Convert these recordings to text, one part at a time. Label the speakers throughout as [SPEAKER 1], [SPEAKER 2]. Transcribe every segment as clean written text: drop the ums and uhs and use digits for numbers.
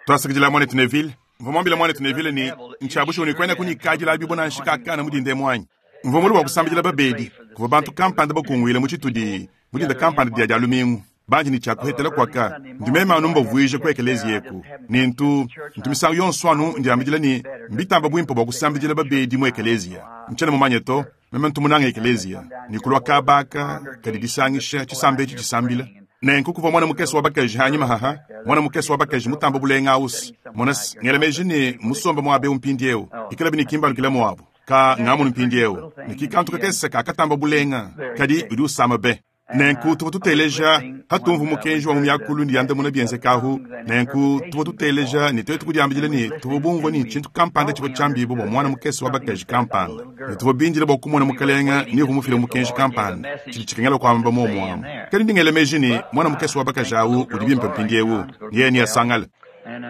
[SPEAKER 1] Twasakidila, Mwanetu Neville. Mvwa mwambile Mwanetu Neville ne, Ncya bushuwa ne kwenaku ne kaadi la bibwa nansha kaakana mu dinda emu anyi? Mvwa mulue bwa kusambidila babeedi. Kuvwa bantu kampanda bakungwile mu citudi mu dinda kampanda dya Dyalumingu. Bandi ne cya kuhetela kwaka, ndi meme anu mbavwija ku ekeleeziya eku. Ne ntu, ntu misangu yonso anu ndyambidila ne mbitamba bwimpe bwa kusambidila babeedi mu ekeleeziya. Ncyena mumanye to. Meme ntu munange ekeleeziya, ne kulwa kaaba aka kadi disangisha cisamba eci cisambila. Nenku kuvwa mwana mukese wa bakaji hanyima haha, mwana mukese wa bakaji mutamba bulenga awu's. Mona's, ngela meji ne mmusombe mwaba ewu mpindyewu, ikalabi ne ki mbalukila mwabo. Kaa, ngamonu mpindyewu ne ki kantu kakese kaakatamba bulenga, kadi udi usama be. Nenku tuvua tuteleja patumvua mukenji wa mu miakulu ne diandamuna bienzeka ahu. Nenku tuvua tuteleja ne tuetu kudiambidila ne, tuvua bumvue ne, tshintu kampanda tshivua tshiambibue bua muana mukese wa bakaji kampanda, ne tuvua bindile bua kumona Mukalenge ni uvua mufile mukenji kampanda. Tshidi tshikengela kuamba muomu amu. Kadi ndi ngela meji ne, muana mukese wa bakaji au udi bimpe mpindieu, ne yeye neasangale.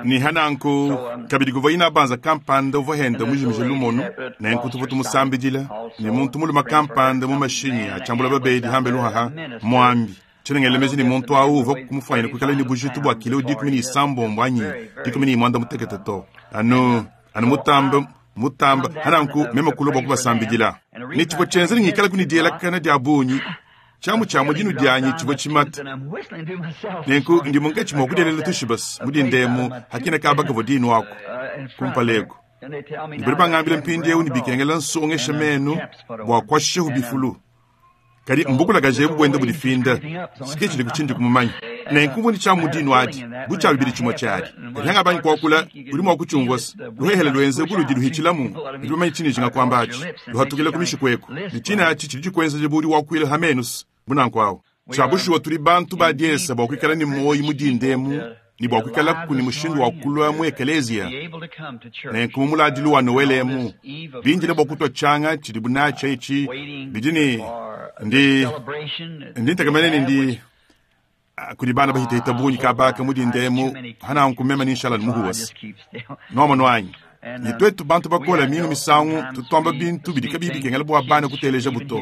[SPEAKER 1] Ne ha nanku, kabidi kuvua inabanza kampanda uvua henda mujimije lumonu, nenku tuvua tumusambidila, ne muntu mulume kampanda mu mashinyi a tshiambula babedi hambelu haha, muambi. Tshiena ngela meji ne muntu awu uvua kumufuanyina kuikala ne bujitu bua kilo 16 anyi 16 to, anu, anu mutambe, mutambe. Ha nanku, meme kulua bua kubasambidila. Ne tshivua tshienza ne ngikalaku ne dielakana dia bungi. Tshiamu tshia mu dinu dianyi tshivua tshimate. Nenku ndi munkatshi mua kudielela tushibas mu dinda emu hakina kaba kavua dinu aku kumpala eku. Ne badi bangambila mpindieu ne bikengela nsongesha menu bua kuashishahu bifulu. Kadi mbukulakaje ebu buenda budifinda, si ke tshidi ku tshindi kumumanya. Nenku mvua ne tshiamu mu dinu adi, bu tshia bibidi tshimue tshiadi. Kadi hangabangi kuakula, udi mua kutshiumvua se, luhehele luenze bu ludi luhitshilamu. Nudi bamanye tshindi njinga kuamba atshi? Luhatukila ku mishiku eku, ne tshine atshi tshidi tshikuenzeja bu udi wakuila ha menu se, bu nanku awu. Tshia bushuwa tudi bantu ba diesa bua kuikala ne muoyo mu dinda emu ne bua kuikalaku ne mushindu wa kulua mu ekeleziya. Nenku mu muladilu wa Nowele emu, bindile bua kutua tshianga tshidibu natshi etshi, bidi ne, ndi, ndi ntekemena ne ndi, kudi bana bahitahita bungi kabaka mu dinda emu, hananku meme ne nshala muhuwase. Nuamonu anyi? Ne tuetu bantu bakole minga misangu tutuamba bintu bidi kabiyi bikengela bua bana kutelejabu to.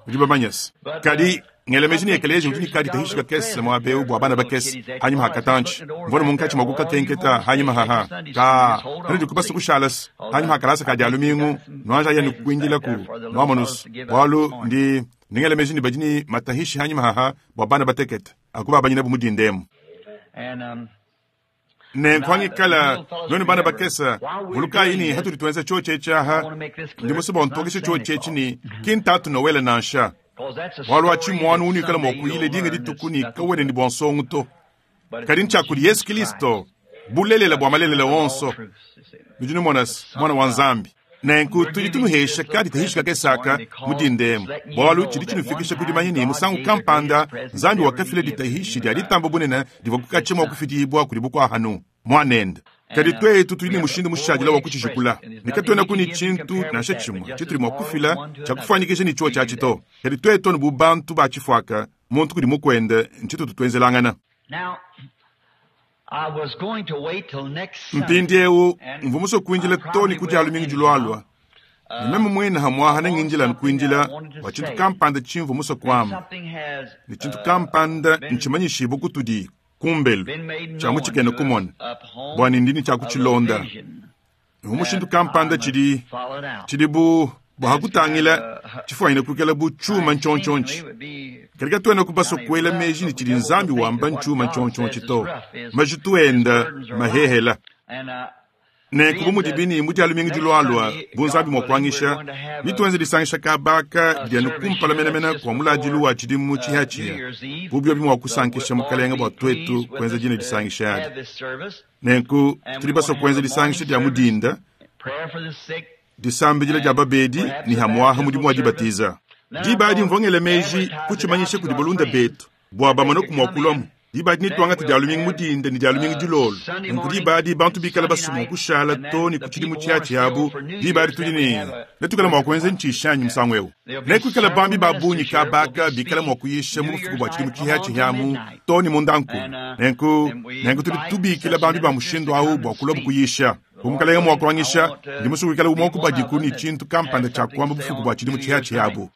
[SPEAKER 1] Udi bamanye se. Kadi ngela meji ne ekeleziya udi ne kadi kahishi kakese muaba eu bua bana bakese hanyima ha katantshi. Mvua ne munkatshi mua kukakenketa hanyima haha. Ka hanudi kubasa kushala se hanyima ha kalasa ka dia lumingu nuanji aya ne kuindilaku nuamonu se bualu ndi ndi ngela meji ne badi ne matahishi hanyima haha bua bana batekete akubabanyinabu mu dinda emu. Nenku angikala nuenu bana bakese, vulukayi ne hatudi tuenza tshiotshi etshi aha, ndi musue bua ntokeshe tshiotshi etshi ne ki ntatu Nowele nansha. Bualu atshi muanu unuikala mua kuyila dinga dituku ne kawena ne bua nsongo to. Kadi ntshia kudi Yesu Kilisto, bulelela bua malelela onso. Nudi numona se, Muana wa Nzambi. Nenku tudi tunuhesha kadi kahishi kakese aka mu dinda emu, bualu tshidi tshinufikisha ku dimanya ne musangu kampanda Nzambi wakafila ditahishi dia ditamba bunene divua kukatshia mua kufidibua kudi bukua-hanu, Muanende. Kadi tuetu tudi ne mushindu mushadila wa kutshijikula, ne katuenaku ne tshintu nansha tshimue tshitudi mua kufila tshia kufuanyikija ne tshiotshi atshi to. Kadi tuetu anu bu bantu ba tshifuaka, muntu kudi mukuende, ntshitutu tuenzelangana. Mpindieu mvua musue kuindila too ne ku Dia lumingu dilualua, ne meme muine hamuaha nengindile anu kuindila bua tshintu kampanda tshimvua musue kuamba, ne tshintu kampanda ntshimanyishibue kutudi kumbelu tshia mu tshikena kumona, bua ne ndi ne tshia kutshilonda. Mu mushindu kampanda tshidi tshidi bu bua kutangila tshifuanyine kuikala bu tshiuma ntshiontshiontshi. Kadi katuenaku basue kuela meji ne tshidi Nzambi wamba ntshiuma ntshiontshiontshi to. Majitu enda mahehela. Nenku bu mudibi ne mu Dia lumingu dilualua, bu Nzambi mua kuanyisha, netuenze disangisha kaba aka didi anu kumpala menemene kua muladilu wa tshidimu tshipiatshipia, bu biobi mua kusankisha Mukalenge bua tuetu kuenza dine disangisha adi. Nenku tudi basue kuenza disangisha dia mu dinda, disambidila dia babedi ne hamuaha mudimu wa dibatiza. Diba adi mvua ngela meji kutshimanyisha kudi balunda betu bua bamone mua kuluamu. Diba adi netuangate dia lumingu mu dinda ne dia lumingu dilolo. Nunku diba adi bantu bikala basue mua kushala too ne ku tshidimu tshiatshiabu. Diba adi tudi ne netuikale mua kuenza ntshishi anyi musangu eu? Nekuikale bambi ba bungi kaba aka bikala mua kuyisha mu bufuku bua tshidimu tshipiatshipia amu too ne mundankulu. Nenku, nenku tudi tubikila bambi ba mushindu au bua kuluabu kuyisha. Bu Mukalenge mua kuanyisha, ndi musue kuikala umue wa ku badiku ne tshintu kampanda tshia kuamba bufuku bua tshidimu tshipiatshipia abu.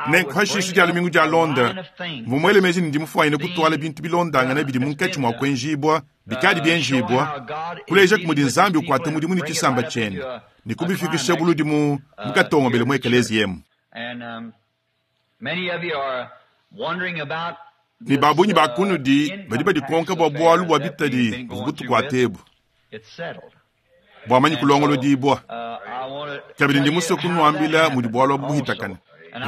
[SPEAKER 1] Nenku hashishe dia lumingu dialonda, mvua muele meji ne ndi mufuanyine kutuala bintu bilondangane bidi munkatshi mua kuenjibua bikadi bienjibua, kulejaku mudi Nzambi ukuata mudimu ne tshisamba tshiende ne kubifikisha buludi mu mukatongobele mu ekeleziya emu. Ne ba bungi ba kunudi badi badikonka bua bualu bua bitadi buvua butukuate ebu buamanyi kulongolodibua. Kabidi ndi musue kunuambila mudi bualu abu buhitakane.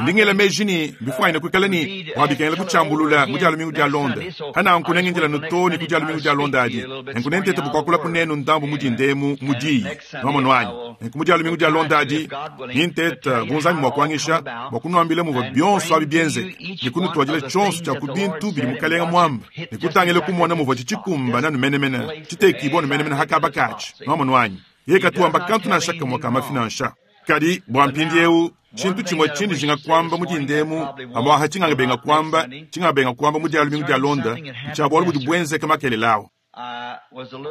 [SPEAKER 1] Ndi ngela meji ne mbifuanyine kuikala ne bua bikengela kutshiambulula mu dia lumingu dialonda. Pananku nengindila too ne ku dia lumingu dialonda adi. Nenku nentete bua kuakula kunenu ndambu mu dinda emu mu diyi. Nuamonu anyi? Nenku mu dia lumingu dialonda adi, nintete bu Nzambi mua kuanyisha bua kunuambila muvua bionso abi bienzeke ne kunutuadila tshionso tshia ku bintu bidi Mukalenga muamba ne kutangila kumona muvuatshi tshikumbana anu menemene, tshitekibua anu menemene ha kaba katshi. Nuamonu anyi? Yeye katu wamba kantu nansha kamue ka mafi nansha. Kadi bua mpindieu, tshintu tshimue tshindi njinga kuamba mu dinda emu, pamu'apa tshingangabenga kuamba, tshingangabenga kuamba mu dia lumingu dialonda, ntshia bualu budi buenzeka makelela au.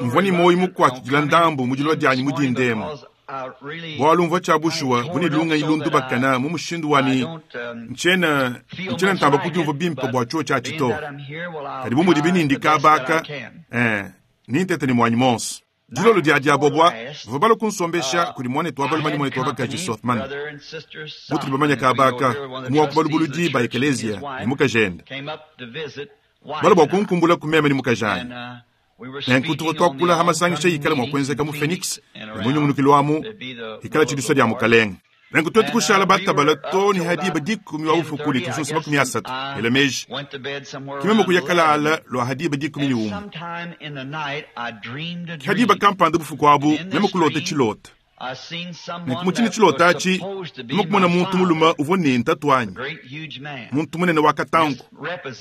[SPEAKER 1] Mvua ne muoyo mukuatshidila ndambu mu dilua dianyi mu dinda emu, bualu mvua tshia bushuwa bu ne lungenyi lundubakana mu mushindu wa ne, ntshiena, ntshiena ntamba kudiumvua bimpe bua tshiotshi atshi to. Kadi bu mudibi ne ndi kaba aka, eh, nintete ne muanyi muonso. Dilolo dia diabobua, bavua balua kunsombesha kudi muanetu wa balume ne muanetu wa bakaji Sothmann, mutudi bamanye kaba aka, umue wa ku balubuludi ba ekeleziya ne mukajende. Balua bua kunkumbula ku meme ne mukajanyi. Nenku tuvua tuakula ha masangisha ikala mua kuenzeka mu Phoenix ne mu nyungunukilu amu, ikala tshidisua dia Mukalenge. Nenku tuetu kushala batabala too ne ha diba dikumi wa bufuku ne tusunsa 30, ela meji. Ke meme kuya kalala lua ha diba 11. Ke ha diba kampanda bufuku abu, meme kulota tshilota. Nenku mu tshine tshilota atshi, meme kumona muntu mulume uvua ne ntatuanyi, muntu munene wa katanku,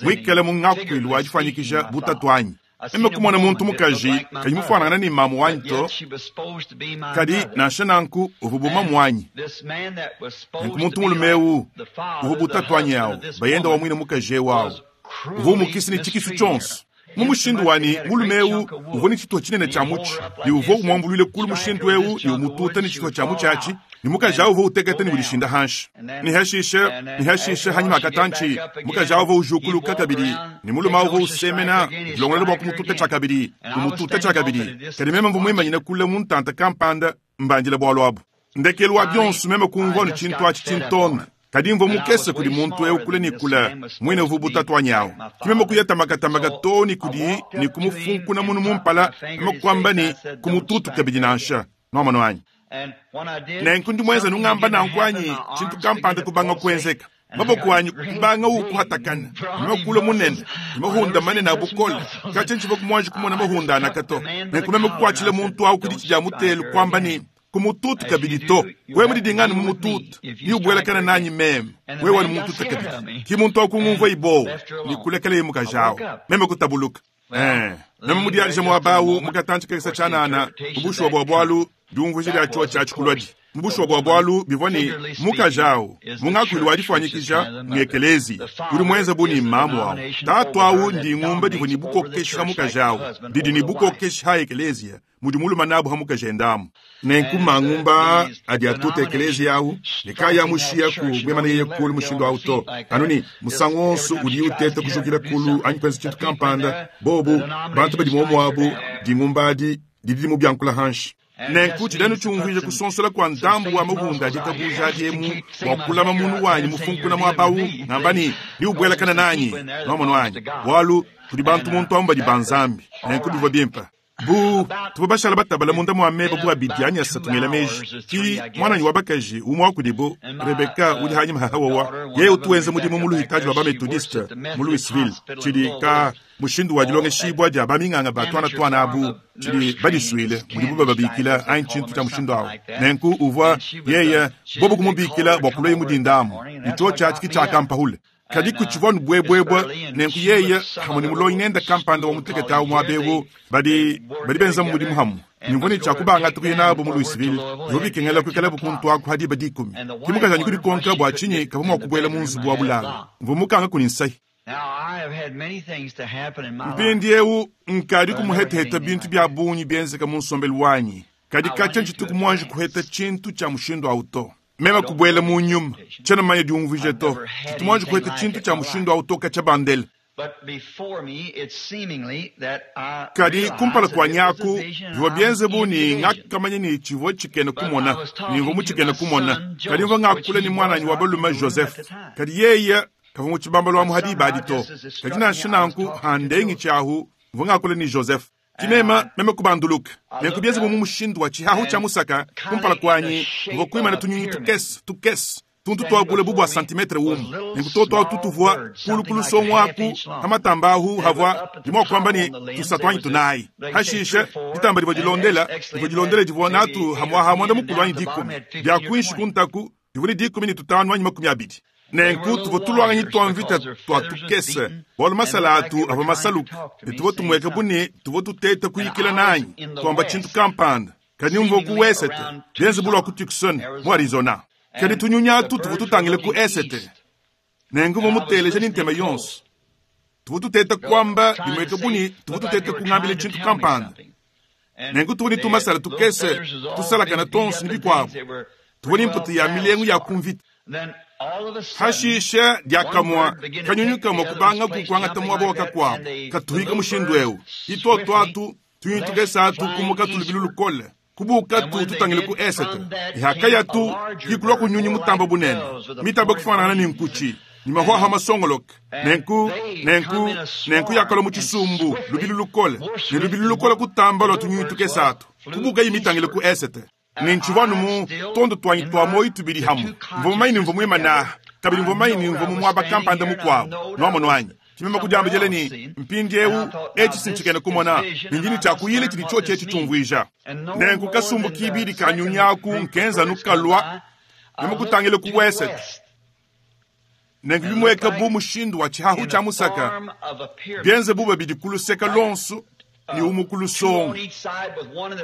[SPEAKER 1] muikale mu ngakuilu wa difuanyikija bu tatuanyi. Meme kumona muntu mukaji kayi mufuanangana ne mamu wanyi to, kadi nansha nanku uvua bu mamu wanyi. Nenku muntu mulume eu uvua bu tatuanyi au, bayende wa muine mukaji eu au, uvua umukisa ne tshikisu tshionso. Mu mushindu wa ne, mulume eu uvua ne tshituha tshinene tshia mutshi ne uvua umuambuluile kulu mushindu eu ne umututa ne tshituha tshia mutshi atshi, ne mukaji au uvua uteketa ne udishinda hanshi. Ne hashishe, ne hashishe hanyima ha katantshi, mukaji au uvua ujukuluka kabidi, ne mulume au uvua usemena, udilongolola bua kumututa tshiakabidi, umututa tshiakabidi. Kadi meme mvua muimanyine kule mu ntanta kampanda, mbandila bualu abu. Ndekelu wa bionso meme kumvua anu tshintu atshi tshintonda. Kadi mvua mukese kudi muntu eu kule ne kule, muine uvua bu tatuanyi au. Ke meme kuya tamakatamaka too ne kudiye ne kumufunkuna munu mu mpala, meme kuamba ne, Kumututu kabidi nansha. Nuamonu anyi? Nenku ndi muenze nungamba nanku anyi, tshintu kampanda kubanga kuenzeka. Maboko anyi kubangawu kuhatakana, ne meme kulua munene, ne mahunda manene a bukole. Katshia ntshivua muanji kumona mahunda anaka to. Nenku meme kukuatshila muntu au ku ditshi dia mutelu, kuamba ne, Kumututu kabidi to. Wewe mudidingane mu mututu, ne ubuelakana nanyi meme, wewe wanu muntuta kabidi. Ki muntu au kungumvua ibowa, ne kulekeleye mukaji au. Meme kutabuluka. Eh, meme mudiadije muaba au mu katantshi kakese tshianana, mu bushuwa bua bualu, diumvuija dia tshiotshi atshi kuluadi. Mu bushuwa bua bualu, bivua ne, mukaji au, mu ngakuilu wa difuanyikija, ng'ekeleziya, udi muenze bu ne mamu au. Tatu au ndingumba divua ne bukokeshi ha mukaji au, didi ne bukokeshi ha ekeleziya, mudi mulume nabu ha mukajende amu. Nenku mangumba aa adi atuta ekeleziya au ne kaayi amushiyaku muimane yeye kulu mushindu au to, anu ne musangu wonso udiye uteta kujukila kulu anyi kuenza tshintu kampanda, bobu, bantu badi muomu abu, dingumba adi didi dimubiankula hanshi. Nenku tshidi anu tshiumvuija kusonsola kua ndambu wa mahunda a ditabuja adi emu bua kulama munu wanyi mufunkuna muaba au, ngamba ne, Neubuelakane nanyi, nuamonu anyi? Bualu tudi bantu muntu amu badi ba Nzambi. Nenku bivua bimpe. Bu tuvua bashala batabala munda mua meba bu abidi anyi asatu ngela meji, ki muananyi wa bakaji umue wa kudibu, Rebecca, udi hanyima ha Hawawa, yeye utu wenza mudimu mu luhitadi lua ba-Methodiste mu Louisville, tshidi ka mushindu wa dilongeshibua dia baminganga ba tuana tuana abu, tshidi badisuile mudibu bababikila anyi tshintu tshia mushindu au. Nenku uvua yeye, bobu kumubikila bua kuluaye mu dinda amu, ne tshiotshi atshi ki tshiakampahule. Kadi kutshivua anu buebuebua, nenku yeye hamue ne mulongi nende kampanda wa mutekete au muaba eu, badi badi benzamu mudimu hamue. Ne mvua ne tshia kubangata kuya nabu mu Louisville, bivua bikengela kuikalabu kuntu aku ha diba dikumi. Ke mukajanyi kudikonka bua tshinyi kavua mua kubuela mu nzubu wa bulalu. Mvua mukanga kuni nsayi. Mpindieu nkadi kumuheteheta bintu bia bungi bienzeka mu nsombelu wanyi, kadi katshia ntshituku muanji kuheta tshintu tshia mushindu au to. Meme kubuela mu nyuma. Tshiena mumanye diumvuija to. Tshitu muanji kupeta tshintu tshia mushindu au to katshia bandele. Kadi kumpala kuanyi aku, bivua bienze bu ne, ngakamanya ne, tshivua tshikena kumona, ne mvua mu tshikena kumona. Kadi mvua ngakula ne muananyi wa balume Joseph, kadi yeye kavua mu tshibambalu amu ha diba adi to. Kadi nansha nanku, handengi tshiahu, mvua ngakula ne Joseph. Ki meme, meme kubanduluka. Nenku bienze bu mu mushindu wa tshihahu tshia musaka kumpala kuanyi, mvua kuimana tunyunyi tukese tukese, tuntu tua bule bu bua santimetre umue. Nenku tuotu atu tuvua kulu ku lusongo aku pa matamba ahu havua ndi mua kuamba ne tusatu anyi tunayi. Hashishe ditamba divua dilondela divua dilondela divua natu hamuaha muanda mukulu anyi dikumi, dia kuinshi ku ntaku divua ne 15 anyi 20. Nenku tuvua tuluanganyi tua mvita tua tukese, bualu masala atu avua masaluke, ne tuvua tumueka bu ne tuvua tuteta kuyikila nanyi, tuamba tshintu kampanda. Kadi mvua ku wesete, bienze bu lua ku Tucson, mu Arizona. Kadi tunyunyi atu tuvua tutangile ku esete, nenku mvua muteleja ne ntema yonso. Tuvua tuteta kuamba, bimueka bu ne tuvua tuteta kungambila tshintu kampanda. Nenku tuvua ne tumasala tukese tusalakana tuonso ne bikuabu. Tuvua ne mputa ya milengu ya ku mvita. Hashishe diakamue kanyunyu kamue kubangaku kuangata muaba wa kakuabu, katuhika mushindu eu. Ituotu atu tunyunyu tukese atu kumuka tulubilu lukole, kubuukatu tutangile ku esete. Ihakayatu kikulua kunyunyi mutamba bunene, mitamba kufanangana ne nkutshi, ne mahuahua masongoloke. Nenku, nenku, nenku yakalua mu tshisumbu lubilu lukole, ne lubilu lukole kutamba lua tunyunyu tukese atu, kubuukayi mitangile ku esete. Ne ntshivua anu mu tuondo tuanyi tua muoyo tubidi hamue. Mvua mumanye ne mvua muimane kabidi mvua mumanye ne mvua mu muaba kampanda mukuabu. Nuamonu anyi? Ki meme kudiambidila ne, Mpindieu, etshi si ntshikena kumona, ne ndi ne tshia kuyila tshidi tshiotshi etshi tshiumvuija. Nenku kasumbu kibidi ka nyunyi aku nkenza anu kalua, meme kutangila ku wesete. Nenku bimueka bu mushindu wa tshihahu tshia musaka, bienze bu babidi ku luseke luonso ne umue ku lusongo.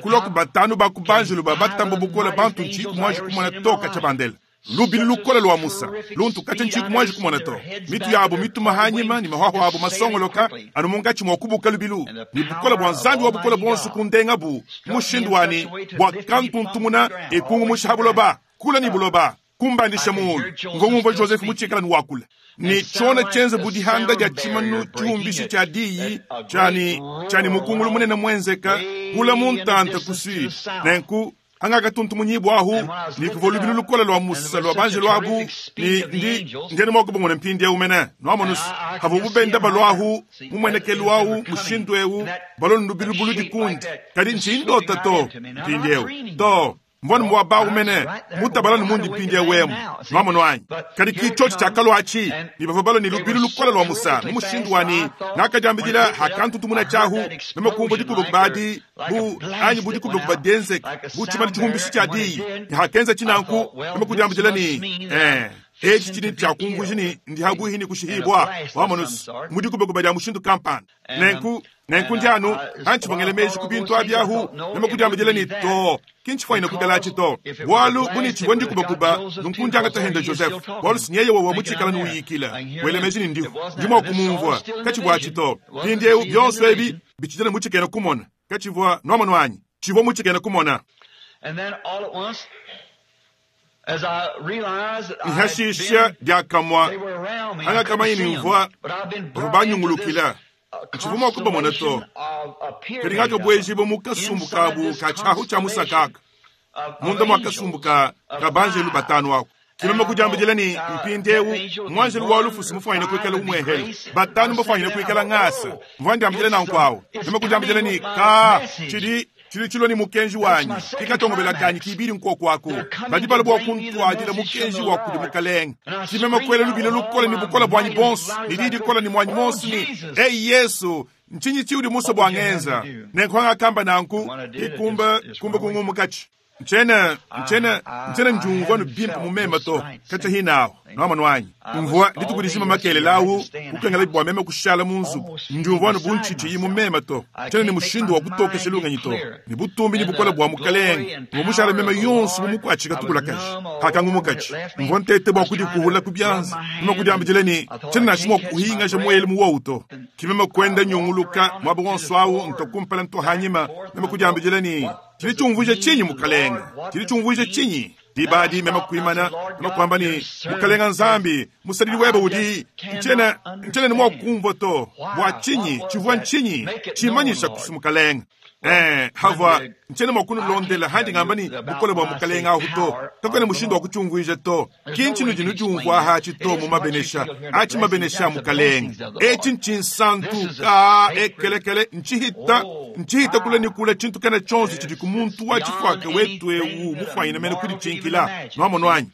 [SPEAKER 1] Kulua ku batanu ba ku banjelu ba batamba bukole bantu ntshiyi muanji kumona to katshia bandela. Lubilu lukole lua musa luntu katshia ntshiyi muanji kumona to. Mitu yabu mituma hanyima ne mahuahua abu masongoloka anu munkatshi mua kubuka lubilu. Ne bukole bua Nzambi wa bukole buonso kundengabu mushindu wani bua kantuntumuna e kungumusha ha buloba, kula ne buloba, kumbandisha muulu. Mvua ngumvua Joseph mutshikala ne wakula. Ne tshiona tshienze bu dihanda dia tshimanu tshiumbishi tshia diyi tshiani tshiani mukungulu munene muenzeka kula mu ntanta ku sud. Nenku hangakatuntumunyibua ahu, ne kuvua lubilu lukole lua musa lua banjelu abu, ne ndi ndiena mua kubamona mpindieu mene. Nuamonusu havuabu benda balua ahu mumuenekelu au mushindu eu, balua ne lubilu buludi kundi. Kadi ntshiyi ndota to mpindieu to. Mvua ne muaba au mene mutabala ne mundi mpindieu emu. Nuamonu anyi? Kadi ki tshiotshi tshiakalua atshi, ne bavua balua ne lubilu lukole lua musa mu mushindu wa ne ngakadiambidila hakantutumuna tshiahu, meme kumvua dikubakuba adi bu anyi bu dikubakuba dienzeka bu tshimanu tshihumbishi tshia diyi, ne hakenza tshinanku meme kudiambidila ne, eh, etshi tshidi tshiakumvuija ne ndi habuihi ne kushihibua, wamonusu, mu dikubakuba dia mushindu kampanda. Nenku nenku ndi anu hantshivua ngela meji ku bintu abi ahu, meme kudiambidila ne, to, ki ntshifua kukalatshi to, bualu bu ne tshivua ndikubakuba, nunku ndiangata henda Joseph, bualu si nyeye wawa mutshikala nuyikila, wela meji ne ndihu, ndi mua kumumvua, katshivua atshi to. Mpindieu bionso ebi bitshidila mutshikena kumona, katshivua nuamonu anyi, tshivua mutshikena kumona. Hashishe diakamue hangakamanya ne mvua bavua banyungulukila, ntshivua mua kubamona to. Kadi ngakabuejibua mu kasumbu kabu ka tshiahu tshia musakaka, munda mua kasumbu ka ka banjelu batanu aku. Kimeme kudiambidila ne, mpindieu muanjelu wa lufu simufuanyine kuikala umuehele, batanu bafuanyine kuikala ngasa. Mvua ndiambidila nanku awu. Meme kudiambidila ne, ka tshidi tshidi tshilua ne mukenji wanyi, kikatongobela kanyi kibidi nkoku aku. Badi balua bua kuntuadila mukenji wa kudi mukalenge. Kimeme kuela lubila lukole ne bukole buanyi bonso, ne diyi dikole ne muanyi monso ne, Eyi Yesu, ntshinyi tshiudi musue bua ngenza? Nenku hangakamba nanku, kikumba kumba kungumukatshi. Ntshiena, ntshiena, ntshiena ndiumvua nu bimpe mu meme to, katshia hinahu, nuamonu anyi. Mvua dituku dijima makelela ahu, kukengela bua meme kushala mu nzubu. Ndiumvua nu bu ntshitshiyi mu meme to, tshiena ne mushindu wa kutokesha lungenyi to. Ne butumbi ne bukole bua mukalenge, mvua mushala meme yonso bu mukuatshika tukulakaji. Hakangumukatshi, mvua ntete bua kudikuhula ku bianza, meme kudiambidila ne, tshiena nansha mua kuhingaja muele mu wowu to. Ki meme kuenda nyunguluka muaba wonso awu, ntua kumpala ntua hanyima, meme kudiambidila ne, tshidi tshiumvuija tshinyi mukalenge? Tshidi tshiumvuija tshinyi? Diba adi meme kuimana, meme kuamba ne, Mukalenga Nzambi, musadidi webe udi, ntshiena, ntshiena ne mua kumvua to. Bua tshinyi? Tshivua ntshinyi? Tshimanyisha kusi Mukalenga. Ee, havua, ntshiena mua kunulondela handi ngamba ne bukole bua Mukalenga ahu to. Kakuena mushindu wa kutshiumvuija to. Ki ntshinudi nudiumvua aha atshi to mu mabenesha, atshi mabenesha a Mukalenga. Etshi ntshinsantu, kaa, ekelekele, ntshihita, ntshihita kule ne kule tshintu kena tshionso tshidi ku muntu wa tshifuaka wetu eu mufuanyine mene kuditshinkila. Nuamonu anyi?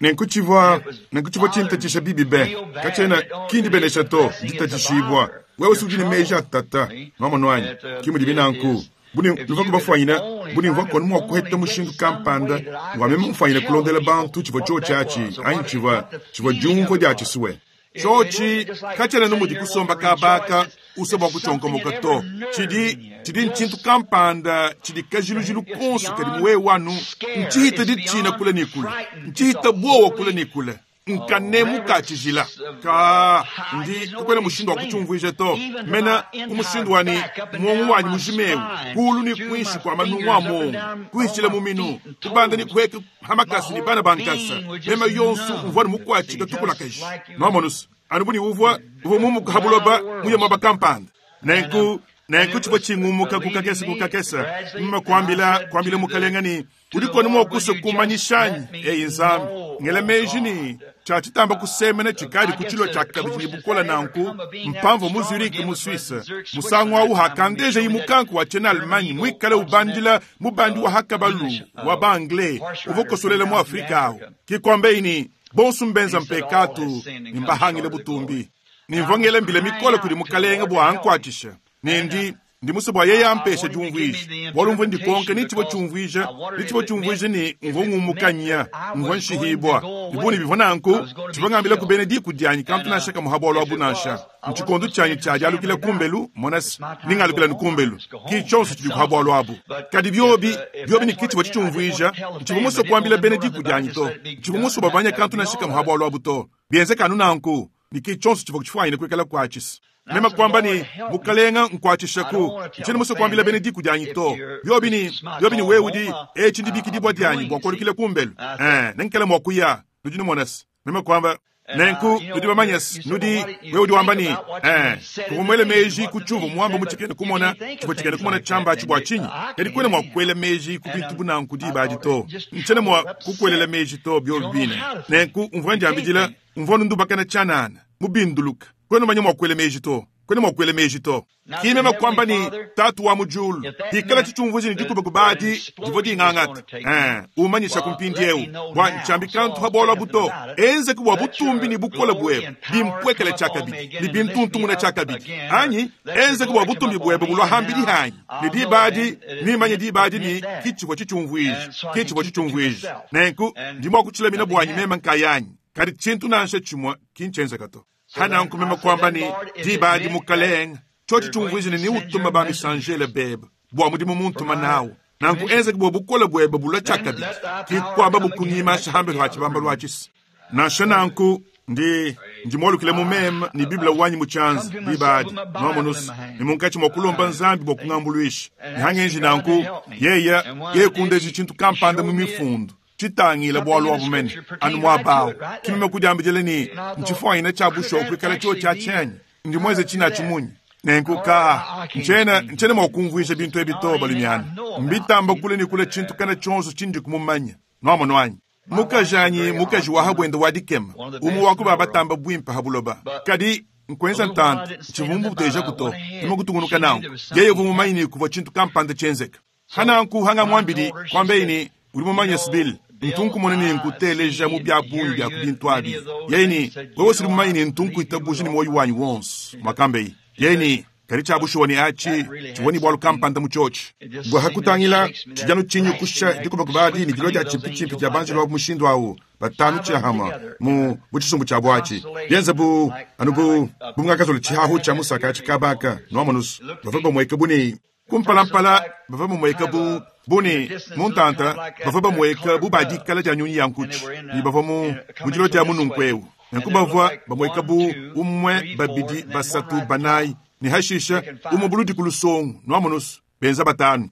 [SPEAKER 1] Nenku tshivua, nenku tshivua tshintatshisha bibi be. Katshiena, ki ndibenesha to, nditatshishibua. Wewe si udi ne meji a tata. Nuamonu anyi? Ki mudibi nanku. Bu ne nuvua kubafuanyina, bu ne mvua konu mua kuheta mushindu kampanda wa meme mufuanyine kulondela bantu tshivua tshiotshi atshi, anyi tshivua, tshivua diumvua dia tshisue. Tshiotshi katshiena anu mudi kusomba kaba aka usua bua kutshionkomoka to. Tshidi, tshidi ntshintu kampanda tshidi kajilujilu konso kadi mu wewe anu. Ntshihita ditshina kule ne kule. Ntshihita buowa kule ne kule. Nkanemu ka tshijila. Kaa, ndi, kakuena mushindu wa kutshiumvuija to. Mena ku mushindu wa ne muongo wanyi mujima eu, kuulu ne kuinshi kua manungu a muongo, kuhitshila mu minu, kubanda ne kuheka ha makasa ne bana ba nkasa, mema yonso mvua ne mukuatshika tukulakaji. Nuamonus, anu bu ne uvua, uvua mumuka ha buloba muye muaba kampanda. Nenku, nenku tshivua tshingumuka ku kakese ku kakese, meme kuambila, kuambila Mukalenga ne, Udiku anu mua kusua kumanyisha anyi? Eyi Nzambi, ngela meji ne, tshia tshitamba kusemena tshikadi ku tshilua tshia kabidi ne bukole nanku, mpamvua mu Zurich mu Suisse. Musangu au hakandejayi mukanku wa tshiena-Allemagne muikale ubandila mubandi wa ha kabalu wa ba-Anglais uvua ukosolela mu Afrika au. Ke kuambaye ne, Bonso mbenza mpekatu ne mbahangile butumbi. Ne mvua ngela mbila mikole kudi Mukalenge bua ankuatshishe, ne ndi Ndi musue bua yeye ampeshe diumvuija, bualu mvua ndikonka ni tshivua tshiumvuija, ni tshivua tshiumvuija ne mvua ngumuka nya, mvua nshihibua. Ne bu ne bivua nanku, tshivua ngambilaku bena diku dianyi kantu nansha kamue ha bualu abu nansha. Ntshikondo tshianyi tshia dialukila kumbelu, mona se, ne ngalukila ne kumbelu. Ki tshionso tshidi ha bualu abu. Kadi biobi, biobi ne ki tshivua tshitshiumvuija, ntshivua musue kuambila bena diku dianyi to. Ntshivua musue bamanye kantu nansha kamue ha bualu abu to. Bienzeka anu nanku, ne ki tshionso tshivua tshifuanyine kuikala kuatshisa. Meme kuamba ne, Mukalenga, nkuatshishaku. Ntshiena musue kuambila bena diku dianyi to. Biobi ne, biobi ne wewe udi, etshi ndibikidibua dianyi bua kualukila kumbelu. Ee, nenkale mua kuya. Nudi numona se, meme kuamba. Nenku, nudi bamanye se, nudi, wewe udi wamba ne, Ee, kuvua muele meji ku tshiuvua muamba mu tshikena-kumona, tshivua tshikena-kumona tshiamba atshi bua tshinyi? Kadi kuena mua kuela meji ku bintu bu nanku diba adi to. Ntshiena mua kukuelela meji to, biobi bine. Nenku, mvua ndiambidila, mvua anu ndubakana tshianana, mubinduluka. Kuena umanya mua kuela meji to. Kuena mua kuela meji to. Ki meme kuamba ne, Tatu wa mu diulu, pikala tshitshiumvuija ne dikubakuba adi divua dingangata, ee, umanyisha ku mpindieu, bua ntshiambi kantu pa bualu abu to. Enzeke bua butumbi ne bukole buebe bimpuekele tshiakabidi ne bintuntumuna tshiakabidi. Anyi enzeke bua butumbi buebe bulua hambidi hanyi. Ne diba adi, nemanye diba adi ne ki tshivua tshitshiumvuija. Ki tshivua tshitshiumvuija. Nenku, ndi mua kutshilamina buanyi meme nkayanyi. Kadi tshintu nansha tshimue ki ntshienzeka to. Hananku meme kuamba ne, Diba adi, Mukalenge, tshiotshi tshiumvuija ne neutuma ba-misanjele bebe bua mudimu muntuma nawu. Nanku enzeke bua bukole buebe bulua tshiakabidi, ki kuambabu kungimansha hambelu ha tshibambalu atshi. Nansha nanku, ndi, ndi mualukile mu meme ne Bible wanyi mu tshianza diba adi, nuamonu's, ne munkatshi mua kulomba Nzambi bua kungambuluisha. Ne hangenji nanku, yeye, yeye kundeja tshintu kampanda mu Mifundu. Tshitangila bualu abu mene, anu muaba awu. Ki meme kudiambidila ne, Ntshifuanyine tshia bushuwa kuikala tshiotshi atshi anyi? Ndi muenze tshine atshi munyi? Nenku, kaa, ntshiena, ntshiena mua kumvuija bintu ebi to, balumiana. Mbitamba kule ne kule tshintu kana tshionso tshindiku mumanye. Nuamonu anyi? Mukajanyi, mukaji wa ha buende wa dikema, umue wa ku ba batamba buimpe ha buloba. Kadi, nkuenza ntanta, ntshivua mubutejaku to. Meme kutungunuka nanku. Yeye uvua mumanye ne kuvua tshintu kampanda tshienzeka. Hananku hangamuambidi, kuambeye ne, Udi mumanye Bill, ntu nkumona ne nkuteleja mu bia bungi bia ku bintu abi. Yeye ne, Wewe sudi mumanye ne ntu nkuitabuja ne muoyo wanyi wonso, mwakambeye. Yeye ne, Kadi tshia bushuwa ne atshi tshivua ne bualu kampanda mu tshiotshi. Bua hakutangila, tshidi anu tshinyukusha dikubakuba adi ne dilua dia tshimpitshimpi dia banjelu abu mushindu au, batanu tshiahama mu mu tshisumbu tshiabu atshi, bienze bu anu bu bu ngakazola tshihahu tshia musaka atshi kaba aka, nuamonu's, bavua bamueka bu ne Kumpalampala bavua bamueka bu bu ne mu ntanta, bavua bamueka bu ba dikala dia nyunyi ya nkutshi, ne bavua mu mu dilua dia mununku eu. Nanku bavua bamueka bu umue, babidi, basatu, banayi, ne hashisha umue buludi ku lusongo, nuamonu's, benza batanu.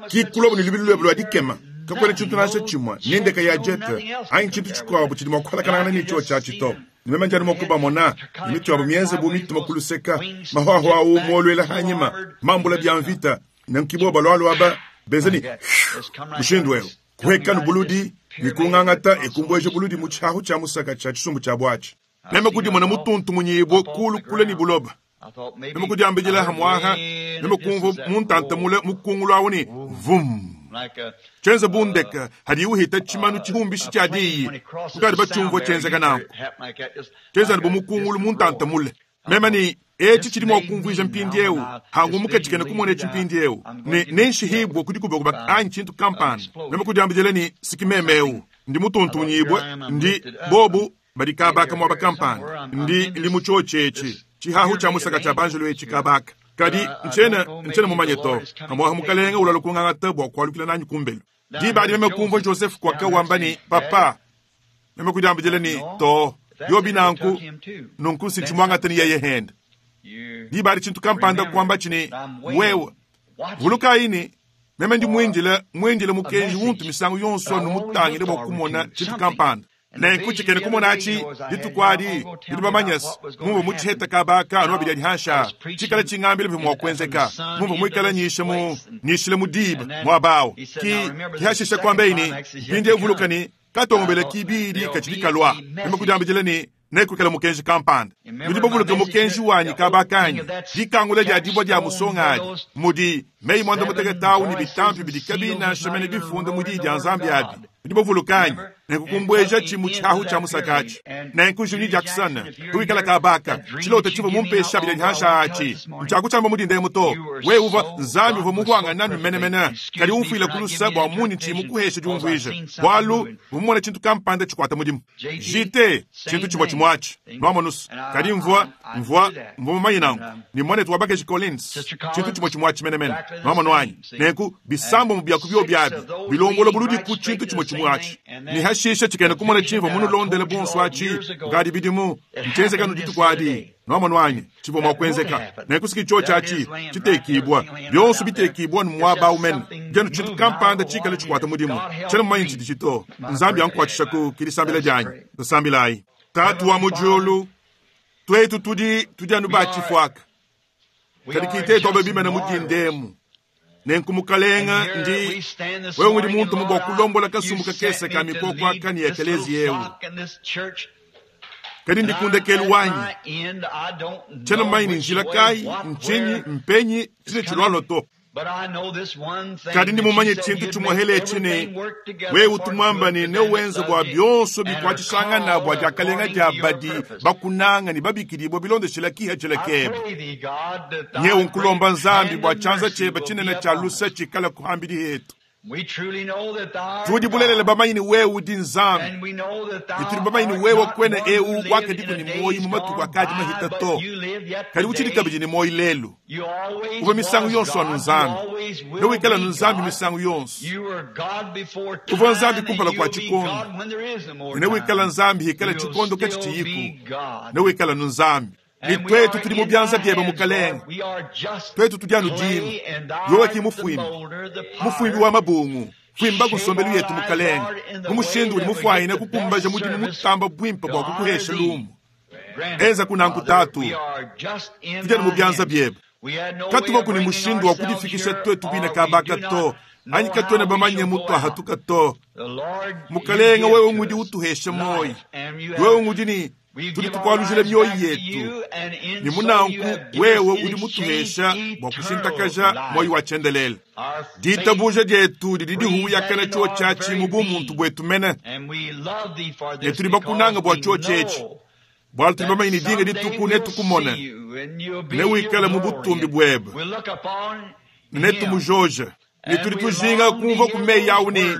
[SPEAKER 1] Ki kulobo ne lubilu luebe lua dikema. Kakuena tshintu nansha tshimue, ni ndeke ya jet anyi tshintu tshikuabu tshidi mua kualakanangana ne tshiotshi atshi to. Ne meme ndi anu mua kubamona, ne mitu yabu mienze bu mituma ku luseka, mahuahua awu muoluela anyima, mambula bia mvita, nenku bobu balualua aba benza ne mushindu eu, kuhekanu buludi ne kungangata e kumbueja buludi mu tshiahu tshia musaka tshia tshisumbu tshiabu atshi. Meme kudimona mutuntumunyibue kulu kule ne buloba. Meme kudiambidila hamuaha, meme kumvua muntanta mule mukungulu awu ne vum. Tshienza bu ndeke hadiyi uhita tshimanu tshihumbishi tshia diyi, nukadi batshiumvua tshienzeka nanku. Tshienza anu bu mukungulu muntanta mule. Meme ne, Etshi tshidi mua kumvuija mpindieu, hangumuka tshikena kumona etshi mpindieu, ne nenshihibue ku dikubakuba anyi tshintu kampanda. Meme kudiambidila ne, Siki meme eu. Ndi mutuntunyibue, ndi, bobu badi kabaka muaba kampanda. Ndi, ndi mu tshiotshi etshi, tshihahu tshia musaka tshia banjelo etshi kabaka. Kadi ntshiena, ntshiena mumanye to. Pamuapa Mukalenga ulua kungangata bua kualukila nanyi kumbelu. Diba adi meme kumvua Joseph Kwaka wamba ne, Papa, meme kudiambidila ne, To, biobi nanku, nunku si ntshimuangate ne yeye hende. Diba adi tshintu kampanda kuambatshi ne, Wewe, vulukayi ne, meme ndi muindile, muindile mukenji untu misangu yonso anu mutangile bua kumona tshintu kampanda. Nenku tshikena kumona atshi dituku adi, nudi bamanye se, mumvua mu tshiheta kaba aka anu abidi adi hanshi aa, tshikala tshingambila bivua mua kuenzeka, mumvua muikale nyisha mu, nyishila mu diba muaba awu. Ki, ki hashisha kuambeyi ne, Mpindieu vuluka ne, katongobela kibidi katshidi kalua. Meme kudiambidila ne, Nekuikale mukenji kampanda. Nudi bavuluke mukenji wanyi kaba kanyi, dikangula dia dibua dia musonga adi, mudi meyi muanda-mutekete awu ne bitampi bidi kabiyi nansha mene bifunda mu Diyi dia Nzambi abi. Nudi bavuluke anyi? Nenku kumbuejatshi mu tshiahu tshia musaka atshi. Nenku Junior Jackson, biwikala kaba aka, tshilota tshivua mumpesha abidi adi hanshi aa atshi, ntshiakutshiamba mu dinda emu to. Wewe uvua, Nzambi uvua muhuangane nanu menemene, kadi umfuile ku luse bua mundi tshiyi mukuheshe diumvuija, bualu mvua mumone tshintu kampanda tshikuata mudimu. JT, tshintu tshimue tshimue atshi, nwamonus. Kadi mvua, mvua, mvua mumanye nanku ne muanetu wa bakaji Collins, tshintu tshimue tshimue atshi menemene, nwamonu anyi? Nenku bisambombo bia ku biobi abi bilombola buludi ku tshintu tshimue tshimue atshi. Ne hashisha tshikena kumona tshimvua munulondele bonso atshi kukadi bidimu, ntshienzeka anu dituku adi, nwamonu anyi? Tshivua mua kuenzeka. Nenku siki tshiotshi atshi tshitekibua, bionso bitekibua anu muaba au mene, dianu tshintu kampanda tshikale tshikuata mudimu. Tshiena mumanye tshiditshi to. Nzambi ankuatshishaku, ke disambila dianyi. Tusambilayi. Tatu wa mu diulu, tuetu tudi, tudi anu ba tshifuaka, kadi ki tetu aba bimane mu dinda emu. Nenku Mukalenga, ndi, wewe ngudi muntume bua kulombola kasumbu kakese ka mikoko aka ne ekeleziya eu. Kadi ndi ku ndekelu wanyi. Tshiena mumanye ne njila kayi, ntshinyi, mpenyi, tshine tshilualua to. Kadi ndi mumanye tshintu tshimuehele etshi ne, wewe utu muamba ne newenze bua bionso bikuatshishangana bua diakalenga dia badi bakunanga ne babikidibua bilondeshila kihedjela kebe. Nyewu nkulomba Nzambi bua tshianza tshiebe tshinene tshia luse tshikale kuhambidi hetu. Tudi bulelela bamanye ne wewe udi Nzambi, ne tudi bamanye ne wewe kuena eu wakadiku ne muoyo mu matuku akadi mahita to, kadi utshidi kabidi ne muoyo lelu. Uvua misangu yonso anu Nzambi, ne wikale anu Nzambi misangu yonso. Uvua Nzambi kumpala kua tshikondo, ne newikale Nzambi hikala tshikondo katshitshiyiku, newikale anu Nzambi. Ne tuetu tudi mu bianza biebe, Mukalenge. Tuetu tudi anu dima, wewe ki mufuimbi, mufuimbi wa mabungu. Fuimbaku nsombelu yetu, Mukalenge, mu mushindu udi mufuanyine kukumbaja mudimu mutamba buimpe bua kukuhesha lumu. Enzaku nanku, Tatu. Tudi anu mu bianza biebe. Katuvaku ne mushindu wa kudifikisha tuetu bine kaba aka to, anyi katuena bamanye mutuahatuka to. Mukalenge, wewe ngudi utuhesha muoyo. Wewe ngudi ne tudi tukualujila mioyo yetu, ne mu nanku wewe udi mutuhesha bua kushintakaja muoyo wa tshiendelele. Ditabuja dietu didi dihuyakana tshiotshi atshi mu bumuntu buetu mene, ne tudi bakunanga bua tshiotshi etshi, bualu tudi bamanye ne dinga dituku netukumone, newikale mu butumbi buebe, ne netumujoje. Ne tudi tujinga kumvua ku meyi au ne,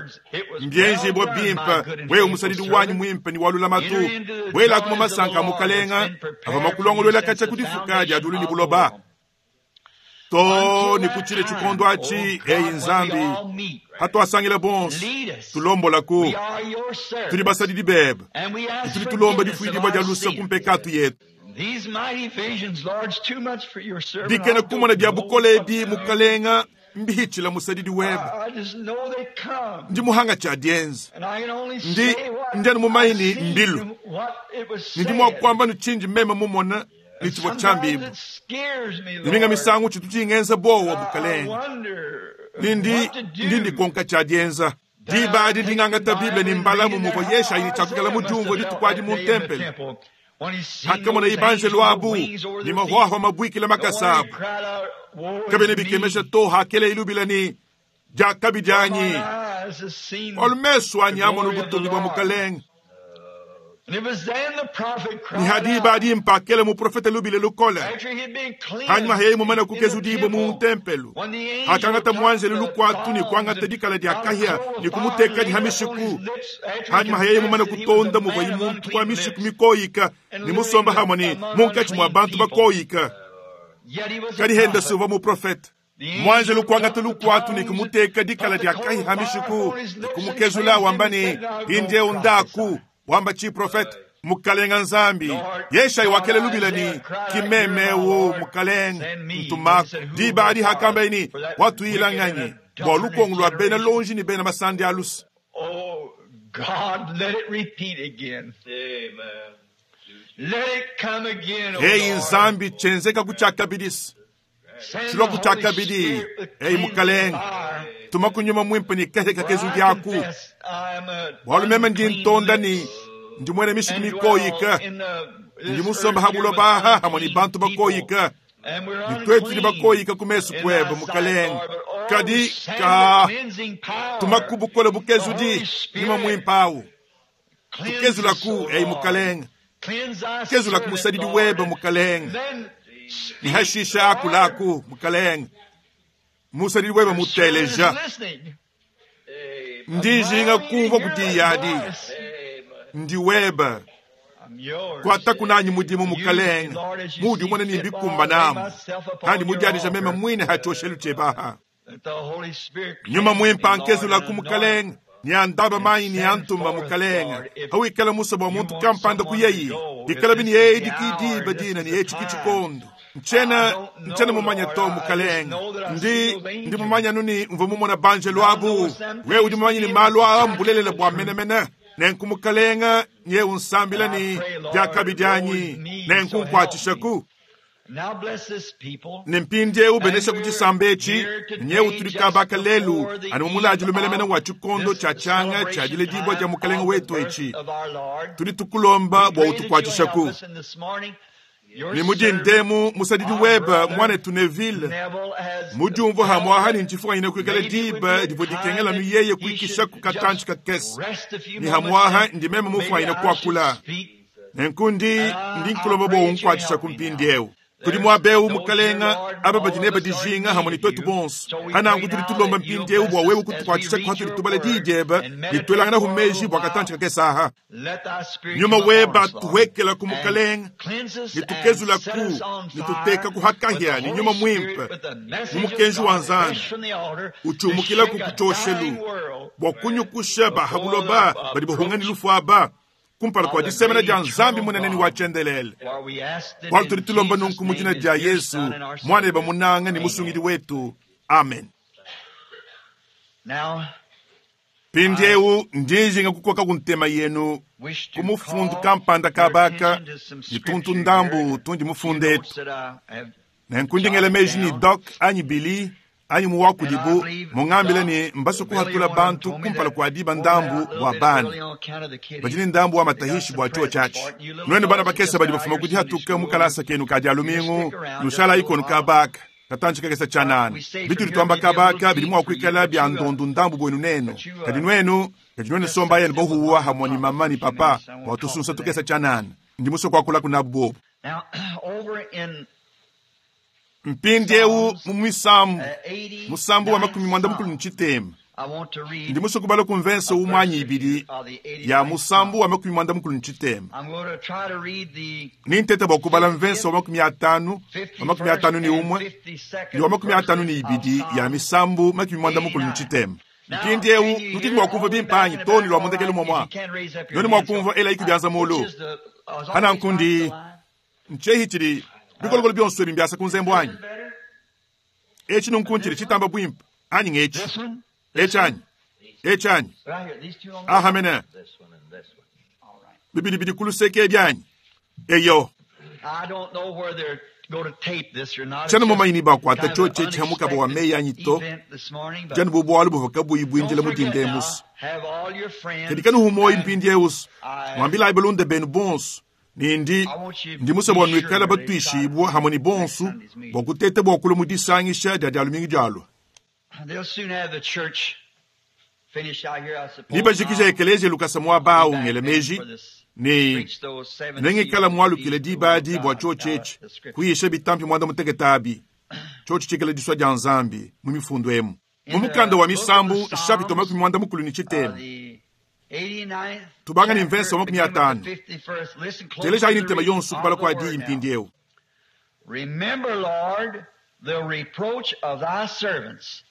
[SPEAKER 1] Mbienjibue bimpe, wewe musadidi wanyi muimpe ne wa lulamatu, buelaku mu masanka a Mukalenga avua makulongoluela katshia ku difuka dia diulu ne buloba. Too ne ku tshile tshikondo atshi, eyi Nzambi, hatuasangila bonso, tulombolaku. Tudi basadidi bebe, ne tudi tulomba difuidibua dia luse ku mpekatu yetu. Dikena kumona dia bukole ebi, Mukalenga, Mbihitshila musadidi webe. Ndi muhanga tshia dienza. Ndi ndi anu mumanye ne mbilu. Ne ndi mua kuamba ne tshindi meme mumona ne tshivua tshiambibua. Ne minga misangu tshitu tshingenza buowa, Mukalenge. Ne ndi ndi ndikonka tshia dienza. Diba adi ndi ngangata Bible ne mbalamu muvua Yeshayi ne tshiakuikala mudiumvue dituku adi mu ntempelo. Hakamonaye banjelu abu ne mahuahua mabuikile makasa abu, kabiena bikemesha to hakeleye lubila ne, Diakabi dianyi, bualu mesu anyi amonu butumbi bua Mukalenge. Ne ha diba adi mpakela muprofete lubila lukole, hanyima yeye mumane kukezudibua mu ntempelo, hakangata muanjelu lukuatu ne kuangata dikala dia kahia ne kumutekadi ha mishiku, hanyima yeye mumane kutonda muvuaye muntu wa mishiku mikoyika ne musomba hamue ne munkatshi mua bantu bakoyika, kadi henda si uvua muprofete. Muanjelu kuangata lukuatu ne kumuteka dikala dia kahia ha mishiku ne kumukezula, wamba ne, Mpindieu ndaku, wamba tshiprofete. Mukalenga Nzambi, Yeshayi wakela lubila ne, Ki meme eu, Mukalenge, ntumaku. Diba adi hakambaye ne, Watuila nganyi? Bua lukongo lua bena lonji ne bena masandi a luse.
[SPEAKER 2] Oh, God, let it repeat again.
[SPEAKER 3] Amen.
[SPEAKER 2] Let it come again, oh
[SPEAKER 1] Eyi
[SPEAKER 2] Lord.
[SPEAKER 1] Nzambi, tshienzeka ku tshiakabidisa.
[SPEAKER 2] Send the
[SPEAKER 1] Tshilua ku
[SPEAKER 2] Holy
[SPEAKER 1] tshiakabidi.
[SPEAKER 2] Spirit with
[SPEAKER 1] Eyi
[SPEAKER 2] cleansing
[SPEAKER 1] Mukalenge,
[SPEAKER 2] fire.
[SPEAKER 1] tuma ku nyuma muimpe ne kahia
[SPEAKER 2] For
[SPEAKER 1] kakezu
[SPEAKER 2] I
[SPEAKER 1] diaku.
[SPEAKER 2] confess I am a
[SPEAKER 1] Bualu meme ndi
[SPEAKER 2] unclean
[SPEAKER 1] ntonda ne
[SPEAKER 2] lips
[SPEAKER 1] ndi muena mishiku
[SPEAKER 2] and dwell
[SPEAKER 1] mikoyika.
[SPEAKER 2] in the-
[SPEAKER 1] Ndi
[SPEAKER 2] this
[SPEAKER 1] musomba
[SPEAKER 2] earth
[SPEAKER 1] ha
[SPEAKER 2] here with
[SPEAKER 1] buloba aha hamwe ne
[SPEAKER 2] unclean
[SPEAKER 1] bantu
[SPEAKER 2] people.
[SPEAKER 1] bakoyika.
[SPEAKER 2] And we're
[SPEAKER 1] Ne twetu tudi
[SPEAKER 2] unclean
[SPEAKER 1] bakoyika ku mesu
[SPEAKER 2] in
[SPEAKER 1] kuebe
[SPEAKER 2] thy sight,
[SPEAKER 1] Mukalenge.
[SPEAKER 2] Lord, but oh,
[SPEAKER 1] Kadi
[SPEAKER 2] send
[SPEAKER 1] ka
[SPEAKER 2] the cleansing power.
[SPEAKER 1] tuma ku bukole
[SPEAKER 2] The
[SPEAKER 1] bukezudi
[SPEAKER 2] Holy
[SPEAKER 1] nyuma
[SPEAKER 2] Spirit
[SPEAKER 1] muimpe awu.
[SPEAKER 2] cleanse
[SPEAKER 1] Tukezula
[SPEAKER 2] us,
[SPEAKER 1] ku
[SPEAKER 2] O
[SPEAKER 1] eyi
[SPEAKER 2] Lord.
[SPEAKER 1] Mukalenge.
[SPEAKER 2] Cleanse thy
[SPEAKER 1] Kezula ku
[SPEAKER 2] servant,
[SPEAKER 1] musadidi
[SPEAKER 2] Lord.
[SPEAKER 1] webe Mukalenge.
[SPEAKER 2] Then
[SPEAKER 1] Ne hashisha akulaku Mukalenge. Musadidi webe
[SPEAKER 2] your servant is
[SPEAKER 1] muteleja.
[SPEAKER 2] listening.
[SPEAKER 1] Ndi njinga kumvua kudiyadi.
[SPEAKER 3] Amen.
[SPEAKER 1] Ndi webe.
[SPEAKER 2] I'm yours.
[SPEAKER 1] Kuata kunanyi mudimu
[SPEAKER 2] Use me,
[SPEAKER 1] Mukalenge.
[SPEAKER 2] Lord, as you
[SPEAKER 1] Mudi
[SPEAKER 2] see
[SPEAKER 1] umone ne
[SPEAKER 2] fit,
[SPEAKER 1] mbikumba
[SPEAKER 2] Lord. Lay
[SPEAKER 1] namu.
[SPEAKER 2] myself upon
[SPEAKER 1] Kandi
[SPEAKER 2] your
[SPEAKER 1] mudiadija meme
[SPEAKER 2] altar.
[SPEAKER 1] mwine ha tshioshelu tshebaha.
[SPEAKER 2] Let the Holy Spirit
[SPEAKER 1] Nyuma
[SPEAKER 2] cleanse me,
[SPEAKER 1] muimpe
[SPEAKER 2] Lord,
[SPEAKER 1] ankezula
[SPEAKER 2] and
[SPEAKER 1] ku
[SPEAKER 2] anoint.
[SPEAKER 1] Mukalenge. Ni andaba mayi ni
[SPEAKER 2] Send
[SPEAKER 1] antuma
[SPEAKER 2] forth,
[SPEAKER 1] Mukalenge.
[SPEAKER 2] Lord, if
[SPEAKER 1] Hawikala musa bua
[SPEAKER 2] you
[SPEAKER 1] muntu
[SPEAKER 2] want
[SPEAKER 1] kampanda
[SPEAKER 2] someone to
[SPEAKER 1] kuyeyi.
[SPEAKER 2] go, if
[SPEAKER 1] Ikala
[SPEAKER 2] this
[SPEAKER 1] bini
[SPEAKER 2] is
[SPEAKER 1] yeyi
[SPEAKER 2] the hour,
[SPEAKER 1] dikidiba
[SPEAKER 2] this
[SPEAKER 1] dina
[SPEAKER 2] is
[SPEAKER 1] ni
[SPEAKER 2] the
[SPEAKER 1] yeyi chiki
[SPEAKER 2] time.
[SPEAKER 1] chikondo.
[SPEAKER 2] I
[SPEAKER 1] Nchena
[SPEAKER 2] don't
[SPEAKER 1] nchena
[SPEAKER 2] know,
[SPEAKER 1] mumanya
[SPEAKER 2] Lord.
[SPEAKER 1] to
[SPEAKER 2] I just
[SPEAKER 1] Mukalenge.
[SPEAKER 2] know that I see
[SPEAKER 1] Ndi
[SPEAKER 2] those
[SPEAKER 1] ndi
[SPEAKER 2] angels.
[SPEAKER 1] mumanya nuni mvua mumona banjelu
[SPEAKER 2] And I
[SPEAKER 1] abu.
[SPEAKER 2] know some
[SPEAKER 1] Wewe udi
[SPEAKER 2] things
[SPEAKER 1] mumanye
[SPEAKER 2] to
[SPEAKER 1] ni
[SPEAKER 2] be
[SPEAKER 1] malu aa
[SPEAKER 2] exactly
[SPEAKER 1] mbulelela
[SPEAKER 2] the
[SPEAKER 1] bua
[SPEAKER 2] truth.
[SPEAKER 1] menemene. Nenku Mukalenga nye unsambila
[SPEAKER 2] And I
[SPEAKER 1] ni
[SPEAKER 2] pray, Lord,
[SPEAKER 1] diakabi
[SPEAKER 2] woe is
[SPEAKER 1] dianyi.
[SPEAKER 2] me,
[SPEAKER 1] Nenku
[SPEAKER 2] so help
[SPEAKER 1] nkuatshisha
[SPEAKER 2] me.
[SPEAKER 1] ku.
[SPEAKER 2] Now bless this people.
[SPEAKER 1] Ne mpindieu
[SPEAKER 2] And
[SPEAKER 1] benesha ku
[SPEAKER 2] we're
[SPEAKER 1] tshisamba etshi
[SPEAKER 2] here
[SPEAKER 1] nyewu
[SPEAKER 2] today
[SPEAKER 1] tudi
[SPEAKER 2] just
[SPEAKER 1] kabaka lelu
[SPEAKER 2] before the
[SPEAKER 1] anu mumulaji
[SPEAKER 2] eve
[SPEAKER 1] lumelemene
[SPEAKER 2] of
[SPEAKER 1] wa tshikondo
[SPEAKER 2] this
[SPEAKER 1] tshia tshianga tshia
[SPEAKER 2] celebration
[SPEAKER 1] diledibua dia
[SPEAKER 2] time
[SPEAKER 1] mukalenge
[SPEAKER 2] of the
[SPEAKER 1] wetu
[SPEAKER 2] birth
[SPEAKER 1] etshi
[SPEAKER 2] of our Lord.
[SPEAKER 1] tudi tukulomba
[SPEAKER 2] We
[SPEAKER 1] bua
[SPEAKER 2] pray that you'll
[SPEAKER 1] utukuatshisha
[SPEAKER 2] help
[SPEAKER 1] ku
[SPEAKER 2] us in this morning. Your
[SPEAKER 1] ne mudi
[SPEAKER 2] servant,
[SPEAKER 1] ndemu musadidi
[SPEAKER 2] our
[SPEAKER 1] webe
[SPEAKER 2] brother
[SPEAKER 1] muanetu Neville
[SPEAKER 2] Neville, has
[SPEAKER 1] mudiumvua
[SPEAKER 2] felt
[SPEAKER 1] hamwaha
[SPEAKER 2] that
[SPEAKER 1] ni ntshifukanyine kuikala
[SPEAKER 2] maybe it would
[SPEAKER 1] diba
[SPEAKER 2] be a
[SPEAKER 1] divua
[SPEAKER 2] time
[SPEAKER 1] dikengela
[SPEAKER 2] that
[SPEAKER 1] nu yeye
[SPEAKER 2] he
[SPEAKER 1] kuikisha
[SPEAKER 2] should
[SPEAKER 1] ku katantshi
[SPEAKER 2] just
[SPEAKER 1] kakese
[SPEAKER 2] rest a few
[SPEAKER 1] ni
[SPEAKER 2] moments
[SPEAKER 1] hamwaha
[SPEAKER 2] and
[SPEAKER 1] ndi meme
[SPEAKER 2] maybe
[SPEAKER 1] mufwanyine
[SPEAKER 2] I should
[SPEAKER 1] kuakula
[SPEAKER 2] speak.
[SPEAKER 1] nenku ndi
[SPEAKER 2] And I,
[SPEAKER 1] ndi
[SPEAKER 2] I
[SPEAKER 1] nkulomba bua
[SPEAKER 2] pray that you'll
[SPEAKER 1] unkuatshisha
[SPEAKER 2] help
[SPEAKER 1] ku
[SPEAKER 2] me now.
[SPEAKER 1] mpindieu kudi
[SPEAKER 2] There's
[SPEAKER 1] muaba eu
[SPEAKER 2] those here,
[SPEAKER 1] mukalenga
[SPEAKER 2] Lord,
[SPEAKER 1] aba
[SPEAKER 2] all
[SPEAKER 1] badi
[SPEAKER 2] of
[SPEAKER 1] neba
[SPEAKER 2] us are in
[SPEAKER 1] dijinga
[SPEAKER 2] need
[SPEAKER 1] hamwe ni
[SPEAKER 2] of
[SPEAKER 1] twetu
[SPEAKER 2] you.
[SPEAKER 1] bonso
[SPEAKER 2] So we pray
[SPEAKER 1] hananku tudi
[SPEAKER 2] now
[SPEAKER 1] tulomba
[SPEAKER 2] that you'll
[SPEAKER 1] mpindieu
[SPEAKER 2] bless
[SPEAKER 1] bua
[SPEAKER 2] us
[SPEAKER 1] wewe
[SPEAKER 2] as we
[SPEAKER 1] kutukuatshisha
[SPEAKER 2] read
[SPEAKER 1] kuhatudi
[SPEAKER 2] your
[SPEAKER 1] tubala
[SPEAKER 2] word
[SPEAKER 1] diyi diebe
[SPEAKER 2] and
[SPEAKER 1] ne
[SPEAKER 2] meditate
[SPEAKER 1] tuelangana
[SPEAKER 2] for a
[SPEAKER 1] humeji
[SPEAKER 2] little
[SPEAKER 1] bua
[SPEAKER 2] while.
[SPEAKER 1] katantshi kakese aha
[SPEAKER 2] Let thy spirit
[SPEAKER 1] nyuma
[SPEAKER 2] come upon
[SPEAKER 1] weba
[SPEAKER 2] us, Lord,
[SPEAKER 1] tuwekela ku
[SPEAKER 2] and
[SPEAKER 1] mukalenga
[SPEAKER 2] cleanse us
[SPEAKER 1] ne
[SPEAKER 2] and
[SPEAKER 1] tukezula
[SPEAKER 2] set
[SPEAKER 1] ku
[SPEAKER 2] us on
[SPEAKER 1] ne
[SPEAKER 2] fire
[SPEAKER 1] tuteka ku
[SPEAKER 2] with the
[SPEAKER 1] hakahya ne
[SPEAKER 2] Holy
[SPEAKER 1] nyuma
[SPEAKER 2] Spirit,
[SPEAKER 1] muimpe
[SPEAKER 2] with the
[SPEAKER 1] mu
[SPEAKER 2] message of
[SPEAKER 1] mukenji wa
[SPEAKER 2] God
[SPEAKER 1] Nzambi
[SPEAKER 2] fresh from the altar to
[SPEAKER 1] utshiumukila ku
[SPEAKER 2] shake a
[SPEAKER 1] kutshioshelu
[SPEAKER 2] dying world
[SPEAKER 1] bua kunyukusha
[SPEAKER 2] before the
[SPEAKER 1] bahabuloba badi bahunga ne
[SPEAKER 2] approach
[SPEAKER 1] lufu aba kumpala
[SPEAKER 2] of
[SPEAKER 1] kua
[SPEAKER 2] the
[SPEAKER 1] disemena
[SPEAKER 2] great
[SPEAKER 1] dia Nzambi
[SPEAKER 2] eternal
[SPEAKER 1] munene ne wa
[SPEAKER 2] God.
[SPEAKER 1] tshiendelele
[SPEAKER 2] For we asked it
[SPEAKER 1] bualu
[SPEAKER 2] in
[SPEAKER 1] tudi tulomba
[SPEAKER 2] Jesus'
[SPEAKER 1] nunku mu
[SPEAKER 2] name,
[SPEAKER 1] dina
[SPEAKER 2] his
[SPEAKER 1] dia
[SPEAKER 2] dear
[SPEAKER 1] Yesu
[SPEAKER 2] Son and our
[SPEAKER 1] muana eba
[SPEAKER 2] Savior.
[SPEAKER 1] munanga ne
[SPEAKER 2] Amen.
[SPEAKER 1] musungidi wetu amen
[SPEAKER 2] Now, I
[SPEAKER 1] mpindieu ndi njinga kukoka ku ntema yenu
[SPEAKER 2] wish to
[SPEAKER 1] ku mufundu
[SPEAKER 2] call
[SPEAKER 1] kampanda
[SPEAKER 2] your
[SPEAKER 1] kabaka
[SPEAKER 2] attention to some
[SPEAKER 1] ne tuntu
[SPEAKER 2] scripture here,
[SPEAKER 1] ndambu
[SPEAKER 2] a
[SPEAKER 1] tundi
[SPEAKER 2] few
[SPEAKER 1] mufunde
[SPEAKER 2] notes
[SPEAKER 1] etu
[SPEAKER 2] that I have
[SPEAKER 1] nenku ndingela
[SPEAKER 2] jotted
[SPEAKER 1] meji ni
[SPEAKER 2] down.
[SPEAKER 1] Doc anyi Billy anyi muwa
[SPEAKER 2] And I
[SPEAKER 1] kudibu
[SPEAKER 2] believe
[SPEAKER 1] mungambile
[SPEAKER 2] Doc,
[SPEAKER 1] ni mbaso
[SPEAKER 2] Billy,
[SPEAKER 1] kuhatula
[SPEAKER 2] one of them
[SPEAKER 1] bantu
[SPEAKER 2] told me
[SPEAKER 1] kumpala
[SPEAKER 2] that
[SPEAKER 1] kua diba
[SPEAKER 2] oh, they're
[SPEAKER 1] ndambu
[SPEAKER 2] out a little
[SPEAKER 1] bua
[SPEAKER 2] bit
[SPEAKER 1] bana
[SPEAKER 2] early on account of the
[SPEAKER 1] badi
[SPEAKER 2] kiddies.
[SPEAKER 1] ne ndambu wa
[SPEAKER 2] They got
[SPEAKER 1] matahishi
[SPEAKER 2] some
[SPEAKER 1] bua chuo
[SPEAKER 2] presents
[SPEAKER 1] tshiatshi
[SPEAKER 2] for it. You little
[SPEAKER 1] nuenu bana
[SPEAKER 2] fellows that
[SPEAKER 1] bakese
[SPEAKER 2] just
[SPEAKER 1] badi
[SPEAKER 2] got out
[SPEAKER 1] bafuma
[SPEAKER 2] of your Sunday
[SPEAKER 1] kudihatuka mu
[SPEAKER 2] school,
[SPEAKER 1] kalasa kenu ka dia
[SPEAKER 2] you just
[SPEAKER 1] lumingu
[SPEAKER 2] stick around just a
[SPEAKER 1] nushala
[SPEAKER 2] little
[SPEAKER 1] ikonu
[SPEAKER 2] while.
[SPEAKER 1] kabaka katantshi kakese tshianana
[SPEAKER 2] We say from
[SPEAKER 1] bitudi
[SPEAKER 2] here
[SPEAKER 1] tuamba
[SPEAKER 2] maybe a little
[SPEAKER 1] kabaka bidi
[SPEAKER 2] deep
[SPEAKER 1] mua
[SPEAKER 2] for you,
[SPEAKER 1] kuikala
[SPEAKER 2] but
[SPEAKER 1] bia
[SPEAKER 2] you,
[SPEAKER 1] ndondu ndambu buenu nenu
[SPEAKER 2] but you
[SPEAKER 1] kadi nuenu kadi nuenu
[SPEAKER 2] just
[SPEAKER 1] somba
[SPEAKER 2] sit
[SPEAKER 1] yenu
[SPEAKER 2] still with
[SPEAKER 1] bohuwa
[SPEAKER 2] Mom and
[SPEAKER 1] hamwe ni
[SPEAKER 2] Papa
[SPEAKER 1] mama
[SPEAKER 2] for
[SPEAKER 1] ni
[SPEAKER 2] a few
[SPEAKER 1] papa
[SPEAKER 2] minutes. I
[SPEAKER 1] bua
[SPEAKER 2] won't talk
[SPEAKER 1] tusunsa
[SPEAKER 2] to
[SPEAKER 1] tukese
[SPEAKER 2] them.
[SPEAKER 1] tshianana ndi musue kuakula kuna bobu
[SPEAKER 2] Now, over in
[SPEAKER 1] mpindieu
[SPEAKER 2] Psalms,
[SPEAKER 1] mu misambu musambu wa
[SPEAKER 2] 89th
[SPEAKER 1] makumi mwanda mukulu
[SPEAKER 2] Psalm,
[SPEAKER 1] ntshitema
[SPEAKER 2] I want to
[SPEAKER 1] ndi
[SPEAKER 2] read
[SPEAKER 1] musue kubala kumvensa
[SPEAKER 2] a
[SPEAKER 1] umwe
[SPEAKER 2] verse
[SPEAKER 1] anyi
[SPEAKER 2] or two
[SPEAKER 1] ibidi
[SPEAKER 2] of the
[SPEAKER 1] ya
[SPEAKER 2] 89th
[SPEAKER 1] musambu
[SPEAKER 2] Psalm.
[SPEAKER 1] wa makumi mwanda mukulu ntshitema
[SPEAKER 2] I'm going to try to read the
[SPEAKER 1] ni ntete bua kubala
[SPEAKER 2] 50th,
[SPEAKER 1] mvensa wa makumi atanu wa makumi
[SPEAKER 2] 51st,
[SPEAKER 1] atanu ni
[SPEAKER 2] and
[SPEAKER 1] umwe ni wa
[SPEAKER 2] 52nd
[SPEAKER 1] makumi atanu ni
[SPEAKER 2] verses of
[SPEAKER 1] ibidi ya
[SPEAKER 2] Psalm
[SPEAKER 1] misambu makumi mwanda mukulu
[SPEAKER 2] 89.
[SPEAKER 1] ntshitema
[SPEAKER 2] Now,
[SPEAKER 1] mpindieu
[SPEAKER 2] can you
[SPEAKER 1] nudi
[SPEAKER 2] hear
[SPEAKER 1] mua
[SPEAKER 2] all
[SPEAKER 1] kumvua
[SPEAKER 2] the way
[SPEAKER 1] bimpe
[SPEAKER 2] back
[SPEAKER 1] anyi
[SPEAKER 2] in the
[SPEAKER 1] too ne
[SPEAKER 2] back
[SPEAKER 1] lua
[SPEAKER 2] all
[SPEAKER 1] mundekelu
[SPEAKER 2] right? If
[SPEAKER 1] muamua
[SPEAKER 2] you can't raise up your
[SPEAKER 1] noni mua
[SPEAKER 2] hands, so
[SPEAKER 1] kumvua ela ikubianza
[SPEAKER 2] which
[SPEAKER 1] mulu
[SPEAKER 2] is the is all
[SPEAKER 1] hana
[SPEAKER 2] these mics
[SPEAKER 1] nkundi
[SPEAKER 2] alive?
[SPEAKER 1] ntshehi tshidi bikolokolo bionso ebi mbiasa ku nzembu
[SPEAKER 2] Is
[SPEAKER 1] anyi
[SPEAKER 2] it better?
[SPEAKER 1] Etshi nunku ntshidi tshitamba buimpe anyi ngetshi? Etshi anyi? Etshi anyi? Aha mene. Bibidi bidi ku luseke ebi anyi? Eyo. Tshiena mumanye ni bakuata tshiotshi etshi ha mukaba wa meyi anyi to, dianu bu bualu buvua kabuyi buindila mu dinda emusu. Kadi kanuhu muoyo mpindieusu, muambilayi balunda benu bonso ne ndi ndi musue bua nuikale batuishibue hamue ne bonso bua kuteta bua kulua mu disangisha dia Dia lumingu dialua. Nebajikije ekeleziya lukasa muaba au, ngela meji ne nengikala mualukile diba adi bua tshiotshi etshi kuyisha bitampi muanda mutekete abi, tshiotshi tshikale disua dia Nzambi mu mifundu emu. Mu mukanda wa Misambu nshapita 33, tubanga ne mvese wa 50. Telejayi ne ntema yonso kubala kua diyi mpindieu.
[SPEAKER 2] Remember, Lord, the reproach of thy servants,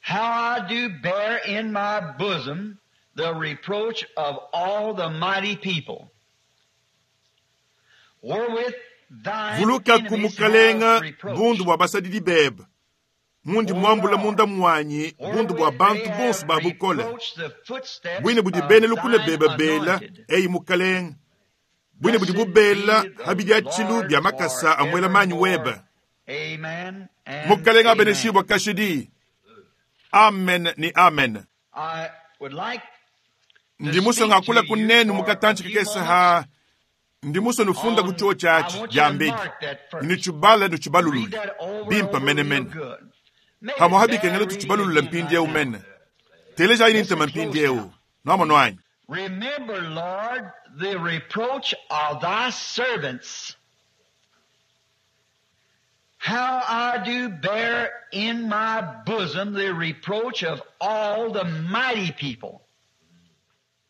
[SPEAKER 2] how I do bear in my bosom the reproach of all the mighty people, wherewith thine
[SPEAKER 1] Vuluka ku
[SPEAKER 2] enemies
[SPEAKER 1] mukalenga
[SPEAKER 2] have reproached.
[SPEAKER 1] bundu bua basadidi bebe, mundi muambula munda muanyi bundu bua
[SPEAKER 2] Wherewith
[SPEAKER 1] bantu
[SPEAKER 2] they
[SPEAKER 1] bonso
[SPEAKER 2] have
[SPEAKER 1] ba bukole,
[SPEAKER 2] reproached the footsteps
[SPEAKER 1] buine budi
[SPEAKER 2] of
[SPEAKER 1] bena lukuna
[SPEAKER 2] thine
[SPEAKER 1] bebe bela,
[SPEAKER 2] anointed.
[SPEAKER 1] eyi mukalenga, buine budi bubela ha bidiatshilu bia makasa a muela manyi webe.
[SPEAKER 2] Amen and
[SPEAKER 1] Mukalenga
[SPEAKER 2] amen.
[SPEAKER 1] abeneshibua kashidi. Amen ni amen.
[SPEAKER 2] I would like
[SPEAKER 1] Ndi musue ngakula kunenu mukatanchi kakese ha ndi musue nufunda ku chuo chachi diambedi nitshibala nitshibalulula bimpa menemene hamwe habikengela tutshibalulula mpindieu mene telejayi ni ntema mpindieu nwamonu anyi.
[SPEAKER 2] Remember, Lord, the reproach of thy servants, how I do bear in my bosom the reproach of all the mighty people.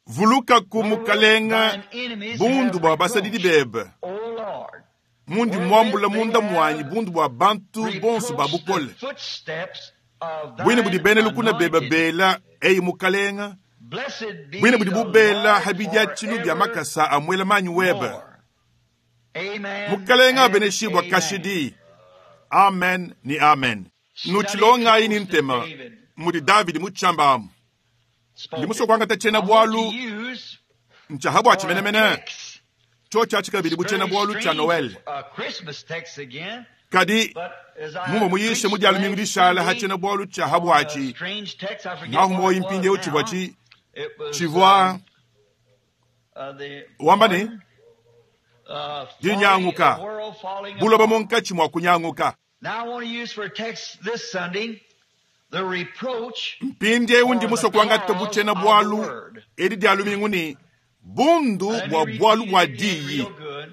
[SPEAKER 1] Vuluka ku mukalenga
[SPEAKER 2] Thine enemies
[SPEAKER 1] bundu
[SPEAKER 2] have
[SPEAKER 1] bua basadidi
[SPEAKER 2] reproached,
[SPEAKER 1] bebe,
[SPEAKER 2] O Lord,
[SPEAKER 1] mundi muambula munda muanyi bundu bua bantu bonso ba
[SPEAKER 2] reproached
[SPEAKER 1] bukole,
[SPEAKER 2] the footsteps of
[SPEAKER 1] buine budi
[SPEAKER 2] thine
[SPEAKER 1] bena lukuna bebe
[SPEAKER 2] anointed.
[SPEAKER 1] bela eyi mukalenga,
[SPEAKER 2] Blessed be
[SPEAKER 1] buine budi
[SPEAKER 2] the
[SPEAKER 1] bubela
[SPEAKER 2] Lord
[SPEAKER 1] habidiatshilu bia makasa a muela manyi webe.
[SPEAKER 2] forevermore. Amen
[SPEAKER 1] Mukalenga
[SPEAKER 2] and
[SPEAKER 1] abeneshibua
[SPEAKER 2] amen.
[SPEAKER 1] kashidi. Amen ni amen. Nutshilongayi ni ntema mudi Davidi mutshamba amu.
[SPEAKER 2] Spoke
[SPEAKER 1] Ndi musue
[SPEAKER 2] it.
[SPEAKER 1] kuangata tshiena
[SPEAKER 2] I want
[SPEAKER 1] bualu
[SPEAKER 2] to use
[SPEAKER 1] ntsha bua
[SPEAKER 2] for a
[SPEAKER 1] tshimenemene
[SPEAKER 2] text.
[SPEAKER 1] tsho tshia tshikabidi bu tshiena
[SPEAKER 2] Very
[SPEAKER 1] bualu tshia
[SPEAKER 2] strange,
[SPEAKER 1] Noel.
[SPEAKER 2] a Christmas text again,
[SPEAKER 1] Kadi
[SPEAKER 2] but as I
[SPEAKER 1] mumwe muyishe
[SPEAKER 2] preached
[SPEAKER 1] mu dia lumingu
[SPEAKER 2] last
[SPEAKER 1] dishala ha
[SPEAKER 2] Sunday
[SPEAKER 1] tshiena bualu tshia
[SPEAKER 2] on a
[SPEAKER 1] habwatshi
[SPEAKER 2] strange text, I forget
[SPEAKER 1] ngahu
[SPEAKER 2] what
[SPEAKER 1] moyi
[SPEAKER 2] it was
[SPEAKER 1] mpindieu tshivua
[SPEAKER 2] now.
[SPEAKER 1] tshi
[SPEAKER 2] It was,
[SPEAKER 1] tshivua
[SPEAKER 2] the
[SPEAKER 1] wamba ne
[SPEAKER 2] pardon,
[SPEAKER 1] dinyanguka
[SPEAKER 2] falling, the world falling
[SPEAKER 1] buloba
[SPEAKER 2] apart.
[SPEAKER 1] munkatshi mua kunyanguka.
[SPEAKER 2] Now I want to use for a text this Sunday the reproach
[SPEAKER 1] Mpindieu ndi
[SPEAKER 2] or
[SPEAKER 1] musue
[SPEAKER 2] the
[SPEAKER 1] kuangata bu
[SPEAKER 2] cause
[SPEAKER 1] tshiena
[SPEAKER 2] of the
[SPEAKER 1] bualu
[SPEAKER 2] word.
[SPEAKER 1] edi dia lumingu ni bundu
[SPEAKER 2] Let me
[SPEAKER 1] bua
[SPEAKER 2] repeat
[SPEAKER 1] bualu
[SPEAKER 2] it
[SPEAKER 1] bua
[SPEAKER 2] again
[SPEAKER 1] diyi.
[SPEAKER 2] real good.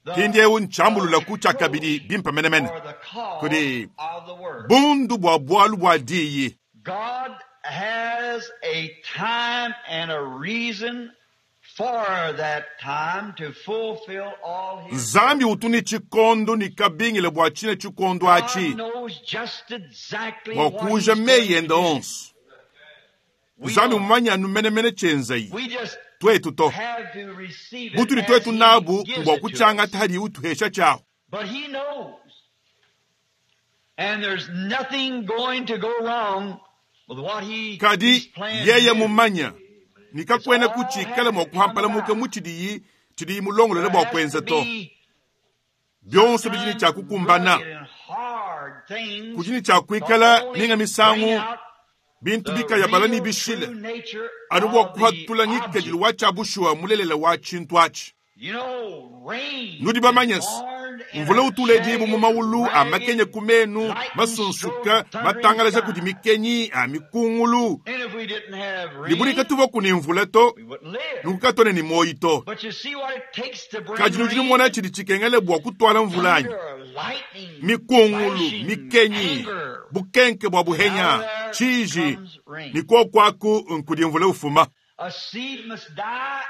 [SPEAKER 2] The
[SPEAKER 1] Mpindieu ntshambulula ku tshia kabidi
[SPEAKER 2] reproach
[SPEAKER 1] bimpa menemene
[SPEAKER 2] or the cause
[SPEAKER 1] kudi
[SPEAKER 2] of the word.
[SPEAKER 1] bundu bua bualu bua diyi.
[SPEAKER 2] God has a time and a reason for that time to fulfill all his
[SPEAKER 1] Nzambi utu ni tshikondo ni kabingile bua tshine tshikondo
[SPEAKER 2] God
[SPEAKER 1] atshi
[SPEAKER 2] knows just exactly
[SPEAKER 1] bua
[SPEAKER 2] what
[SPEAKER 1] kuja
[SPEAKER 2] he's
[SPEAKER 1] meyi
[SPEAKER 2] going to
[SPEAKER 1] ende
[SPEAKER 2] do.
[SPEAKER 1] onso.
[SPEAKER 2] We
[SPEAKER 1] Nzambi
[SPEAKER 2] don't.
[SPEAKER 1] mumanye anu menemene tshienzayi
[SPEAKER 2] We just
[SPEAKER 1] twetu to
[SPEAKER 2] have to receive it
[SPEAKER 1] butudi
[SPEAKER 2] as
[SPEAKER 1] twetu
[SPEAKER 2] he
[SPEAKER 1] nabu
[SPEAKER 2] gives
[SPEAKER 1] mbua
[SPEAKER 2] it to us.
[SPEAKER 1] kutshiangata hadi utuhesha tshiahu.
[SPEAKER 2] But he knows. And there's nothing going to go wrong with what he,
[SPEAKER 1] Kadi
[SPEAKER 2] he's planned to
[SPEAKER 1] yeye
[SPEAKER 2] do.
[SPEAKER 1] mumanya
[SPEAKER 2] It's
[SPEAKER 1] nikakwena
[SPEAKER 2] all
[SPEAKER 1] kutshikala
[SPEAKER 2] has
[SPEAKER 1] mua
[SPEAKER 2] to come
[SPEAKER 1] kuhampalamuka
[SPEAKER 2] about.
[SPEAKER 1] mu tshidiyi tshidiyi mulongolole
[SPEAKER 2] There
[SPEAKER 1] bua
[SPEAKER 2] has to
[SPEAKER 1] kuenza to.
[SPEAKER 2] be
[SPEAKER 1] Byonso bidi ne
[SPEAKER 2] sometimes
[SPEAKER 1] tshia kukumbana
[SPEAKER 2] rugged and hard things
[SPEAKER 1] kudi ne tshia
[SPEAKER 2] to
[SPEAKER 1] kuikala ninga
[SPEAKER 2] only bring
[SPEAKER 1] misangu
[SPEAKER 2] out
[SPEAKER 1] bintu
[SPEAKER 2] the
[SPEAKER 1] bikayabala ni
[SPEAKER 2] real
[SPEAKER 1] bishile
[SPEAKER 2] true nature
[SPEAKER 1] anu bua
[SPEAKER 2] of the
[SPEAKER 1] kuhatula ngikadilu
[SPEAKER 2] object.
[SPEAKER 1] wa tshia bushuwa mulelela wa tshintu atshi.
[SPEAKER 2] You know, rain
[SPEAKER 1] Nudi
[SPEAKER 2] is
[SPEAKER 1] bamanye se
[SPEAKER 2] born in
[SPEAKER 1] mvula
[SPEAKER 2] a
[SPEAKER 1] utuledibwa mu
[SPEAKER 2] jagged,
[SPEAKER 1] mawulu a makenye
[SPEAKER 2] ragged,
[SPEAKER 1] ku menu
[SPEAKER 2] lightning
[SPEAKER 1] masunsuka
[SPEAKER 2] strode, thundering
[SPEAKER 1] matangalaja kudi
[SPEAKER 2] sky.
[SPEAKER 1] mikenyi a mikungulu.
[SPEAKER 2] And if we didn't have
[SPEAKER 1] Libulika
[SPEAKER 2] rain,
[SPEAKER 1] tuva kuni mvula to
[SPEAKER 2] we wouldn't live.
[SPEAKER 1] nukukatone ni moyi to.
[SPEAKER 2] But you see what it takes to bring
[SPEAKER 1] Kadi nudi numona
[SPEAKER 2] rain?
[SPEAKER 1] tshidi tshikengele bua kutwala mvula anyi?
[SPEAKER 2] Thunder, lightning,
[SPEAKER 1] Mikungulu,
[SPEAKER 2] flashing,
[SPEAKER 1] mikenyi,
[SPEAKER 2] anger.
[SPEAKER 1] bukenke bua
[SPEAKER 2] And out of
[SPEAKER 1] buhenya,
[SPEAKER 2] there
[SPEAKER 1] tshiji,
[SPEAKER 2] comes rain.
[SPEAKER 1] ni kokwaku nkudi mvula ufuma.
[SPEAKER 2] A seed must die,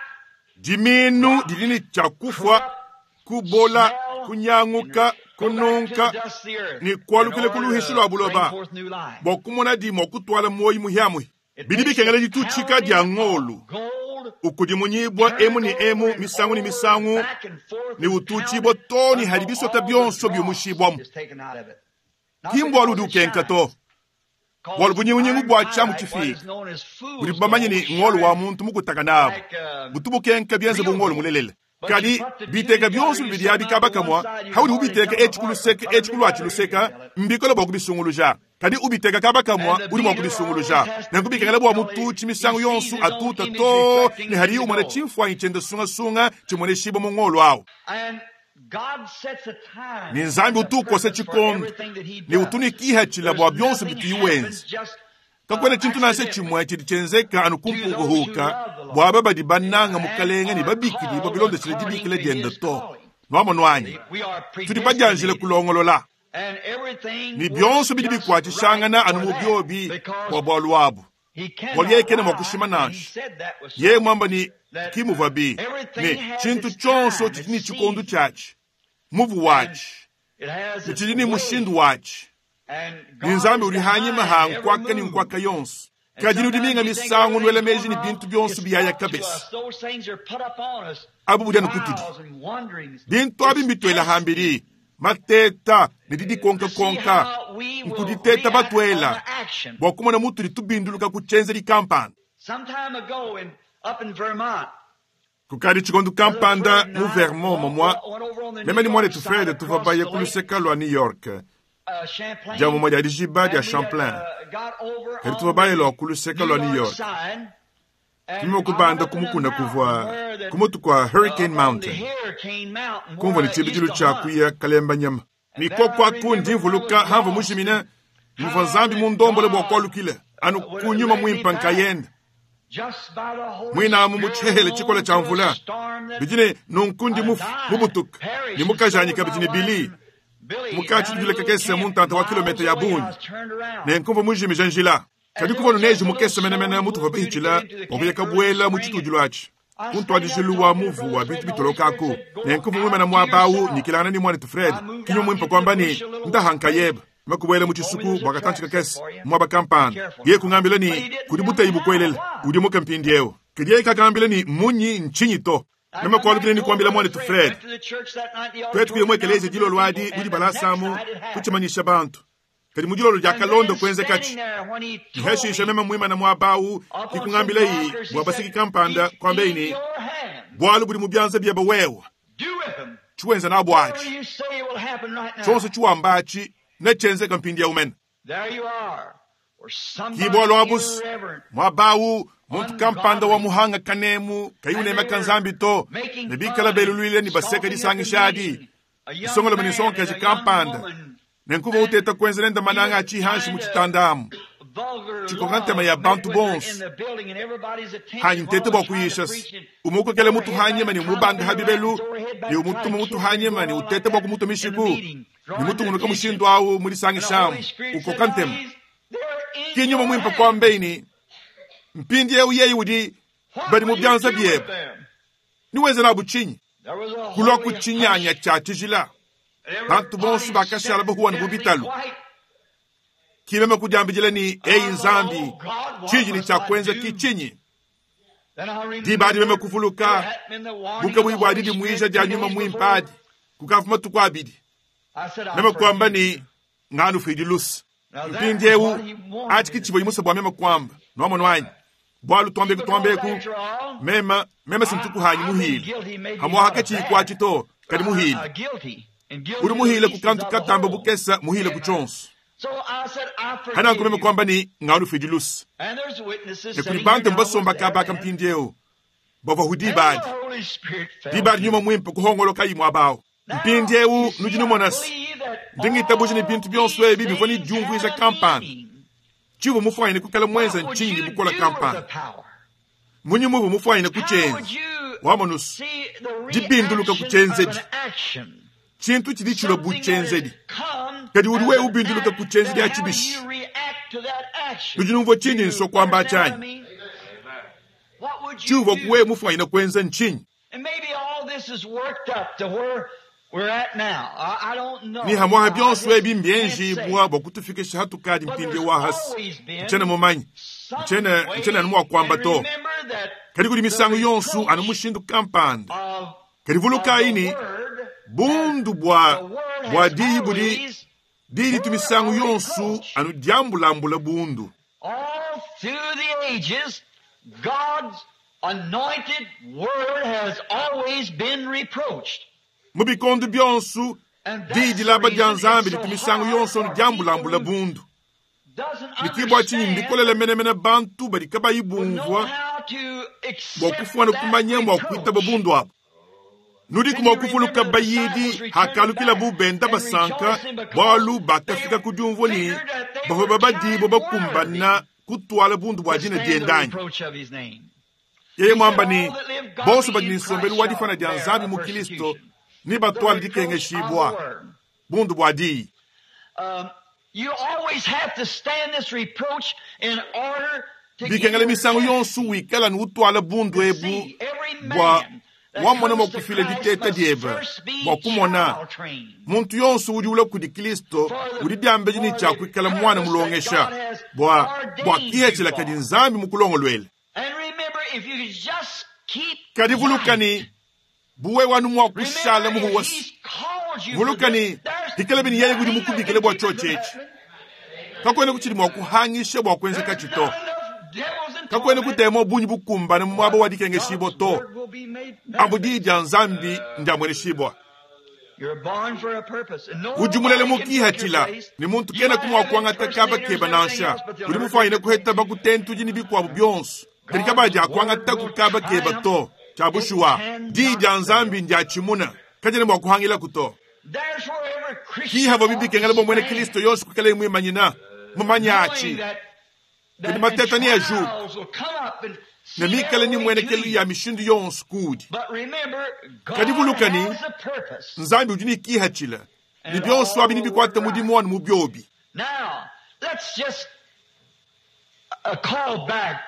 [SPEAKER 1] Diminu
[SPEAKER 2] rot,
[SPEAKER 1] didi ne tshia kufua,
[SPEAKER 2] corrupt,
[SPEAKER 1] kubola,
[SPEAKER 2] smell, and
[SPEAKER 1] kunyanguka,
[SPEAKER 2] go back to the
[SPEAKER 1] kununka,
[SPEAKER 2] dust of the earth
[SPEAKER 1] ni
[SPEAKER 2] in
[SPEAKER 1] kualukile ku
[SPEAKER 2] order
[SPEAKER 1] luhishi
[SPEAKER 2] to
[SPEAKER 1] lua
[SPEAKER 2] bring
[SPEAKER 1] buloba
[SPEAKER 2] forth new life.
[SPEAKER 1] bua kumona di mua kutwala moyi muhiamuhi.
[SPEAKER 2] It
[SPEAKER 1] Bidi
[SPEAKER 2] takes the
[SPEAKER 1] bikengela ditutshika dia
[SPEAKER 2] pounding of
[SPEAKER 1] ngolu
[SPEAKER 2] gold
[SPEAKER 1] Ukudimunyibua emu ne emu misangu ne misangu ne utuutshibua too ne hadi bisota bionso biumushibuamu. Ki mbualu udi ukenka to, bualu bunyingunyingu bua tshiamu tshifiike budibu bamanye ne ngolo wa muntu mukutaka nabu butu bukenka bienze bu ngolo mulelela. Kadi biteka bionso bibidi abi kaba kamua, haudi ubiteka etshi ku luseke etshi ku luatshi luseka, mbikole bua kubisunguluja. Kadi ubiteka kaba kamua, udi mua kubisunguluja. Nenku bikengela bua mututshi misangu yonso atuta too ne hadiye umona tshimfuanyi tshiende sungasunga tshimueneshibua mu ngolo au. Ne Nzambi utu ukosa tshikondo ne utu ne kihatshila bua bionso bituyi wenza. Kakuena tshintu nansha tshimue tshidi tshienzeka anu ku mpukahuka bua aba badi bananga Mukalenge ne babikidibua bilondeshile dibikila diende to. Nuamonu anyi? Tudi badianjile kulongolola. Ne bionso bidi bikuatshishangana anu mu biobi bua bualu abu. Bualu yeye kena mua kushima nansha. Yeye muamba ne ki muvuabi ne tshintu tshionso tshidi ne tshikondo tshiatshi, muvu watshi, ne tshidi ne mushindu watshi. Ne Nzambi udi hanyima ha nkuaka ne nkuaka yonso. Kadi nudi minga misangu nuela meji ne bintu bionso biyaya kabisa. Abu budi anu kutudi. Bintu abi mbituela hambidi, mateta ne didikonkakonka, nkuditeta batuela bua kumona mutudi tubinduluka ku tshienzedi kampanda. Kukadi tshikondo kampanda mu Vermont momua, meme ne muanetu Fred tuvua baye ku luseka lua New York, dia mumue dia dijiba dia Champlain. Kadi tuvua baye lua ku luseka lua New York. Tumema kubanda ku mukuna kuvua ku mutu kua Hurricane Mountain, kumvua ne tshibidilu tshia kuya kalemba nyama. Mikoko aku ndi mvuluka hamvua mujimine, muvua Nzambi mundombole bua kualukila anu ku nyuma muimpe nkayende. Muinamu mu tshihehele tshikole tshia mvula bidi ne nunku ndi mufu mubutuka ne mukajanyi kabidi ne Billy mukatshi kakese mu ntanta wa kilometa ya bungi ne nkumvua mujimija njila. Kadi kuvua neji mukese menemene mutuvua bahitshila bua kuya kabuela mu tshitudilu atshi ku ntuadijilu wa muvu wa bintu bitolokaku. Ne nkumvua muimana muaba awu nyikilangana ne muanetu Fred kinywa muimpe kuamba ne ndaha nkayeba makubuela mu tshisuku bua katantshi kakese muaba kampanda. Yeye kungambila ne kudi buteyi bukuelela udi muke mpindieu. Kadi yeye kakambila ne munyi ntshinyi to. Meme kualukile ne kuambila muanetu Fred. Tuetu kuya mu ekeleziya dilolo adi mu dibalasamu kutshimanyisha bantu. Kadi mu dilolo dia kalonda kuenzekatshi. Niheshisha meme muimana muaba awu kikungambila yi bua basiki kampanda kuambeyi ne bualu budi mu bianza biebe wewe. Tshiwenza nabu atshi. Tshionso tshiwamba atshi netshienzeka mpindieu mene. Ki bualu abu muaba awu muntu kampanda wa muhanga kanemu kayi unemeka Nzambi to ne bikala beluluile ne baseka disangisha adi. Isongolome ne nsongakaji kampanda ne nkuva uteta kuenza nende mananga a tshihanshi mu tshitanda amu. Tshikoka ntema ya bantu bonso. Hanyi ntete bua kuyisha umukokele mutu hanyima ne umubanda ha bibelu ne umutuma mutu hanyima ne utete bua kumutua mishiku ne mutungunuka mushindu awu mu disangishamu ukoka ntema. Ki nyuma muimpe kuambeyi ne mpindieu yeye udi badi mu bianza biebe. Niwenza nabu tshinyi? Kulua ku tshinyanya tshia tshijila. Bantu bonso bakashala bahuwa ne bubitalu. Kimeme kudiambidila ne eyi Nzambi tshiji ne tshia kuenza ki tshinyi? Diba adi meme kuvuluka bukabuyi bua didimuija dia nyuma muimpe adi kukavua matuku abidi. Meme kuamba ne nganufuidi luse. Mpindieu atshi ki tshivua musa bua meme kuamba. Nuamonu anyi? Bualu tuambeku tuambeku meme meme sintukuhanyi muhile. Hamuaha katshiyi kuatshi to kadi muhile. Udi muhile ku kantu katamba bukesa muhile ku tshionso. Hananku meme kuamba ne nganufuidi luse. Ne kudi bantu mbasomba kabaka mpindieu bavua hu diba adi. Diba adi nyuma muimpe kuhongoloka imue abawu. Mpindieu nudi numona se ndi ngitabuja ne bintu bionso ebi bivua ne diumvuija kampanda. Tshivua mufuanyine kukala muenza ntshinyi ne bukola kampanda. Munyi muvua mufuanyine kutshienza? Wamonusu dibinduluka ku tshienzedi. Tshintu tshidi tshilua bu tshienzedi. Kadi udi wewe ubinduluka ku tshienzedi atshi bishi? Nudi numvua tshindi nsua kuamba tshianyi? Tshivua wewe mufuanyine kuenza ntshinyi? Ni hamuaha bionso ebi mbienjibua bua kutufikisha hatukadi mpindieu wa hasi. Ntshiena mumanye. Ntshiena ntshiena anu mua kuamba to. Kadi kudi misangu yonso anu mushindu kampanda. Kadi vulukayi ne, bundu bua bua diyi budi diyi ditu misangu yonso anu diambulambula bundu.
[SPEAKER 2] All through the ages, God's anointed word has always been reproached.
[SPEAKER 1] Mu bikondo bionso, diyi dilaba dia Nzambi ditu misangu yonso anu diambulambula bundu.
[SPEAKER 2] Doesn't
[SPEAKER 1] Ne ke bua tshinyi
[SPEAKER 2] understand
[SPEAKER 1] mbikolele menemene bantu badi kabayi
[SPEAKER 2] would know
[SPEAKER 1] bumvua
[SPEAKER 2] how to
[SPEAKER 1] bua
[SPEAKER 2] accept
[SPEAKER 1] kufuana
[SPEAKER 2] that
[SPEAKER 1] kumanya mua kuitaba
[SPEAKER 2] reproach.
[SPEAKER 1] bundu abu. Nudiku mua kuvuluka bayidi hakalukila benda basanka bualu bakafika ku diumvua ne bavua babadibua bakumbana kutwala bundu bua
[SPEAKER 2] To
[SPEAKER 1] dina
[SPEAKER 2] stand the
[SPEAKER 1] diende anyi.
[SPEAKER 2] reproach of his name.
[SPEAKER 1] Yeye mwamba ne bonso badi ne nsombelu wa difana dia Nzambi mu Kristo ne
[SPEAKER 2] The
[SPEAKER 1] batwala
[SPEAKER 2] reproach of the
[SPEAKER 1] dikengeshibua
[SPEAKER 2] word.
[SPEAKER 1] bundu bua diyi.
[SPEAKER 2] You always have to stand this reproach in order to give
[SPEAKER 1] Bikengela
[SPEAKER 2] your
[SPEAKER 1] misangu
[SPEAKER 2] test.
[SPEAKER 1] yonso wikala ne utwala bundu
[SPEAKER 2] To
[SPEAKER 1] ebu
[SPEAKER 2] see, every
[SPEAKER 1] bua
[SPEAKER 2] man that
[SPEAKER 1] wamona mua
[SPEAKER 2] comes to
[SPEAKER 1] kufila
[SPEAKER 2] Christ
[SPEAKER 1] diteta
[SPEAKER 2] must
[SPEAKER 1] diebe
[SPEAKER 2] first be
[SPEAKER 1] bua kumona
[SPEAKER 2] child trained.
[SPEAKER 1] muntu yonso udi ula kudi Kristo udi diambedi ne tshia kuikala mwana mulongesha bua bua kihethela kadi Nzambi mukulongolwele.
[SPEAKER 2] And remember, if you just keep
[SPEAKER 1] Kadi vuluka
[SPEAKER 2] right,
[SPEAKER 1] ne buwe wanu mua
[SPEAKER 2] remember
[SPEAKER 1] kushala
[SPEAKER 2] if
[SPEAKER 1] muhuwasi.
[SPEAKER 2] he's called you for
[SPEAKER 1] Vuluka
[SPEAKER 2] this,
[SPEAKER 1] ne
[SPEAKER 2] there's
[SPEAKER 1] hikala bini yeye kudi
[SPEAKER 2] nothing that
[SPEAKER 1] mukubikile
[SPEAKER 2] can
[SPEAKER 1] bua
[SPEAKER 2] keep it from
[SPEAKER 1] tshotshetshi.
[SPEAKER 2] happening.
[SPEAKER 1] Kakwene kuchidi mua kuhangisha bua kuenza
[SPEAKER 2] There's
[SPEAKER 1] kachito.
[SPEAKER 2] not enough devils in
[SPEAKER 1] Kakwene
[SPEAKER 2] torment.
[SPEAKER 1] kutema bunyi bukumbane mu mwaba wa dikengeshibwa
[SPEAKER 2] God's
[SPEAKER 1] to.
[SPEAKER 2] word will be made
[SPEAKER 1] Ambu
[SPEAKER 2] manifest.
[SPEAKER 1] diyi dia Nzambi ndiamweneshibwa.
[SPEAKER 2] You're born for a purpose. And
[SPEAKER 1] Udi mulele
[SPEAKER 2] nobody can take your
[SPEAKER 1] mukihatila
[SPEAKER 2] place.
[SPEAKER 1] ni muntu
[SPEAKER 2] You
[SPEAKER 1] kena
[SPEAKER 2] might
[SPEAKER 1] kumwa
[SPEAKER 2] have
[SPEAKER 1] kuangata kaba
[SPEAKER 2] impersonators
[SPEAKER 1] keba
[SPEAKER 2] and everything
[SPEAKER 1] nansha.
[SPEAKER 2] else, but they'll
[SPEAKER 1] Udi
[SPEAKER 2] never
[SPEAKER 1] mufwanyine
[SPEAKER 2] take your
[SPEAKER 1] kuheta
[SPEAKER 2] place.
[SPEAKER 1] bakutentu dini bikwabu byonso. Kadi kabadi
[SPEAKER 2] God's word
[SPEAKER 1] akuangata
[SPEAKER 2] will
[SPEAKER 1] kukaba keba
[SPEAKER 2] triumph.
[SPEAKER 1] to.
[SPEAKER 2] It
[SPEAKER 1] Chabushuwa. Diyi
[SPEAKER 2] cannot
[SPEAKER 1] dia
[SPEAKER 2] fail.
[SPEAKER 1] Nzambi ndiachimuna. Kajene mwa kuhangila kuto.
[SPEAKER 2] There's where every Christian
[SPEAKER 1] Kihava
[SPEAKER 2] ought to
[SPEAKER 1] bibikengela bwa mwene
[SPEAKER 2] stand,
[SPEAKER 1] Kristo yonso kukala imwimanyina. Mumanya
[SPEAKER 2] knowing
[SPEAKER 1] achi.
[SPEAKER 2] that
[SPEAKER 1] Kadi
[SPEAKER 2] that and
[SPEAKER 1] mateta ni ajuka.
[SPEAKER 2] trials will come up and
[SPEAKER 1] Ne
[SPEAKER 2] seem
[SPEAKER 1] mikale
[SPEAKER 2] every
[SPEAKER 1] ni
[SPEAKER 2] way to
[SPEAKER 1] mwenekelu
[SPEAKER 2] you.
[SPEAKER 1] ya mishindu yonso kudi.
[SPEAKER 2] But remember,
[SPEAKER 1] Kadi
[SPEAKER 2] God
[SPEAKER 1] vuluka ni
[SPEAKER 2] has a purpose,
[SPEAKER 1] Nzambi udi ni kihachila. Ni
[SPEAKER 2] and
[SPEAKER 1] byonso
[SPEAKER 2] all
[SPEAKER 1] abi ni
[SPEAKER 2] will
[SPEAKER 1] bikwata
[SPEAKER 2] work right.
[SPEAKER 1] mudimu wanu mu byobi.
[SPEAKER 2] Now, let's just call back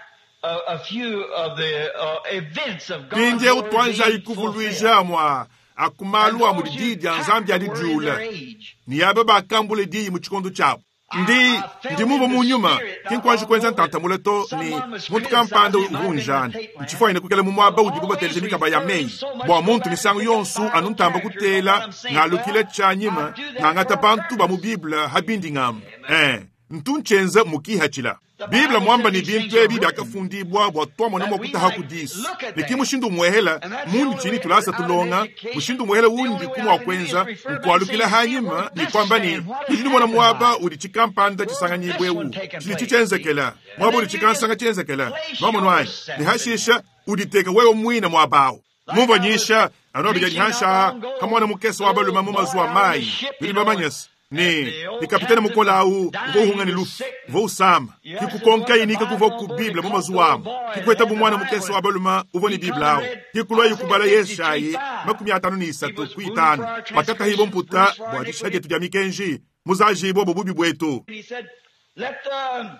[SPEAKER 2] a few of the events of God's
[SPEAKER 1] Pindye
[SPEAKER 2] word
[SPEAKER 1] utwanza
[SPEAKER 2] being fulfilled.
[SPEAKER 1] ikuvulwija mwa
[SPEAKER 2] And
[SPEAKER 1] akumalu amu
[SPEAKER 2] those who
[SPEAKER 1] diyi dia
[SPEAKER 2] attacked
[SPEAKER 1] Nzambi
[SPEAKER 2] the word in
[SPEAKER 1] alidiula.
[SPEAKER 2] their age.
[SPEAKER 1] Ni yaba bakambule diyi mu chikondo chabo.
[SPEAKER 2] I,
[SPEAKER 1] Ndi
[SPEAKER 2] I felt
[SPEAKER 1] ndi
[SPEAKER 2] in
[SPEAKER 1] mumva
[SPEAKER 2] the
[SPEAKER 1] mu nyuma
[SPEAKER 2] spirit not
[SPEAKER 1] kinkwanji
[SPEAKER 2] long
[SPEAKER 1] kwenza
[SPEAKER 2] ago that
[SPEAKER 1] ntantamula to ni
[SPEAKER 2] someone was
[SPEAKER 1] muntu kampanda
[SPEAKER 2] criticizing, it might have been the
[SPEAKER 1] uvunjana
[SPEAKER 2] tape land,
[SPEAKER 1] nchifwanyine kukela mu mwaba
[SPEAKER 2] but
[SPEAKER 1] udi bubateleje
[SPEAKER 2] always
[SPEAKER 1] mikaba ya
[SPEAKER 2] referring
[SPEAKER 1] meyi
[SPEAKER 2] so much
[SPEAKER 1] bua
[SPEAKER 2] go
[SPEAKER 1] muntu
[SPEAKER 2] back and
[SPEAKER 1] misangu
[SPEAKER 2] pick up
[SPEAKER 1] yonso
[SPEAKER 2] Bible
[SPEAKER 1] anu ntamba
[SPEAKER 2] characters on what
[SPEAKER 1] kutela
[SPEAKER 2] I'm saying.
[SPEAKER 1] ngalukile
[SPEAKER 2] Well,
[SPEAKER 1] chanyima
[SPEAKER 2] I do that
[SPEAKER 1] ngangata
[SPEAKER 2] for a
[SPEAKER 1] bantu ba mu
[SPEAKER 2] purpose.
[SPEAKER 1] Biblia habindi ngamba eh ntunchenza mukihachila
[SPEAKER 2] The
[SPEAKER 1] Biblia
[SPEAKER 2] Bible
[SPEAKER 1] mwamba
[SPEAKER 2] said
[SPEAKER 1] ni
[SPEAKER 2] these things
[SPEAKER 1] bintu
[SPEAKER 2] are
[SPEAKER 1] ebi
[SPEAKER 2] written
[SPEAKER 1] byakafundibwa bua twamona
[SPEAKER 2] that
[SPEAKER 1] mwa
[SPEAKER 2] we
[SPEAKER 1] kutaha
[SPEAKER 2] might
[SPEAKER 1] kudisu
[SPEAKER 2] look at
[SPEAKER 1] ni
[SPEAKER 2] them.
[SPEAKER 1] mushindu mwehela
[SPEAKER 2] And that's the
[SPEAKER 1] mundi
[SPEAKER 2] only
[SPEAKER 1] chini
[SPEAKER 2] way
[SPEAKER 1] tulasa
[SPEAKER 2] out of
[SPEAKER 1] tulonga
[SPEAKER 2] education.
[SPEAKER 1] mushindu mwehela
[SPEAKER 2] The
[SPEAKER 1] wundi
[SPEAKER 2] only way
[SPEAKER 1] kumwa
[SPEAKER 2] I can do is
[SPEAKER 1] kwenza
[SPEAKER 2] refer back and say,
[SPEAKER 1] nkwalukila
[SPEAKER 2] see
[SPEAKER 1] hanyima
[SPEAKER 2] where
[SPEAKER 1] ni
[SPEAKER 2] this
[SPEAKER 1] kwamba ni
[SPEAKER 2] stand, what has
[SPEAKER 1] udi nimona
[SPEAKER 2] happened
[SPEAKER 1] mwaba
[SPEAKER 2] by it.
[SPEAKER 1] udi chikampanda
[SPEAKER 2] Where's this
[SPEAKER 1] chisanganyibwewu
[SPEAKER 2] one taking
[SPEAKER 1] chili
[SPEAKER 2] place? See?
[SPEAKER 1] chichenzekela
[SPEAKER 2] And
[SPEAKER 1] mwaba
[SPEAKER 2] then
[SPEAKER 1] udi
[SPEAKER 2] you
[SPEAKER 1] chikansanga
[SPEAKER 2] just
[SPEAKER 1] chenzekela
[SPEAKER 2] place
[SPEAKER 1] mwamonwayi
[SPEAKER 2] yourself
[SPEAKER 1] ni
[SPEAKER 2] in
[SPEAKER 1] hashisha
[SPEAKER 2] that.
[SPEAKER 1] uditeka wewe mwina mwabawo
[SPEAKER 2] Like
[SPEAKER 1] mumva
[SPEAKER 2] I was
[SPEAKER 1] nyisha anobi
[SPEAKER 2] preaching not
[SPEAKER 1] jajihansha
[SPEAKER 2] long ago,
[SPEAKER 1] kamwana mukesi
[SPEAKER 2] the
[SPEAKER 1] wa baluma
[SPEAKER 2] little
[SPEAKER 1] mu
[SPEAKER 2] boy
[SPEAKER 1] mazuwa
[SPEAKER 2] out on the
[SPEAKER 1] mayi
[SPEAKER 2] ship, you
[SPEAKER 1] bili
[SPEAKER 2] know, and
[SPEAKER 1] bamanyasi ni
[SPEAKER 2] the old
[SPEAKER 1] ni kapitene
[SPEAKER 2] captain was
[SPEAKER 1] mukola
[SPEAKER 2] dying,
[SPEAKER 1] vohunga
[SPEAKER 2] he
[SPEAKER 1] ni
[SPEAKER 2] was
[SPEAKER 1] lufu
[SPEAKER 2] sick.
[SPEAKER 1] vousama
[SPEAKER 2] You asked him
[SPEAKER 1] kikukonka
[SPEAKER 2] what the
[SPEAKER 1] inika
[SPEAKER 2] Bible
[SPEAKER 1] kuva
[SPEAKER 2] on
[SPEAKER 1] ku
[SPEAKER 2] board, he
[SPEAKER 1] biblia mu
[SPEAKER 2] caught the
[SPEAKER 1] mazuwa
[SPEAKER 2] little
[SPEAKER 1] amu
[SPEAKER 2] boy that
[SPEAKER 1] kikweta
[SPEAKER 2] had the
[SPEAKER 1] bumwana
[SPEAKER 2] Bible.
[SPEAKER 1] mukesi wa baluma uvo ni
[SPEAKER 2] He come
[SPEAKER 1] biblia
[SPEAKER 2] and
[SPEAKER 1] awo
[SPEAKER 2] read
[SPEAKER 1] kikulwa
[SPEAKER 2] Isaiah
[SPEAKER 1] yikubala yeshayi
[SPEAKER 2] 53:5.
[SPEAKER 1] makumi atano ni
[SPEAKER 2] He
[SPEAKER 1] isatu
[SPEAKER 2] was wounded for
[SPEAKER 1] kuitano
[SPEAKER 2] our
[SPEAKER 1] wakatahibo
[SPEAKER 2] transgressions,
[SPEAKER 1] mputa
[SPEAKER 2] bruised for our
[SPEAKER 1] bwa disha
[SPEAKER 2] iniquities.
[SPEAKER 1] dyetu dya mikenji muzajibo bwo bubi bwetu
[SPEAKER 2] And he said, let the,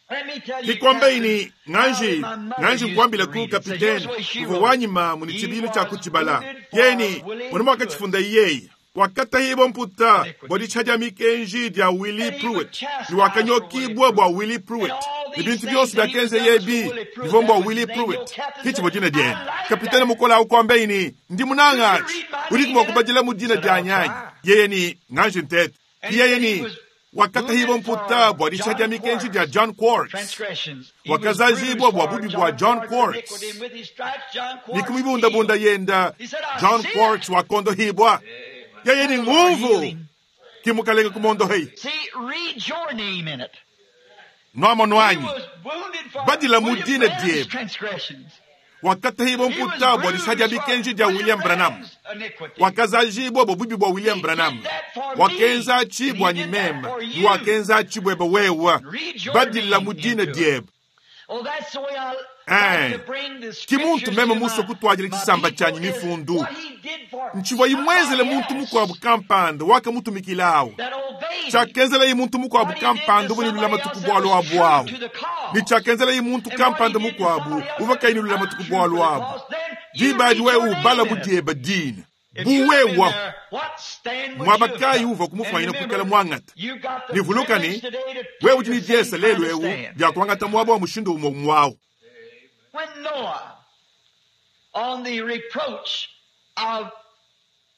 [SPEAKER 2] let me tell you,
[SPEAKER 1] kikwamba
[SPEAKER 2] Captain,
[SPEAKER 1] ini
[SPEAKER 2] how
[SPEAKER 1] nganji
[SPEAKER 2] my mother
[SPEAKER 1] nganji
[SPEAKER 2] used to
[SPEAKER 1] nkwambila ku
[SPEAKER 2] read it. Said, here's
[SPEAKER 1] kapitene
[SPEAKER 2] the way she
[SPEAKER 1] kuva
[SPEAKER 2] wrote it.
[SPEAKER 1] wanyima muni
[SPEAKER 2] He
[SPEAKER 1] chibilu cha
[SPEAKER 2] was
[SPEAKER 1] kuchibala
[SPEAKER 2] wounded for
[SPEAKER 1] yeni
[SPEAKER 2] Willie
[SPEAKER 1] mwene
[SPEAKER 2] Pruitt
[SPEAKER 1] mwakachifunda iyeyi wakatahibo mputa
[SPEAKER 2] iniquity.
[SPEAKER 1] bwa disha dya mikenji dya Willie
[SPEAKER 2] And he was
[SPEAKER 1] Pruitt ni
[SPEAKER 2] chastised for Willie
[SPEAKER 1] wakanyokibwa bwa
[SPEAKER 2] Pruitt.
[SPEAKER 1] Willie
[SPEAKER 2] And
[SPEAKER 1] Pruitt
[SPEAKER 2] all
[SPEAKER 1] ni
[SPEAKER 2] these
[SPEAKER 1] bintu
[SPEAKER 2] things
[SPEAKER 1] byonse
[SPEAKER 2] that he was
[SPEAKER 1] byakenze
[SPEAKER 2] done was for
[SPEAKER 1] yebi
[SPEAKER 2] Willie Pruitt.
[SPEAKER 1] ndivyo mbwa
[SPEAKER 2] That was
[SPEAKER 1] Willie
[SPEAKER 2] his name. The old
[SPEAKER 1] Pruitt
[SPEAKER 2] captain
[SPEAKER 1] kichivo
[SPEAKER 2] said,
[SPEAKER 1] dina
[SPEAKER 2] I
[SPEAKER 1] dyene
[SPEAKER 2] like
[SPEAKER 1] kapitene
[SPEAKER 2] that.
[SPEAKER 1] mukola ukwamba ini ndi
[SPEAKER 2] Could you
[SPEAKER 1] munang'achi
[SPEAKER 2] read my
[SPEAKER 1] uli
[SPEAKER 2] name
[SPEAKER 1] kumwa
[SPEAKER 2] in it?
[SPEAKER 1] kubajila mu
[SPEAKER 2] He
[SPEAKER 1] dina
[SPEAKER 2] said,
[SPEAKER 1] dya
[SPEAKER 2] I'll
[SPEAKER 1] nyanyi
[SPEAKER 2] try.
[SPEAKER 1] yeye ni nganje ntete
[SPEAKER 2] And he
[SPEAKER 1] yeye
[SPEAKER 2] said he
[SPEAKER 1] ni
[SPEAKER 2] was
[SPEAKER 1] wakatahibo
[SPEAKER 2] wounded
[SPEAKER 1] mputa
[SPEAKER 2] for
[SPEAKER 1] bwa disha dya
[SPEAKER 2] John
[SPEAKER 1] mikenji dya
[SPEAKER 2] Quartz
[SPEAKER 1] John Quartz
[SPEAKER 2] transgressions. He was bruised
[SPEAKER 1] wakazazibwa bwa
[SPEAKER 2] for
[SPEAKER 1] bubi bwa
[SPEAKER 2] John
[SPEAKER 1] John
[SPEAKER 2] Quartz
[SPEAKER 1] Quartz
[SPEAKER 2] iniquity, and with his stripes John Quartz
[SPEAKER 1] nikumibundabunda
[SPEAKER 2] healed.
[SPEAKER 1] yenda
[SPEAKER 2] He said, I
[SPEAKER 1] John
[SPEAKER 2] see
[SPEAKER 1] Quartz
[SPEAKER 2] it.
[SPEAKER 1] wakondohibwa yeye ni
[SPEAKER 2] The Lord
[SPEAKER 1] nguvu
[SPEAKER 2] healed him.
[SPEAKER 1] kimukalenga kumondohei
[SPEAKER 2] See, read your name in it.
[SPEAKER 1] nwamo
[SPEAKER 2] He
[SPEAKER 1] nwanyi
[SPEAKER 2] was wounded for
[SPEAKER 1] badila mu
[SPEAKER 2] William
[SPEAKER 1] dina
[SPEAKER 2] Branham's
[SPEAKER 1] dyebe
[SPEAKER 2] transgressions.
[SPEAKER 1] wakatahibo
[SPEAKER 2] He was
[SPEAKER 1] mputa bwa disha dya
[SPEAKER 2] bruised for
[SPEAKER 1] mikenji dya
[SPEAKER 2] William
[SPEAKER 1] William Branham
[SPEAKER 2] Branham's iniquity.
[SPEAKER 1] wakazajibwa bwa bubi bwa William
[SPEAKER 2] He
[SPEAKER 1] Branham
[SPEAKER 2] did that for me,
[SPEAKER 1] wakenza
[SPEAKER 2] and he
[SPEAKER 1] chibwa ni
[SPEAKER 2] did that
[SPEAKER 1] mema
[SPEAKER 2] for
[SPEAKER 1] ni
[SPEAKER 2] you.
[SPEAKER 1] wakenza chibwebe wewa
[SPEAKER 2] Read your
[SPEAKER 1] badila
[SPEAKER 2] name
[SPEAKER 1] mu dina
[SPEAKER 2] into it.
[SPEAKER 1] dyebe
[SPEAKER 2] Oh, that's the way I like
[SPEAKER 1] eh
[SPEAKER 2] to bring the
[SPEAKER 1] kimuntu
[SPEAKER 2] scriptures
[SPEAKER 1] meme
[SPEAKER 2] to
[SPEAKER 1] muso
[SPEAKER 2] my,
[SPEAKER 1] kutwajila
[SPEAKER 2] my
[SPEAKER 1] chisamba
[SPEAKER 2] people
[SPEAKER 1] chanyi
[SPEAKER 2] is
[SPEAKER 1] mifundu
[SPEAKER 2] what he did for
[SPEAKER 1] nchibwa imwezele
[SPEAKER 2] somebody
[SPEAKER 1] muntu
[SPEAKER 2] else
[SPEAKER 1] mukwabo kampanda wakamutumikilawo
[SPEAKER 2] that obeyed him.
[SPEAKER 1] chakenzela yi muntu mukwabo
[SPEAKER 2] What he did to
[SPEAKER 1] kampanda ubonelula
[SPEAKER 2] somebody
[SPEAKER 1] matuku
[SPEAKER 2] else that
[SPEAKER 1] bwalo
[SPEAKER 2] was
[SPEAKER 1] abu
[SPEAKER 2] true
[SPEAKER 1] awo
[SPEAKER 2] to the
[SPEAKER 1] ni
[SPEAKER 2] cause.
[SPEAKER 1] chakenzela yi muntu
[SPEAKER 2] And what he
[SPEAKER 1] kampanda
[SPEAKER 2] did to
[SPEAKER 1] mukwabo
[SPEAKER 2] somebody else that was
[SPEAKER 1] uvakainulula matuku
[SPEAKER 2] untrue
[SPEAKER 1] bwalo
[SPEAKER 2] to the
[SPEAKER 1] abu
[SPEAKER 2] cause, then you
[SPEAKER 1] dibadi
[SPEAKER 2] read your
[SPEAKER 1] we
[SPEAKER 2] name
[SPEAKER 1] ubala
[SPEAKER 2] in it.
[SPEAKER 1] budyeba dina
[SPEAKER 2] If you'd have been
[SPEAKER 1] buwewa
[SPEAKER 2] there, what stand would you have
[SPEAKER 1] mwabakayi
[SPEAKER 2] took?
[SPEAKER 1] uva
[SPEAKER 2] And
[SPEAKER 1] kumufwanyina kukala
[SPEAKER 2] remember,
[SPEAKER 1] mwang'ata
[SPEAKER 2] you've got the
[SPEAKER 1] nivuluka
[SPEAKER 2] privilege
[SPEAKER 1] ni
[SPEAKER 2] today to
[SPEAKER 1] wewe
[SPEAKER 2] take the
[SPEAKER 1] udi ni
[SPEAKER 2] same
[SPEAKER 1] dyesa
[SPEAKER 2] kind
[SPEAKER 1] lelu
[SPEAKER 2] of
[SPEAKER 1] ewu
[SPEAKER 2] stand.
[SPEAKER 1] dyakuangata mwaba wa mushindu umwe mwawo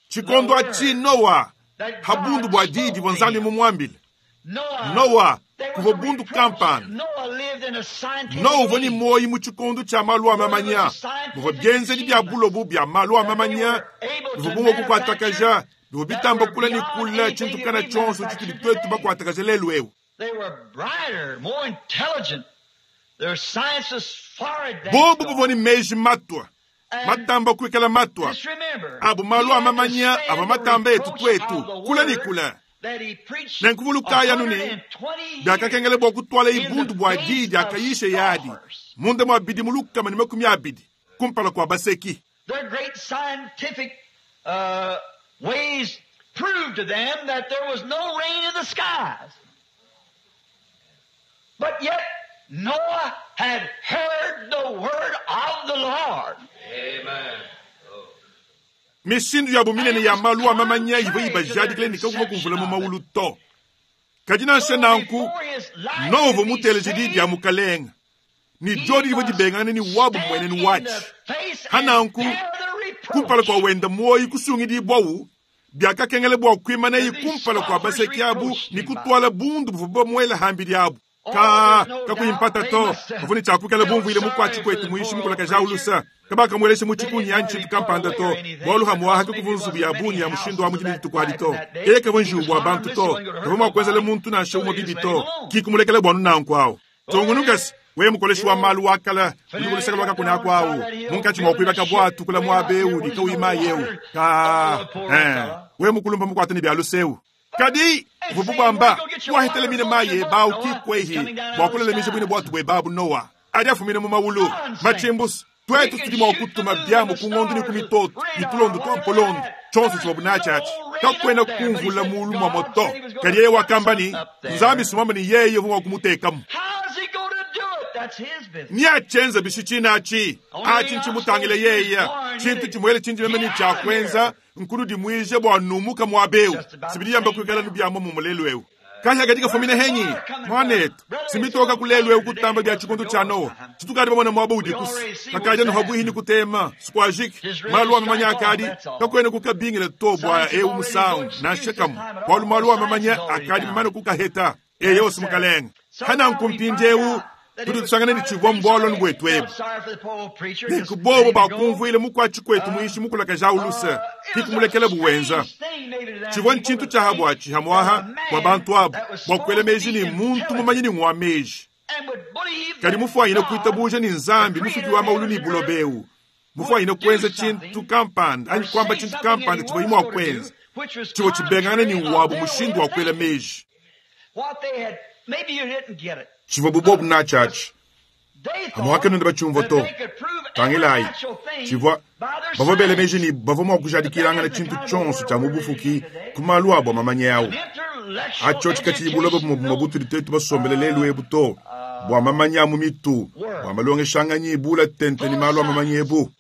[SPEAKER 1] Tshikondo atshi Noa ha bundu bua diyi divua Nzambi mumuambile. Noa kuvua bundu kampanda. Noa uvua ne muoyo mu tshikondo tshia malu a mamanya, muvua bienzedi bia bulobo bia malu a mamanya bivua bumue kukuatakaja, bivua bitamba kula ne kula tshintu kana tshionso tshitudi tuetu bakuatakaja lelu eu. Bobu bavua ne meji matua, matamba kuikala matua abu malu a mamanya avua matamba etu tuetu kula ne kula. Nenku vulukayi anu ne, biakakengela bua kutuala ibundu bua diyi diakayisha yadi munda mua bidimu 120 kumpala kua baseki.
[SPEAKER 2] Their great scientific ways proved to them that there was no rain in the skies. But yet Noah had heard the word of the Lord.
[SPEAKER 3] Amen.
[SPEAKER 1] Mishindu yabo minene ya malu a mamanya ivua ibajadikile ne kakuvua kumvula mu maulu to. Kadi nansha nanku, Noa uvua muteleje diyi dia mukalenga, ne diodi divua dibengangane ne wabu mmuenenu watshi. Hananku, kumpala kua wenda muoyo kusungidibwawu, biakakengela bua kuimanaye kumpala kua baseki abu ne kutuala bundu buvua bamuela hambidi abu. Ka kakuyimpata to, bavua ne tshiakuikala bumvuile mukuatshi kuetu muishi mukulakaja ulusa. Kabakamuelesha mu tshikunyi anyi tshintu kampanda to, bualu hamuaha kakuvua nzubu ya bungi ya mushindu wa mudimi dituku adi to. Yeye kavua njiwu bua bantu to, kavua mua kuenzela muntu nansha umue bibi to, kikumulekela bua nanku awu. Tungunukasi, wewe mukoleshi wa malu wa kala, udi kuluseka lwa kakuna kwawu, munkatshi mua kuibaka bwatu kula muaba ewu ne kawima yewu. Ka, wewe mukulumba mukuata ne bia lusewu. Kadi vuvu bwamba wahitele mine maye bawu kikwehi bua kulelemisha bwine bwatu bwe babu Noa adi afumine mu mawulu machimbusu twetu tudi mua kutuma byamu ku ng'ondu ne ku mitoto ne tulondo twa mpolondo tshonso tshivua bunatshi kakwena kumvula mulu mwa moto. Kadi yeye wakamba ni Nzambi sumamba ni yeye uvua mua kumutekamu.
[SPEAKER 2] How's he going to do it? That's his business.
[SPEAKER 1] Ni achenza bishi chinachi achi nchimutangile yeye chintu chimwele chinji meme ni chakwenza nkulu dimwije bua numuka mwabeu sibidi yamba kuikala nubyamo mu mulelu eu kahya katika fumine henyi mwanetu simitoka kulelu eu kutamba bya chikondo cha Noa chitukadi pamona mwabo udi kusi kakaja no habuhi kutema squajik malu wa mamanya akadi kakwene kukabingile to bwa eu musangu na shekamu bwalu malu wa mamanya akadi mamana kukaheta eyo simukalenga hana nkumpindeu tudi tusangane ni chivwa mbwalo ni ebu nikubobo bakumvuile mukwatshi kwetu muishi mukulakaja ulusa kikumulekela buwenza chivwa nchintu cha habwachi hamwaha bwa bantu abu bwakwela meji ni muntu mumanyi ni ngwa meji kadi mufwanyine kuitabuja ni nzambi mufuki wa maulu ni bulobeu mufwanyine kwenza chintu kampanda anyi kwamba chintu kampanda chivwa imwe wakwenza chivwa chibengana ni wabu mushindu wakwela meji chivwa bubobu nachachi hamwaka nunda bachumva to tangilayi chivwa bavua bela meji ni bavua mua kujadikilangana chintu tshonso tshia mubufuki ku malu abo mamanya yawu acho tshikatshili buloba bumwe butudi tetu basombele lelu ebu to bua mamanya mu mitu bua malongeshanganyi bula tente ni malu a mamanya ebu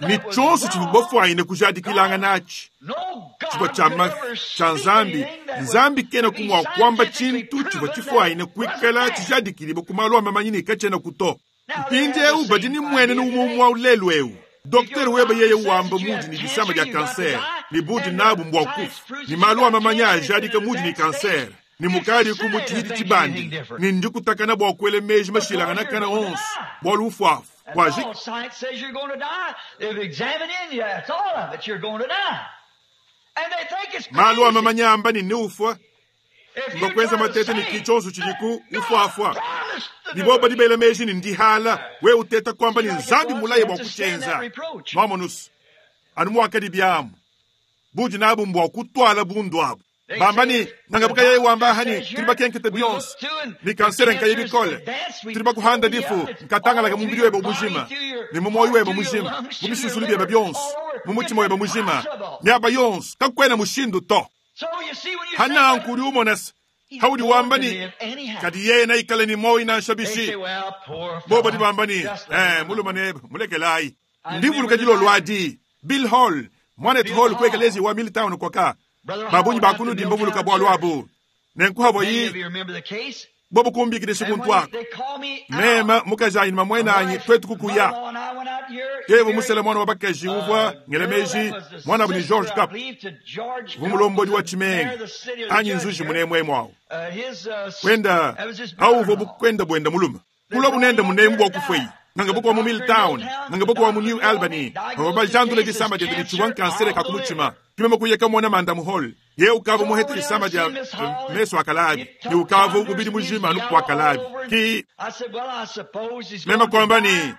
[SPEAKER 1] ni tshonso tshivua bafwanyine kujadikilangana atshi chivua tshia tshia nzambi nzambi kena kumua kwamba chintu chivua chifwanyine kuikala tshijadikiliba ku malu a mamanyi ne katshiena kuto mpindi eu badi ni mwene ni umwe wa ulelu eu Dokter weba yeye wamba mudi ni disama dia kanser ni budi nabu mbwa kufu ni malu a mamanya ajadika mudi ni kanser ni mukali ku mutshidi tshibandi ni ndikutakana bua kuele meji mashilangana kana onso bua lufuafu bua
[SPEAKER 2] All science says you're going to die. They've examined in you. That's all of it. You're going to die. And they think it's
[SPEAKER 1] malu a
[SPEAKER 2] crazy.
[SPEAKER 1] mamanya amba ni niufwa
[SPEAKER 2] If you
[SPEAKER 1] ngakwenza
[SPEAKER 2] try to
[SPEAKER 1] matete ni
[SPEAKER 2] say
[SPEAKER 1] kichonso chidiku
[SPEAKER 2] that
[SPEAKER 1] ufuafua
[SPEAKER 2] God promised to do
[SPEAKER 1] niboba
[SPEAKER 2] it.
[SPEAKER 1] dibela meji ni ndihala we uteta kwamba ni nzambi mulaye bua kuchenza mwamonusu anu mwakadi byamu budi nabu mbwa kutwala bundu abu bamba ni nangabuka yeye wamba hani tuli bakenkete bionso ni kansere nkaye bikole tuli bakuhanda difu nkatangalaka mubili webe mujima ni mu moyo webe mujima mu bisusulu byebe byonso mu mutima webe mujima myaba yonso kakwena mushindu to
[SPEAKER 2] So you see when you
[SPEAKER 1] hana
[SPEAKER 2] say
[SPEAKER 1] nkuli umonesa
[SPEAKER 2] he's
[SPEAKER 1] haudi
[SPEAKER 2] going
[SPEAKER 1] wamba
[SPEAKER 2] to
[SPEAKER 1] ni
[SPEAKER 2] live anyhow.
[SPEAKER 1] kadi yeye naikale ni moyo nansha
[SPEAKER 2] They
[SPEAKER 1] bishi
[SPEAKER 2] say, well, poor
[SPEAKER 1] boba
[SPEAKER 2] fellow,
[SPEAKER 1] dibamba ni
[SPEAKER 2] just let him
[SPEAKER 1] muluma nebe mulekelayi ndivuluka dilolwadi Bill Hall mwanetu Hall kwekelezi wa Milltown kwaka
[SPEAKER 2] Brother Hall
[SPEAKER 1] babunyi
[SPEAKER 2] after
[SPEAKER 1] bakunu dimbavuluka
[SPEAKER 2] Milltown
[SPEAKER 1] bwalu
[SPEAKER 2] Church.
[SPEAKER 1] abu nenkuhabo
[SPEAKER 2] Many of
[SPEAKER 1] yi
[SPEAKER 2] you remember the case.
[SPEAKER 1] Bobu kumbikidisha kuntu aku. Meme, mukajanyi ne mamuenanyi tuetu kukuya. Yeye musele mwana wa bakaji uvua ngela meji mwanabu ni George Cup, uvua mulombodi wa tshimenga anyi nzuji munemwemu awu. Kwenda awu uvua bukwenda bwenda mulume. Kulwa bunende munemu bwa kufweyi. Nganga buku wa mu Milltown, nganga buku wa mu New Albany, bavua bajandula disama diende ne tshivua nkansere ka ku mutshima. Kimema kuyeka mona manda mu hall. Ye ukavua muhete disama dia mesu akalabi, ne ukavua mubidi mujima anu kuakalabi. Ki mema kwamba ni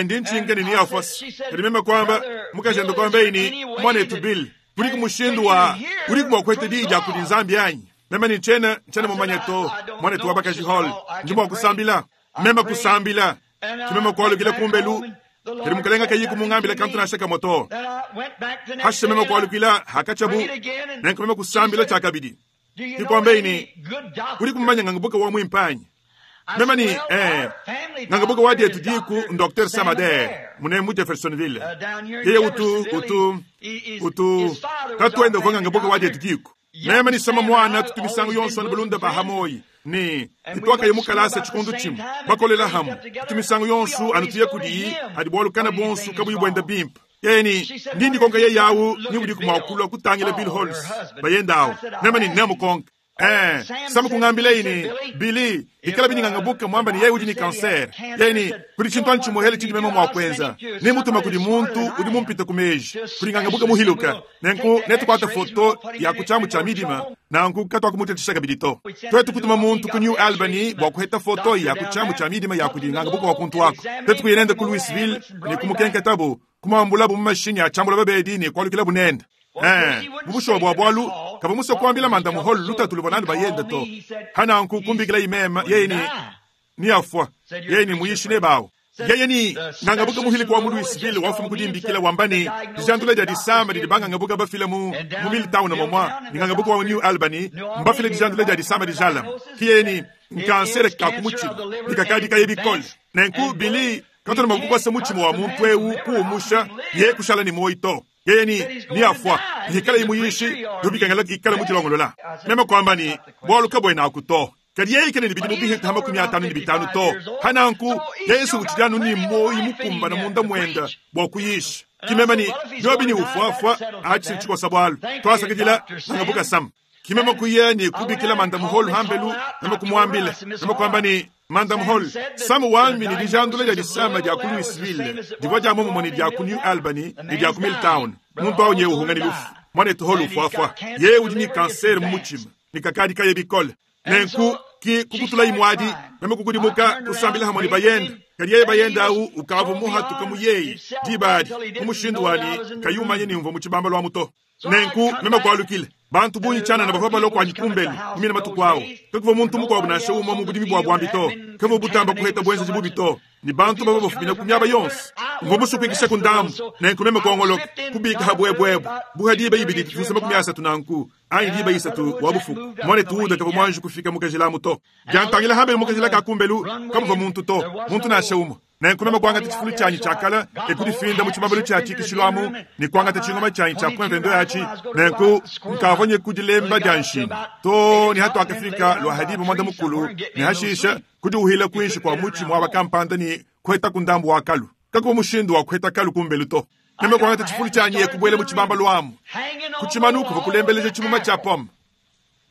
[SPEAKER 1] ndi ntshinke ni niafos. Kadi mema kwamba mukajende kwamba ini mwanetu Bill, kuli kumushindu wa kuli kumwakwete diyi dia kudi Nzambi anyi. Mema ni nchena nchena mumanye to mwanetu wa bakaji hall. Ndi mwa kusambila. Mema kusambila. Kimema kwalukila kumbelu. Kadi mukalenga kayi kumungambila kantu nashaka moto. Hashe mema kwalukila hakachabu. Nenku mema kusambila chakabidi. Kikwamba ini kuli kumumanya ngangabuka wa mwimpanyi. Mema ni ngangabuka wa dietu diku Dr. Samader munemu Jeffersonville. Yeye utu utu utu katuenda kwa ngangabuka wa dietu diku. Mema ni sama mwana tutumisango yonso na bulunda bahamoyi. Ni itwaka yemukalasa chikundu chimu bakolela hamu tumisango yonsu anutuye kudi adi bwalukana bonsu kabuyi bwenda bimpa yeni ndindi konka ye yawu ni udi kumwakula kutangila Bill Halls bayendawo mema ni nemukonka samu kungambila ini Billy ikala biningangabuka mwamba ni yeye udi ni kanser yeni kuli chintu anchimuhele chindi mema mwakwenza ni mutuma kuli muntu udi mumpita kumeji kuli ngangabuka muhiluka nenku netukwata foto ya kuchamu cha midima nanku katwa kumutetisha kabidi to twetu kutuma muntu ku New Albany bwa kuheta foto ya kuchamu cha midima ya kuli ngangabuka wa kuntu wako twetu kuyenenda ku Louisville ni kumukenketabu kumwambula bu mumashini achambula babedi ni kwalukila bunenda mubushobo bwa bwalu kaba muso kwambila manda muholu lutatu lubonani bayenda to hananku kumbikila imema yeye ni ni afwa yeye ni muyishi ne bawo yeye ni ngangabuka muhili wa mu Louisville wafu mukudimbikila wambani dijandula dia disamba didi bangangabuka bafile mu mu Milltown momwa ngangabuka wa New Albany mbafile dijandula dia disamba dijalam kiyeni nkansere ka kumuchima dikakadi kayebikole nenku Billy katona makukwasa muchima wa muntu ewu kuumusha ye kushala ni moito yeye ni ni afwa ikala imuyishi yobikangala ikala muchilongolola mema kwamba ni bwaluka bwena akuto kadi yeye ikene nibidi mubihe tama 55 to hananku Yesu uchidanu ni moyi mukumba na munda mwenda bwa kuyisha kimema ni yobi ni ufuafwa achi chikosa bwalu twasakidila nangabuka sam kimema kuye ni kubikila manda muholu hambelu nama kumwambila nama kwamba ni manda muholu samu wami ni dijandula dia disama dia ku Louisville divwa dia momo ni dia ku New Albany ni dia ku Milltown muntu awo nyewe uhungani lufu mwana etuholu ufuafwa ye udi ni kanser mumuchima ni kakadi kaye bikole nenku ki kukutula imwadi meme kukudimuka kusambila hamwe ni bayenda kadi yeye bayenda au ukavu muhatuka muyeyi dibadi kumushindu wani kayumanye nimva muchibamba lwa muto nenku meme kwalukile bantu bunyi chana na bavua baloko anyi kumbelu kumina matuku awo kakuva muntu mukuabu nansha umwe mu budimi bwa bwambi to kavu butamba kuheta bwenza jibubi to ni bantu bava bafumina ku miaba yonse mva musupikisha ku ndambu nenku meme kuongoloka kubika habwebwebwe buha diba ibidi tusema ku miasatu nanku anyi diba isatu wa bufuku mwane tuuda kava mwanji kufika mukajilamu to jantangila hambele mukajila ka kumbelu kamuva muntu to muntu nansha umwe nenku meme kuangata chifulu chanyi chakala ekudifinda mu chimabelo cha chikishilwamu ni kuangata chingoma chanyi cha kwemvendo yachi nenku nkavonye kudilemba dia nshini to ni hatu akafika lwa hadibu mwanda mukulu ni hashisha kudiuhila kuinshi kwa muchi mwaba kampanda ni kuheta kundambu wa kalu kakuwa mushindu wa kuheta kalu kumbelu to meme kuangata chifulu chanyi ekubwele mu chibamba lwamu kuchimanuku vakulembeleja chimuma cha poma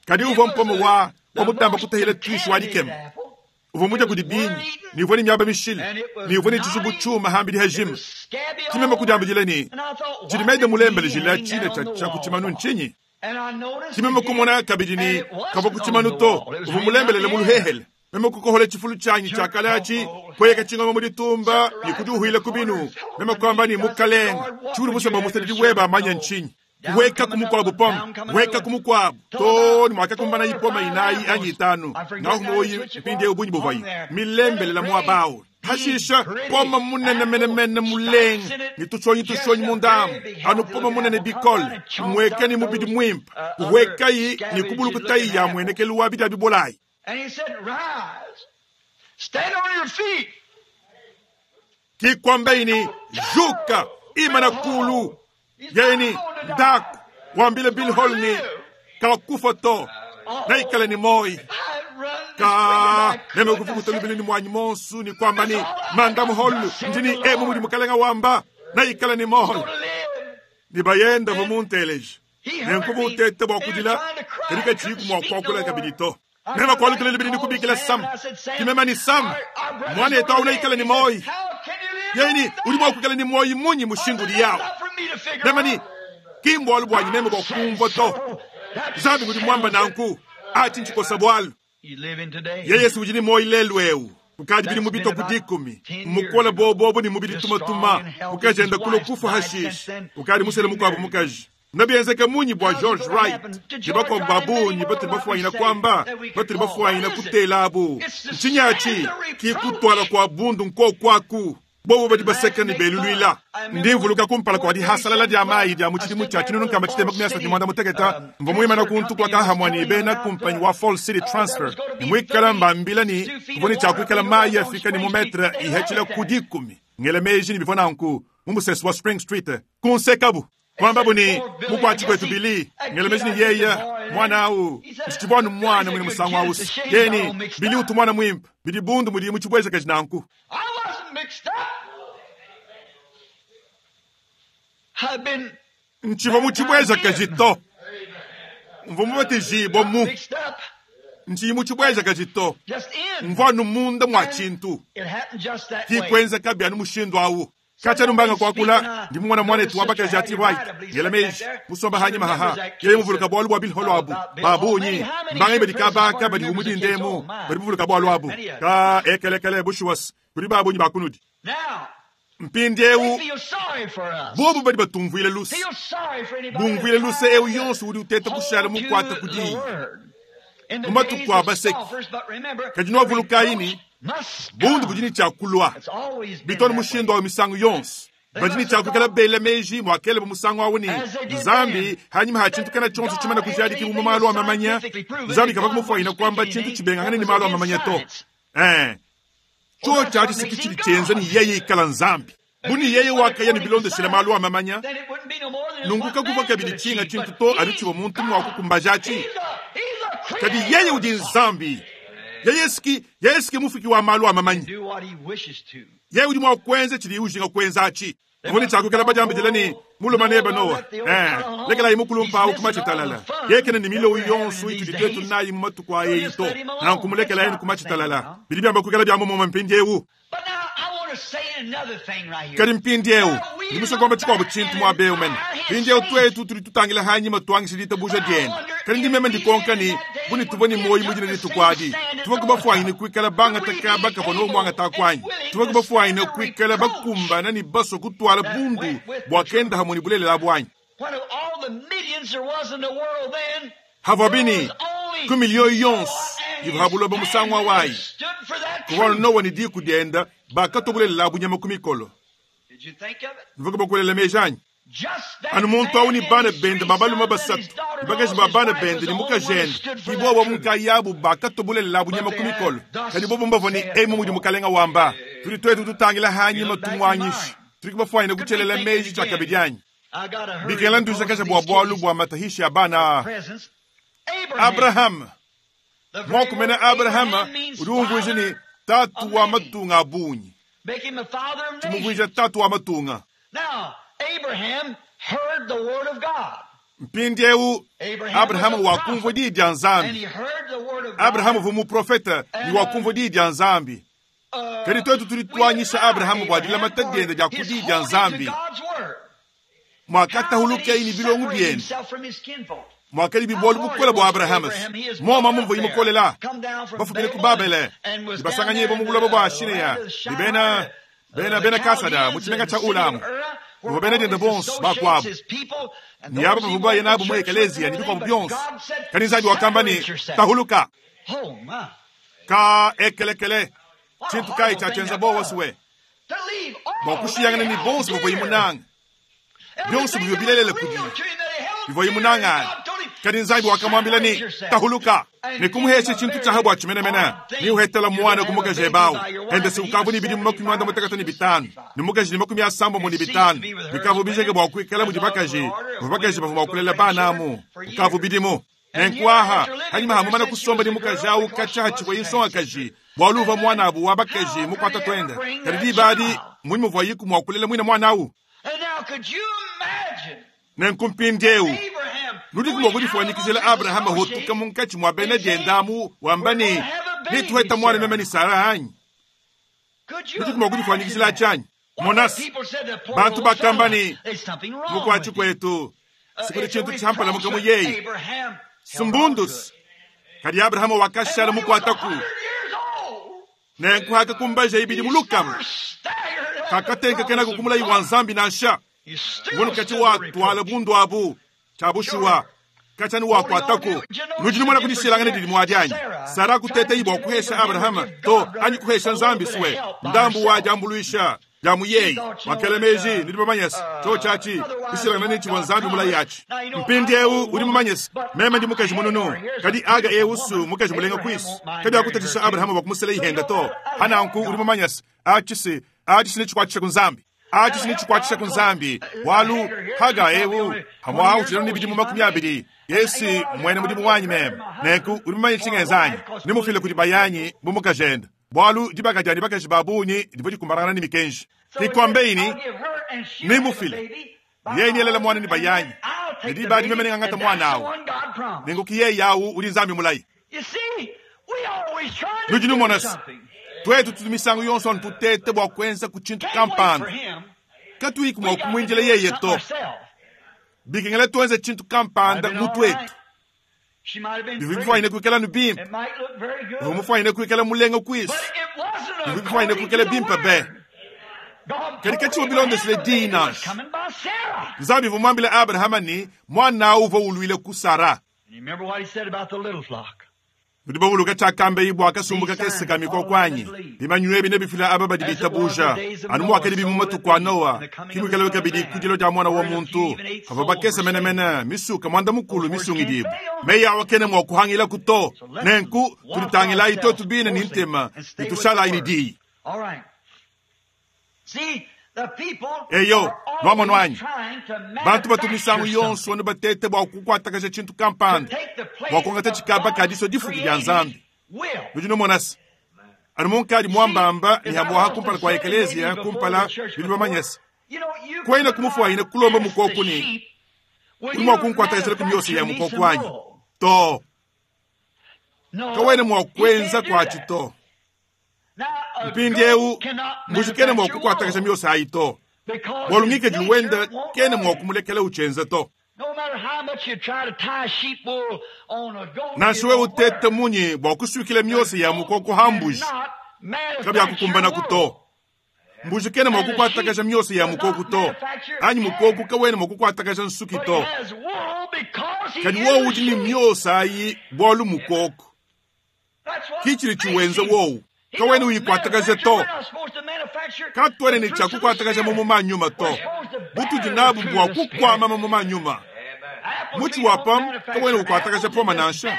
[SPEAKER 1] kadi uvwa mpomo wa wamutamba kutahila twishu wadikema uvwa muja kudi binyi ni uvwa ni miaba mishili ni uvwa ni chizubu chuma hambili hajima chimema kudiambijila ni chidimede mulembele jila chile cha cha kuchimanu nchinyi chimema kumona kabidi ni kava kuchimanu to uvwa mulembelele muluhehele meme kukohola chifulu chanyi chakalachi kweka chingoma muditumba ni kudiuhila kubinu meme kwamba ni mukalenga chuli musamba musadidi weba amanya nchinyi weka kumukwabu poma weka kumukwabu to ni mwaka kumbana ipoma inayi anyi itanu ngahumoyi mpindi ubunyi buvayi milembelela mwabawo hashisha poma munene menemene mulenga ni tushonyi tushonyi mundamu anu poma munene bikole mweka ni mubidi mwimpa wekayi ni kubulukutayi ya mwenekelu wa bidi bibolayi.
[SPEAKER 2] And he said, rise, stand on your feet.
[SPEAKER 1] Kikwamba ini juka imana kulu yeni ndaku wambile Bill Hall ni kakufa to na ikale ni moi. Ka meme kuvukuta lubili ni mwanyi monsu ni kwamba ni manda muholu ndini emu mudi mukalenga wamba naikala ni moholo ni bayenda vomunteleji nenkuva utete bwa kudila katika chiku mwa kwakula kabidi to mema kwalukile libidi ni kubikila sam kimema ni sam mwana yetu auna ikala ni moi yeni uli mwa kukala ni moi munyi mushindu liyawo mema ni kimbo alu bwanyi meme bwa kumva to zambi ngudi mwamba nanku ati nchikosa bwalu yeye si ujini moi lelu eu kukadi bili mubito kudikumi mukola bobobo ni mubili tumatuma mukaji enda kulo kufa hashishi ukadi musele mukwabo mukaji nabyenzeka munyi bwa George Wright ni bakwa babunyi batiri bafuanyina kwamba batiri bafuanyina kutela abu ncinyaci kikutwala kwa bundu nko kwaku bobo badi baseka ni belulwila ndimvuluka kumpala kwa dihasalala dia mayi dia mutshidimu tshia tshinunu nkama tshitema kumi asatu mwanda muteketa mva muimana kuntu kwa kahamwa ni bena kumpanyi wa Fall City Transfer ni mwikala mbambila ni kuvoni tshia kuikala mayi afika ni mumetre ihechila kudikumi ngele meji ni bivona nku mumusesi wa Spring Street kunsekabu kwamba buni mukwatshi kwetu bili ngele meji ni yeya mwana au ntshibwanu mwana mwini musangu ausi yeni bili utu mwana mwimpa bili bundu mudi mutshibweza kaji nanku ntshiva mutshibweza kajito mva mubatijibwa mu ntshiyi mutshibweza kajito mvwanu munda mwa tshintu kikwenza kabyanu mushindu awu kacha numbanga kwakula ndi mwana mwana etu wabakaji ati right ngela meji musomba hanyi mahaha yeye muvuluka bwalu bwa bilholo abu babunyi mbanga ibedi kabaka badi umudi ndemu badi muvuluka bwalu abu ka ekelekele bushuwas kuli babunyi bakunudi mpindiewu bobu badi batumvuile luse bumvuile luse eu yonso udi uteta kushala mukwata kudiyi mumatuku abaseki kadi nwavuluka bundu budini tshia bitoni mushindu wa misangu yonso badini tshia kukala bela meji mwakele musangu awu ni nzambi hanyuma ha tshintu kana tshonso tshimana kujadiki mu malu a mamanya nzambi kava kumufuanyina kwamba tshintu tshibengangane ni malu a mamanya to cho tsha tshisiki tshidi tshienza ni yeye ikala nzambi buni yeye wakaya ni bilondeshela malu a mamanya nunguka kuva kabidi tshinga tshintu to anu tshiva muntu mwakukumbajachi kadi yeye udi nzambi yeye siki mufiki wa malu a mamanya yeye udi mwakwenza tshidi ujinga kwenza achi voni tshakukela bajambidila ni muluma neba nowa lekela imukulumpa awu kumatshitalala yekene ni milowu yonso itudi twetu nayi mumatuku a yeyi to nankumulekela yeni kumatshitalala bidi byamba kukela bya mumoma mpindiewu kadi mpindiewu ndimusokomba tshikuabu tshintu mwabeu mene mpindiewu twetu tudi tutangila hanyima tuangisha ditabuja diene kadi ndimeme ndikonka ni buni tuvua ni moyi mudina dituku adi tuvua kubafuanyine kuikala bangataka bakavua nomwangata kwanyi tuvua kubafuanyine kuikala bakumbana ni baso kutwala bundu bua kenda hamwe ni bulelela bwanyi havua bini ku miliyo yonso ivahabuloba musangu awayi kuvua nowa ni diku dienda bakatobulelela bunyama ku mikolo mvuka bakulela mejanyi anu muntu awu ni bana bende babaluma basatu ni bakaji ba bana bende ni mukajende ni bobo munkayabu bakatobulelela bunyama ku mikolo kadi bobo mbavua ni emu mudi mukalenga wamba tudi twetu tutangila hanyima tumwanyisha tudi kubafuanyina kutshelela meji tshia kabidi anyi bikela nduzakaja bua bwalu bua matahishi ya bana Abraham mwakumena Abrahama udi umvuija ni tatu wa matunga abunyi tshimumvuija tatu wa matunga mpindiewu Abrahamu wakumvua diyi dia Nzambi. Abrahamu uvua muprofeta ni wakumvua diyi dia Nzambi. Kadi twetu tudi tuanyisha Abrahamu bua dilamata diende dia ku diyi dia Nzambi. Mwakatahulukeyi ni bilongo biende mwakali bibwalu bukola bua Abrahamu moma mumvua imukolela bafumile ku Babele ibasanganye bo mu buloba bua Shineya ni bena bena bena Kasada mu tshimenga tshia Ulamu bavua bena diende bonso bakuabu ni aba bavua baye nabu mu ekeleziya ni bikuabu bionso kadi Nzambi wakamba ni tahuluka ka ekelekele tshintu kayi tshiatshienza bowa suwe bua kushiyangana ni bonso bavua imunanga bionso bivua bilelele kudi bivua imunangana kadi Nzambi wakamwambila ni tahuluka nikumuheshe tshintu tshaha bua tshimenemene ni uhetela mwana kumukaji ebawu ende siukavu ni bidimu makumi anda mutekata ni bitanu ni mukaji ni makumi asambo ni bitanu bikavu bijeke bua kuikala mudi bakaji bua bakaji bavua mua kulela bana amu ukavu bidimu Nenku aha, hanyima ha mumana kusomba ne mukaji awu katshia hatshivua nsongakaji, bualu uvua muanabu wa bakaji mukuata tuende. Kadi diba adi, mmunyi muvuayiku mua kulela muine muana awu? Nenku mpindieu, nudiku mua kudifuanyikijila Abrahama hotuka munkatshi mua bena dienda amu wamba ne, Netuheta muana meme ne Sara anyi? Nudiku mua kudifuanyikijila atshi anyi? Monasi, bantu bakamba ne, Mukuatshi kuetu, sikudi tshintu tshiampalamuka mu yeye. Sumbundus. Kadi Abrahama wakashala mukuataku. Nenku hakakumbaja ibidi mu lukama, kakatenkekenaku ku mulayi wa Nzambi nansha. Ngono katshi watuala bundu abu tshia bushuwa katshia ni wakuataku. Nudi numona kudishilangana didi muadi anyi? Sara kuteta bua kuhesha Abrahama to anyi kuhesha Nzambi suwe ndambu wa diambuluisha dia mu yeye wakela meji nudi bamanye se tshio tshiatshi dishilangana ne tshivua Nzambi mulayi atshi. Mpindieu udi mumanye se meme ndi mukaji mununu, kadi Aga eu su mukaji mulenga kuisu kabiakutatshisha Abrahama bua kumusela ihenda to. Hananku udi mumanye se atshi se atshi se netshikuatshisha ku Nzambi. Atshi netshikuatshisha ku Nzambi, bualu Haga eu hamwaha utshidi ne bidimu 20, Yesu muena mudimu wanyi meme. Nenku udi mumanye tshingenza anyi? Nemufile kudi bayanyi bu mukajende, bualu dibaka dianyi bakaji ba bungi divua dikumbanangana ne mikenji. Kikuambei ne nemufile yeye nielela muana ne bayanyi, ne diba adi meme nengangata muana awu. Nenku ki yeye awu udi Nzambi mulayi. Nudi numona se, tuetu tutu misangu yonso anu tuteta bua kuenza ku tshintu kampanda, katuyiku mua kumuindila yeye to. Bikengela tuenze tshintu kampanda mu tuetu. Bivua bifuanyine kuikala anu bimpe, bivua mufuanyine kuikala mulenga kuisu, bivua bifuanyine kuikala bimpe be. Kadi katshivua bilondeshile diyi nansha. Nzambi uvua muambile Abrahama ne, muana awu uvua uluile ku Sara. Nudi bavuluka tshiakamba bua kasumbu kakese ka mikoko anyi? Bimanyinu ebi nebifila aba badi bitabuja, anu muakadibi mu matuku a Noa, ke muikalabi kabidi ku dilua dia Muana wa muntu. Pavua bakese menemene, misuka muanda-mukulu misungidibue. Meyi awa kena mua kuhangilaku to. Nenku, tuditangilayi tuetu bine ne ntema ne tushalayi ne diyi. Eyo, nuamonu anyi? Bantu batu misangu yonso anu batete bua kukuatakaja tshintu kampanda, bua kuangata tshikaba ka disua difuki dia Nzambi. Nudi numona se, anu munkadi muambamba ne hamuaha kumpala kua ekeleziya kumpala, nudi bamanye se, kuena kumufuanyine kulomba mukoku ne, udi mua kunkuatakajila ku miosa ya mukoku anyi? To. Kawena mua kuenza kuatshi to. Mpindieu mbuji kena mua kukuatakasha miosa ayi to, bualu ngikadilu wende kena mua kumulekela utshienza to. Nansha wewe uteta munyi bua kusuikila miosa ya mukoko ha mbuji, kabiakukumbanaku to. Mbuji kena mua kukuatakasha miosa ya mukoko to, anyi mukoko kawena mua kukuatakasha nsuki to. Kadi wowu udi ne miosa ayi bualu mukoko. Ki tshidi tshiwenza wowu. Kawena uyikuatakaja to. Katuena ne tshia kukuatakaja mamuma a nyuma to. Butudi nabu bua kukuama mamuma a nyuma. Mutshi wa pomme kawena ukuatakaja pomme nansha.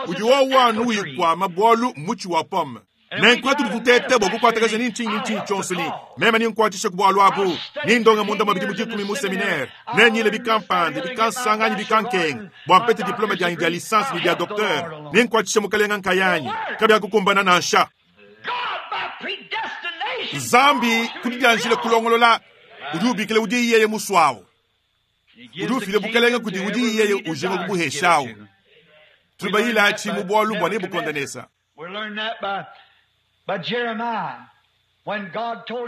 [SPEAKER 1] Udi wowu anu uyikuama bualu mutshi wa pomme. Nenku hatudi tuteta bua kukuatakaja ni ntshinyi ni ntshinyi tshionso ni meme ni nkuatshisha ku bualu abu, ni ndonga munda mua bidimu 10 mu seminaire, ne nyile bikampande, bikansanga anyi bikankenga bua mpete diplome dianyi dia licence ne dia docteur, ni nkuatshisha mukalenga nkayanyi, kabiakukumbana nansha. Nzambi ku didianjila kulongolola udi ubikila udi yeye musuawu, udi ufila bukalenga kudi udi yeye ujinga kubuheshawu. Tudi bayila atshi mu bualu bua Nebuchadnezzar.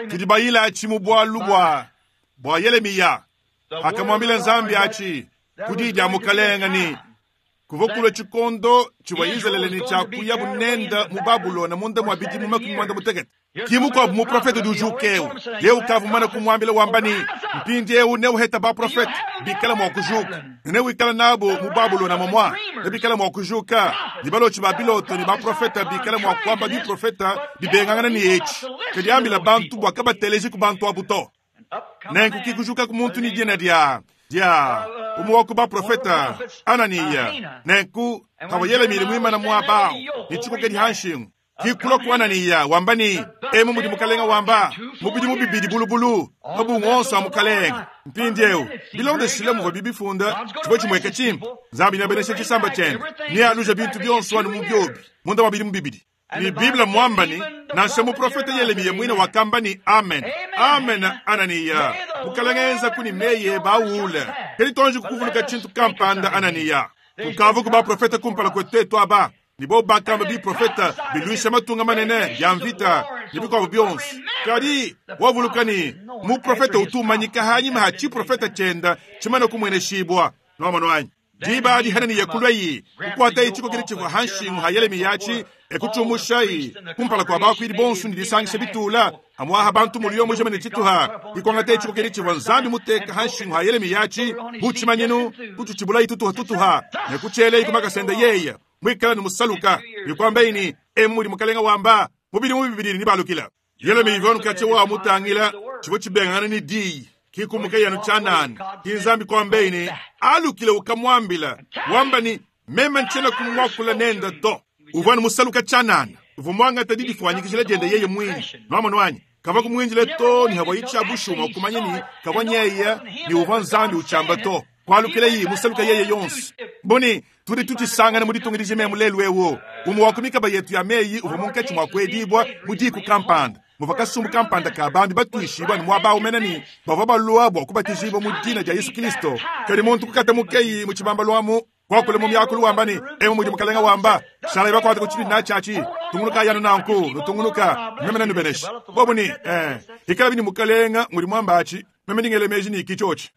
[SPEAKER 1] Tudi bayila atshi mu bualu bua bua Yelemiya, akamuambila Nzambi atshi ku diyi dia mukalenga ne, kuvua kulua tshikondo tshivua Izalele ne tshia kuya bunenda mu Babulona munda mua bidimu 80. Ki mukuabu muprofete udi ujuka eu, yeye ukavua mumane kumuambila wamba ne, mpindieu neuheta baprofete bikala mua kujuka, ne newikala nabu mu Babulona momua, ne bikala mua kujuka, ne balotshi ba biloto ne baprofete bikala mua kuamba biprofete bibengangana ne etshi. Kadi ambila bantu bua kabateleji ku bantu abu to. Nenku ki kujuka ku muntu ne dina dia dia umue wa ku baprofete Ananiya. Nenku kavua Yelemiya muimana muaba awu ne tshikokedi ha nshingu. Ki kulua ku Ananiya, wamba ne, Emu mudi Mukalenga wamba, mu bidimu bibidi bulubulu, mabungu onso a Mukalenga. Mpindiewu, bilondeshile muvuabi bifunda, tshivua tshimueka tshimpe. Nzambi neabeneshe tshisamba tshiende, nealuje bintu bionso anu mu biobi, munda mua bidimu bibidi. Ne Bible mmuamba ne, nansha muprofete Yelemiya muine wakamba ne, Amen, amen, Ananiya. Mukalenga enzaku ne meyi ebe awule. Kadi tuanji kuvuluka tshintu kampanda, Ananiya. Kukavuku baprofete kumpala kuetu tuetu aba, ne bobu bakamba biprofete biluisha matunga manene, bia mvita, ne bikuabu bionso. Kadi wavuluka ne, muprofete utu umanyika hanyima ha tshiprofete tshienda tshimane kumueneshibua. Nuamonu anyi? Diba adi Hananiya kuluaye, kukuataye tshikokedi tshivua ha nshingu ha Yelemiya atshi, e kutshiumushaye kumpala kua bakuidi bonso ne disangisha bitula, amuaha bantu muliyo mujima ne tshituha. Kuangataye tshikokedi tshivua Nzambi muteka ha nshingu ha Yelemiya atshi bu tshimanyinu, kutshitshibulaye tutuha tutuha, ne kutshielaye ku makasa ende yeye muikale ne musaluka, ne kuambaye ne, Emu mudi Mukalenga wamba, mu bidimu bibidi nebalukila. Yelemiya ivua anu katshia wa mutangila tshivua tshibengangana ne diyi, ki kumukaye anu tshianana. Ki Nzambi kuambaye ne, Alukile ukamuambila, wamba ne, Meme ntshiena kumuakula nende to. Uvua anu musaluka tshianana, uvua muangata didifuanyikijila diende yeye muine. Nuamonu anyi? Kavua kumuindile too ne havuaye tshia bushuwa mua kumanya ne, kavua nyeye ne uvua Nzambi utshiamba to. Kualukilaye musaluka yeye yonso. Buni, tudi tutshisangana mu ditunga dijima emu lelu eu. Umue wa ku mikaba yetu ya meyi uvua munkatshi mua kuedibua mu diku kampanda, muvua kasumbu kampanda ka bambi batuishibua ne muaba au mene ne bavua balua bua kubatijibua mu dina dia Yesu Kristo. Kadi muntu kukatamukeyi mu tshibambalu amu, kuakula mu miakulu wamba ne, Emu mudi Mukalenga wamba, shalayi bakuate ku tshitudi natshi atshi, tungunukayi anu nanku, nutungunuka, meme nenubeneshe. Bobu ne, Ee, ikalabi ne Mukalenga ngudi muamba atshi, meme ndi ngela meji ne ki tshiotshi.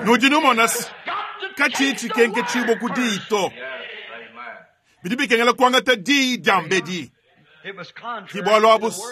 [SPEAKER 1] Nudi numona se, katshiyi tshikenketshibua ku diyi to. Bidi bikengela kuangata diyi diambedi. Ki bualu abu se,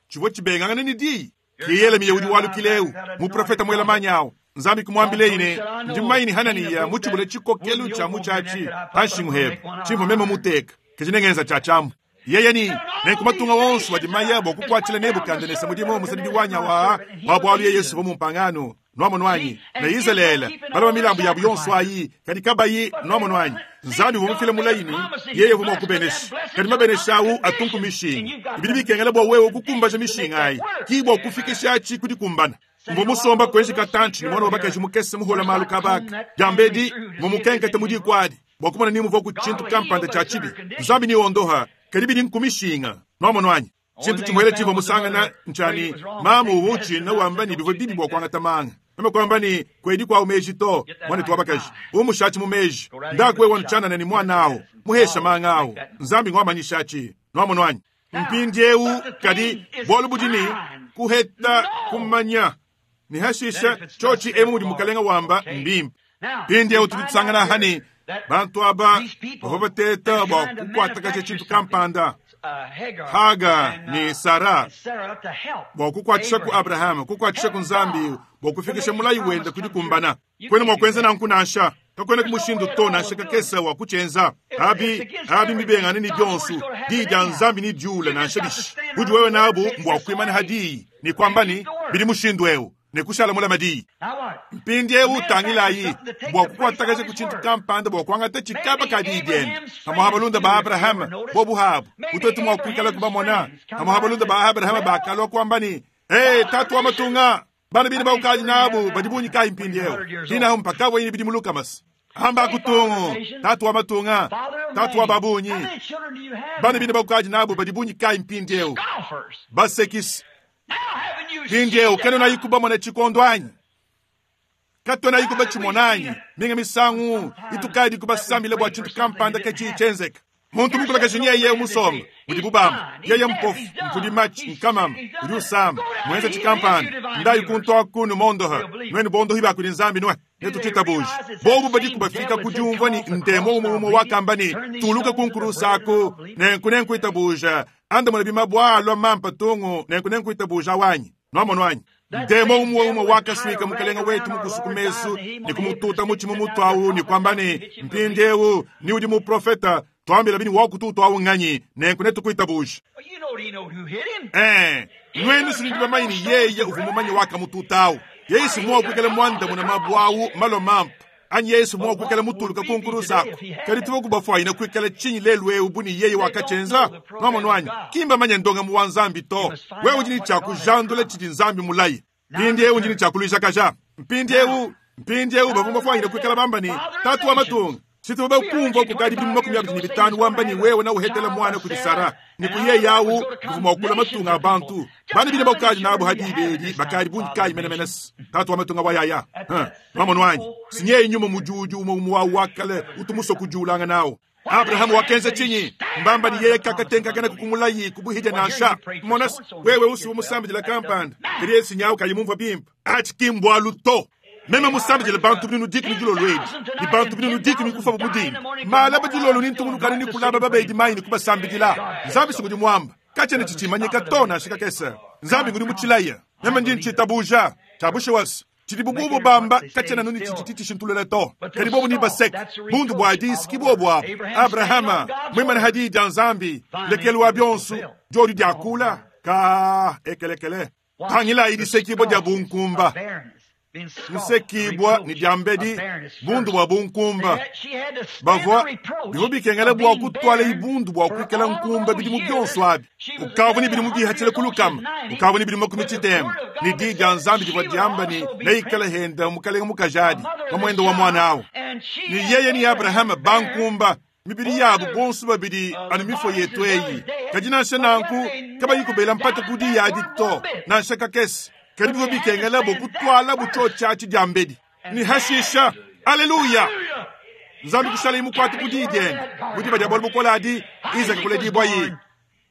[SPEAKER 1] tshivua tshibengangane ne diyi. Ki Yelemiya udi walukila eu, muprofete muela manyi au. Nzambi kumuambileyi ne, Ndi mumanye ne Hananiya mutshibule tshikokelu tshia mutshi atshi pa nshingu hebe, tshimvua meme muteka, kadi nengenza tshia tshiamu. Yeye ne, Nenku matunga onso adi maya bua kukuatshila Nebukadenesa mudimu musadidi wanyi awa wa bualu yeye uvua mumpangano, nuamonu anyi, ne Izalele balama milambu yabu yonso ayi, kadi kabayi, nuamonu anyi, Nzambi uvua mufile mulayi ne yeye uvua mua kubenesha, kadi mabenesha au atunku mishinga. Bidi bikengela bua wewe kukumbaja mishinga ayi, ki bua kufikishatshi ku dikumbana. Mvua musomba kuenji katantshi ne muana wa bakaji mukese muhola malu kabaka diambedi, mvua mukenkete mu diku adi bua kumona ni muvuaku tshintu kampanda tshia tshibi. Nzambi ni ondoha, kadi bidi nkumishinga, nuamonu anyi? Tshintu tshimuele tshivua musangana ntshia ne, mamu uvua utshina wamba ne bivua bibi bua kuangata manga. Meme kuamba ne, kuedi kuawu meji to, muanetu wa bakaji, umushatshi mu meji. Ndaku wewe tshianana ne muana awu, muhesha manga awu. Nzambi nguamanyishatshi, nuamonu anyi? Mpindiewu, kadi bualu budi ne, kuheta kumanya ne hashisha tshiotshi emu mudi Mukalenga wamba mbimpe. Mpindiewu tudi tusangana aha ne bantu aba bavua bateta bua kukuatakaja tshintu kampanda, Haga ne Sara, bua kukuatshisha ku Abrahama, kukuatshisha ku Nzambi bua kufikisha mulayi wende ku dikumbana. Kuena mua kuenza nanku nansha. Kakuenaku mushindu to nansha kakese wa kutshienza. Abi, abi mbibengangane ne bionso. Diyi dia Nzambi nediule nansha bishi. Budi wewe nabu mbua kuimana ha diyi ne kuamba ne, bidi mushindu eu, ne kushala mulame diyi. Mpindiewu tangilayi, bua kukuatakaja ku tshintu kampanda bua kuangata tshikaba ka diyi diende. Pamuapa balunda ba Abrahama bobu habu, bu tuetu mua kuikala kubamona, pamuapa balunda ba Abrahama bakalua kuamba ne, Hey, tatu wa matunga, bana bine baukadi nabu badi bungi kayi mpindiewu? Hinahu mpakavua yine bidimu lukamasi. Amba kutungu, tatu wa matunga, tatu wa babunyi, bana bine baukadi nabu badi bungi kayi mpindiewu? Basekisi. Mpindiewu kena kubamona tshikondo anyi? Katuena batshimona anyi? Minga misangu itukadi kubasambila bua tshintu kampanda katshiyi tshienzeka. Muntu mukulakaje nyeye musomba mudibu bamba yeye mpofu, mpudi matshi, nkamama, udi usama, muenza tshikampanda, ndayi kuntu aku numondoha, nuenu bondohi ba kudi Nzambi nue netutshitabuje. Bobu badiku bafika ku diumvua ne ndemo umue umue wakamba ne, tuluka ku nkurusa aku, nenku nenkuitabuja, andamuna bimabua alua mampa tungu, nenku nenkuitabuja wanyi. Nuamonu anyi? Ndemo umue umue wakasuika Mukalenga wetu mukusu ku mesu ne kumututa mutshi mu mutu awu ne kuamba ne, mpindiewu ni udi muprofeta, tuambila bini wakututu awu nganyi, nenku netukuitabuje. Nuenu sinudi bamanyi ne yeye uvua mumanye wakamututa awu. Yeye si mua kuikala muandamuna mabua awu malua mampa. Anyi yeye si mua kuikala mutuluka ku nkurusa aku. Kadi tuvua kubafuanyina kuikala tshinyi lelu eu bu ne yeye wakatshienza? Nwamonu anyi? Ki mbamanye ndongamu wa Nzambi to. Wewe udi ne tshia kujandula tshidi Nzambi mulaye. Mpindieu ndi ne tshia kuluijakaja. Mpindieu, mpindieu bavua bafuanyine kuikala bamba ne, Tatu wa matunga, si tuvua bakumvua kukadi bidimu 25 wamba ne wewe neuhetele muana kudi Sara, ne ku yeye awu kuvua mua kulua matunga a bantu. Bana bine bakadi nabu ha diba edi bakadi bungi kayi menemene? Tatu wa matunga wa yaya. Huh. Nwamonu anyi? Si nyeye nyuma mudiudi umue umue wawu wa kale utu musue kudiulangana nawu. Abrahama wakenza tshinyi? Mbamba ne yeye kakatenkakana ku mulayi ku buhidia nansha. Mona, wewe usuwa musambidila kampanda, kadi yeye sinyawu kayi mumvua bimpe. Atshi ki mbualu to. Meme musambidile bantu binunu dikumi dilolo edi, ne bantu binunu dikumi kufa bu mudinda. Malaba dilolo ne ntungunukanu ne kulaba babedi mayi ne kubasambidila. Nzambi si ngudi muamba. Katshiena tshitshimanyika to nansha kakese. Nzambi ngudi mutshilaya. Meme ndi ntshitabuja. Tshia bushuwa se, Tshidibu bobo bamba katshiena anu ne tshidi tshishintulula to, kadi bobo nebaseke bundu bua disi. Ki bobo abu. Abrahama muimane ha diyi dia Nzambi, ndekelu wa bionso diodi diakula, ka ekelekele. Tangilayi disekibua dia bunkumba, disekibua ne diambedi bundu bua bunkumba. Bavua bivua bikengela bua kutuala ibundu bua kuikala nkumba bidimu bionso abi. Ukavua ne bidimu bihatshila ku lukama, ukavua ne bidimu makumi tshitema, ne diyi dia Nzambi divua diamba ne neikale henda mukalenge mukaji adi mamuende wa muana awu. Ne yeye ne Abrahama bankumba, mibidi yabu bonso babidi anu mifua yetu eyi. Kadi nansha nanku kabayi kubela mpata ku diyi adi to, nansha kakese. Kadi bivua bikengela bua kutualabu tshiotshi atshi diambedi. Ne hashisha, aleluya! Nzambi kushalaye mukuate ku diyi diende. Mu diba dia bualu bukole adi, Izaka kuledibuaye.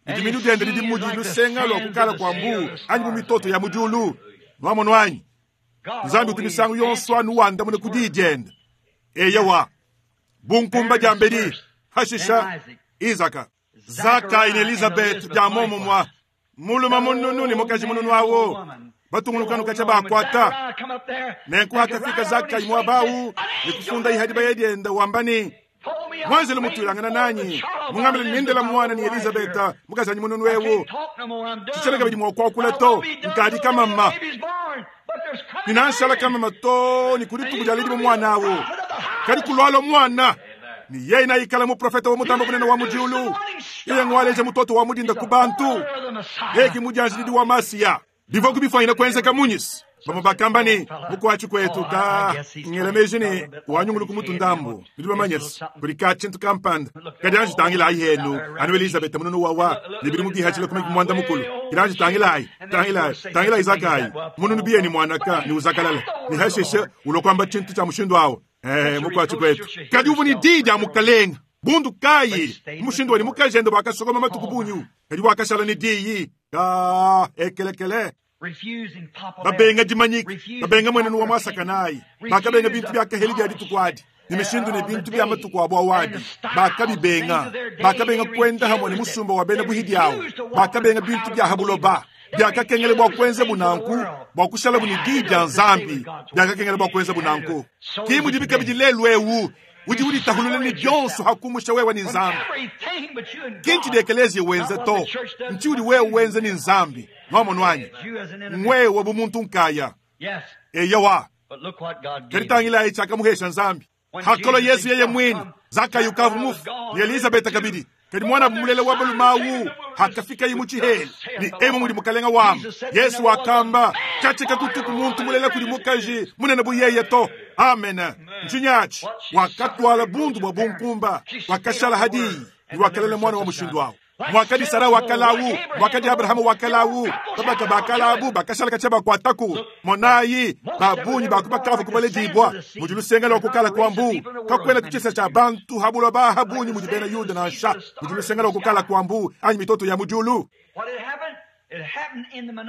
[SPEAKER 1] Ne diminu diende didi mudi lusenga lua kukala kua mbuu anyi bu mitoto ya mu diulu. Nuamonu anyi? Nzambi utu misangu yonso anu wandamuna ku diyi diende. Eyowa, bunkumba diambedi, hashisha, Izaka. Zakayi ne Elizabeth dia muomumue. Mulume mununu ne mukaji mununu awu batungunukanu katshia bakuata. Nenku hakafika Zakayi muaba awu ne kufunda ihadi baya dienda wamba ne, Muanjelo mutuilangana nanyi mungambile ne nendela muana ne Elizabeta mukajanyi mununu ewu. Tshitshiena kabidi mua kuakula to, nkadi kamama. Ne nanshala kamama to ne ku dituku dia ledibua muana awu. Kadi kulualua muana, ne yeye naikala muprofete wa mutamba bunene wa mu diulu. Yeye ngualeja mutoto wa mudinda ku bantu. Yeye ki mudianjilidi wa Masiya. Bivua kubifuanyina kuenzeka munyi? Bamue bakamba ne, Mukuatshi kuetu ka ngela meji ne wanyunguluku mutu ndambu. Nudi bamanye se, kudi ka tshintu kampanda. Kadi anji tangilayi henu, anu Elizabeta mununu wawa ne bidimu bihatshila ku makumi muanda mukulu. Kadi anji tangilayi, tangilayi, tangilayi Zakayi, mununu biye ne muanaka ne uzakalala, ne hashishe ulua kuamba tshintu tshia mushindu awu. Eh, mukuatshi kuetu. Kadi uvua ne diyi dia Mukalenga. Bundu kayi? Mushindu wa ne mukajende wakasokoma matuku bungi, kadi wakashala ne diyi. Ka ekelekele. Babenga dimanyika, babenga muenenu wa muasakanayi, bakabenga bintu bia kaheli bia dituku adi, ne mishindu ne bintu bia matuku abo awadi, bakabibenga. Bakabenga kuenda hamue ne musumba wa bena buhidi awu, bakabenga bintu bia ha buloba. Biakakengela bua kuenzabu nanku bua kushalabu ne diyi dia Nzambi. Biakakengela bua kuenzabu nanku. Ki mudibi kabidi lelu eu. Udi uditahulula ne bionso ha kumusha wewe ne Nzambi. Ki ntshidi ekeleziya wenza to, ntshiudi wewe wenza ne Nzambi. Nwamonu anyi? Ngwewe bu muntu nkaya. Eyowa. Kadi tangilayi tshiakamuhesha Nzambi. Hakalua Yesu yeye muine, Zakayi ukavua mufue, ne Elizabeta kabidi. Kadi muanabu mulela wa balume awu hakafikaye mu tshihela, ne emu mudi Mukalenga wamba, Yesu wakamba, Katshia kakutuku muntu mulela kudi mukaji munene bu yeye to. Amene. Ntshinyi atshi? Wakatuala bundu bua bunkumba, wakashala ha diyi, ne wakalela muana wa mushindu awu. Muakadi Sara wakalawu, muakadi Abrahama wakalawu, babaka bakalabu bakashala katshia bakuataku. Monayi, ba bungi ba ku bakavua kubaledibua mudi lusenga lua kukala kua mbu. Kakuena tshisa tshia bantu ha buloba ha bungi mudi bena Yuda nansha mudi lusenga lua kukala kua mbu anyi mitoto ya mu diulu.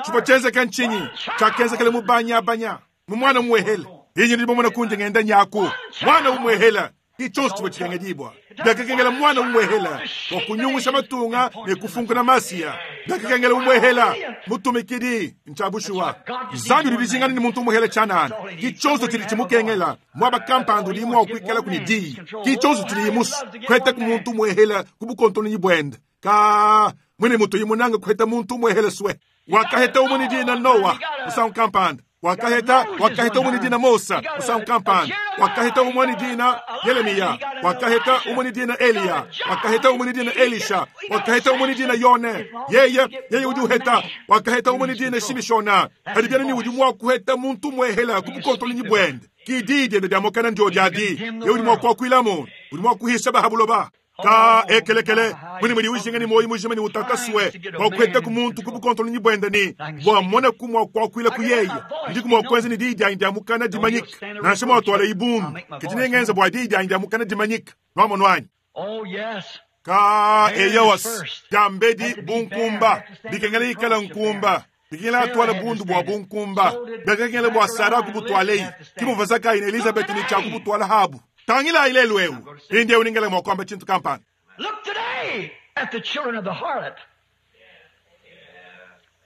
[SPEAKER 1] Tshivua tshienzeke ntshinyi? Tshiakenzekele mu banyabanya mu muana umuehele. Inyi ndi mumona kundi ngenda nyaku muana umuehele ki tshionso tshivua tshikengedibua. Biakakengela muana umuehela bua kunyungusha matunga ne kufunkuna Masiya. Biakakengela umuehela mutumikidi. Ntshia bushuwa, Nzambi udi dijingana ne muntu umuehela tshianana. Ki tshionso tshidi tshimukengela. Muaba kampanda udi mua kuikalaku ne diyi. Ki tshionso tshidiye musue kuhetaku muntu umuehela ku bukontononyi buende. Ka muine mutuyi munange kuheta muntu umuehela sue. Wakaheta umue ne dina Noa musangu kampanda. Wakaheta, wakaheta umwe ni dina Mosa musangu kampanda. Wakaheta umwe ni dina Yeremia. Wakaheta umwe ni dina Eliya. Wakaheta umwe ni dina Elisha. Wakaheta umwe ni dina Yone. Yeye, yeye udi uheta. Wakaheta umwe ni dina Shimishona. Kadi byana ni udi mwa kuheta muntu mwehela kubukontolinyi bwende. Kidi diende dia mokana ndio diadi. Yeye udi mwa kuakuila muntu. Udi mwa kuhisha bahabuloba. Ka ekelekele muni muli ujinga ni moyi mujima ni utataswe kwa kweta ku muntu ku bukontolo ni bwenda ni bwa mona ku mwa kwa kwila ku yeye ndi ku mwa kwenza ni di dia ndia mukana dimanyika nansha mwa twala ibundu kitine ngenza bwa di dia ndia mukana dimanyika nwamo nwanyi.
[SPEAKER 2] Oh, yes.
[SPEAKER 1] Ka eyawas dambedi bunkumba bikengela ikala nkumba bikengela twala bundu bwa bunkumba bikengela bwa sara ku butwalei kimuvaza ka ina Elizabeth ni cha ku butwala habu. Tangila ile lwewu. Inde uningela mwa kwamba chintu kampani.
[SPEAKER 2] Look today at the children of the harlot.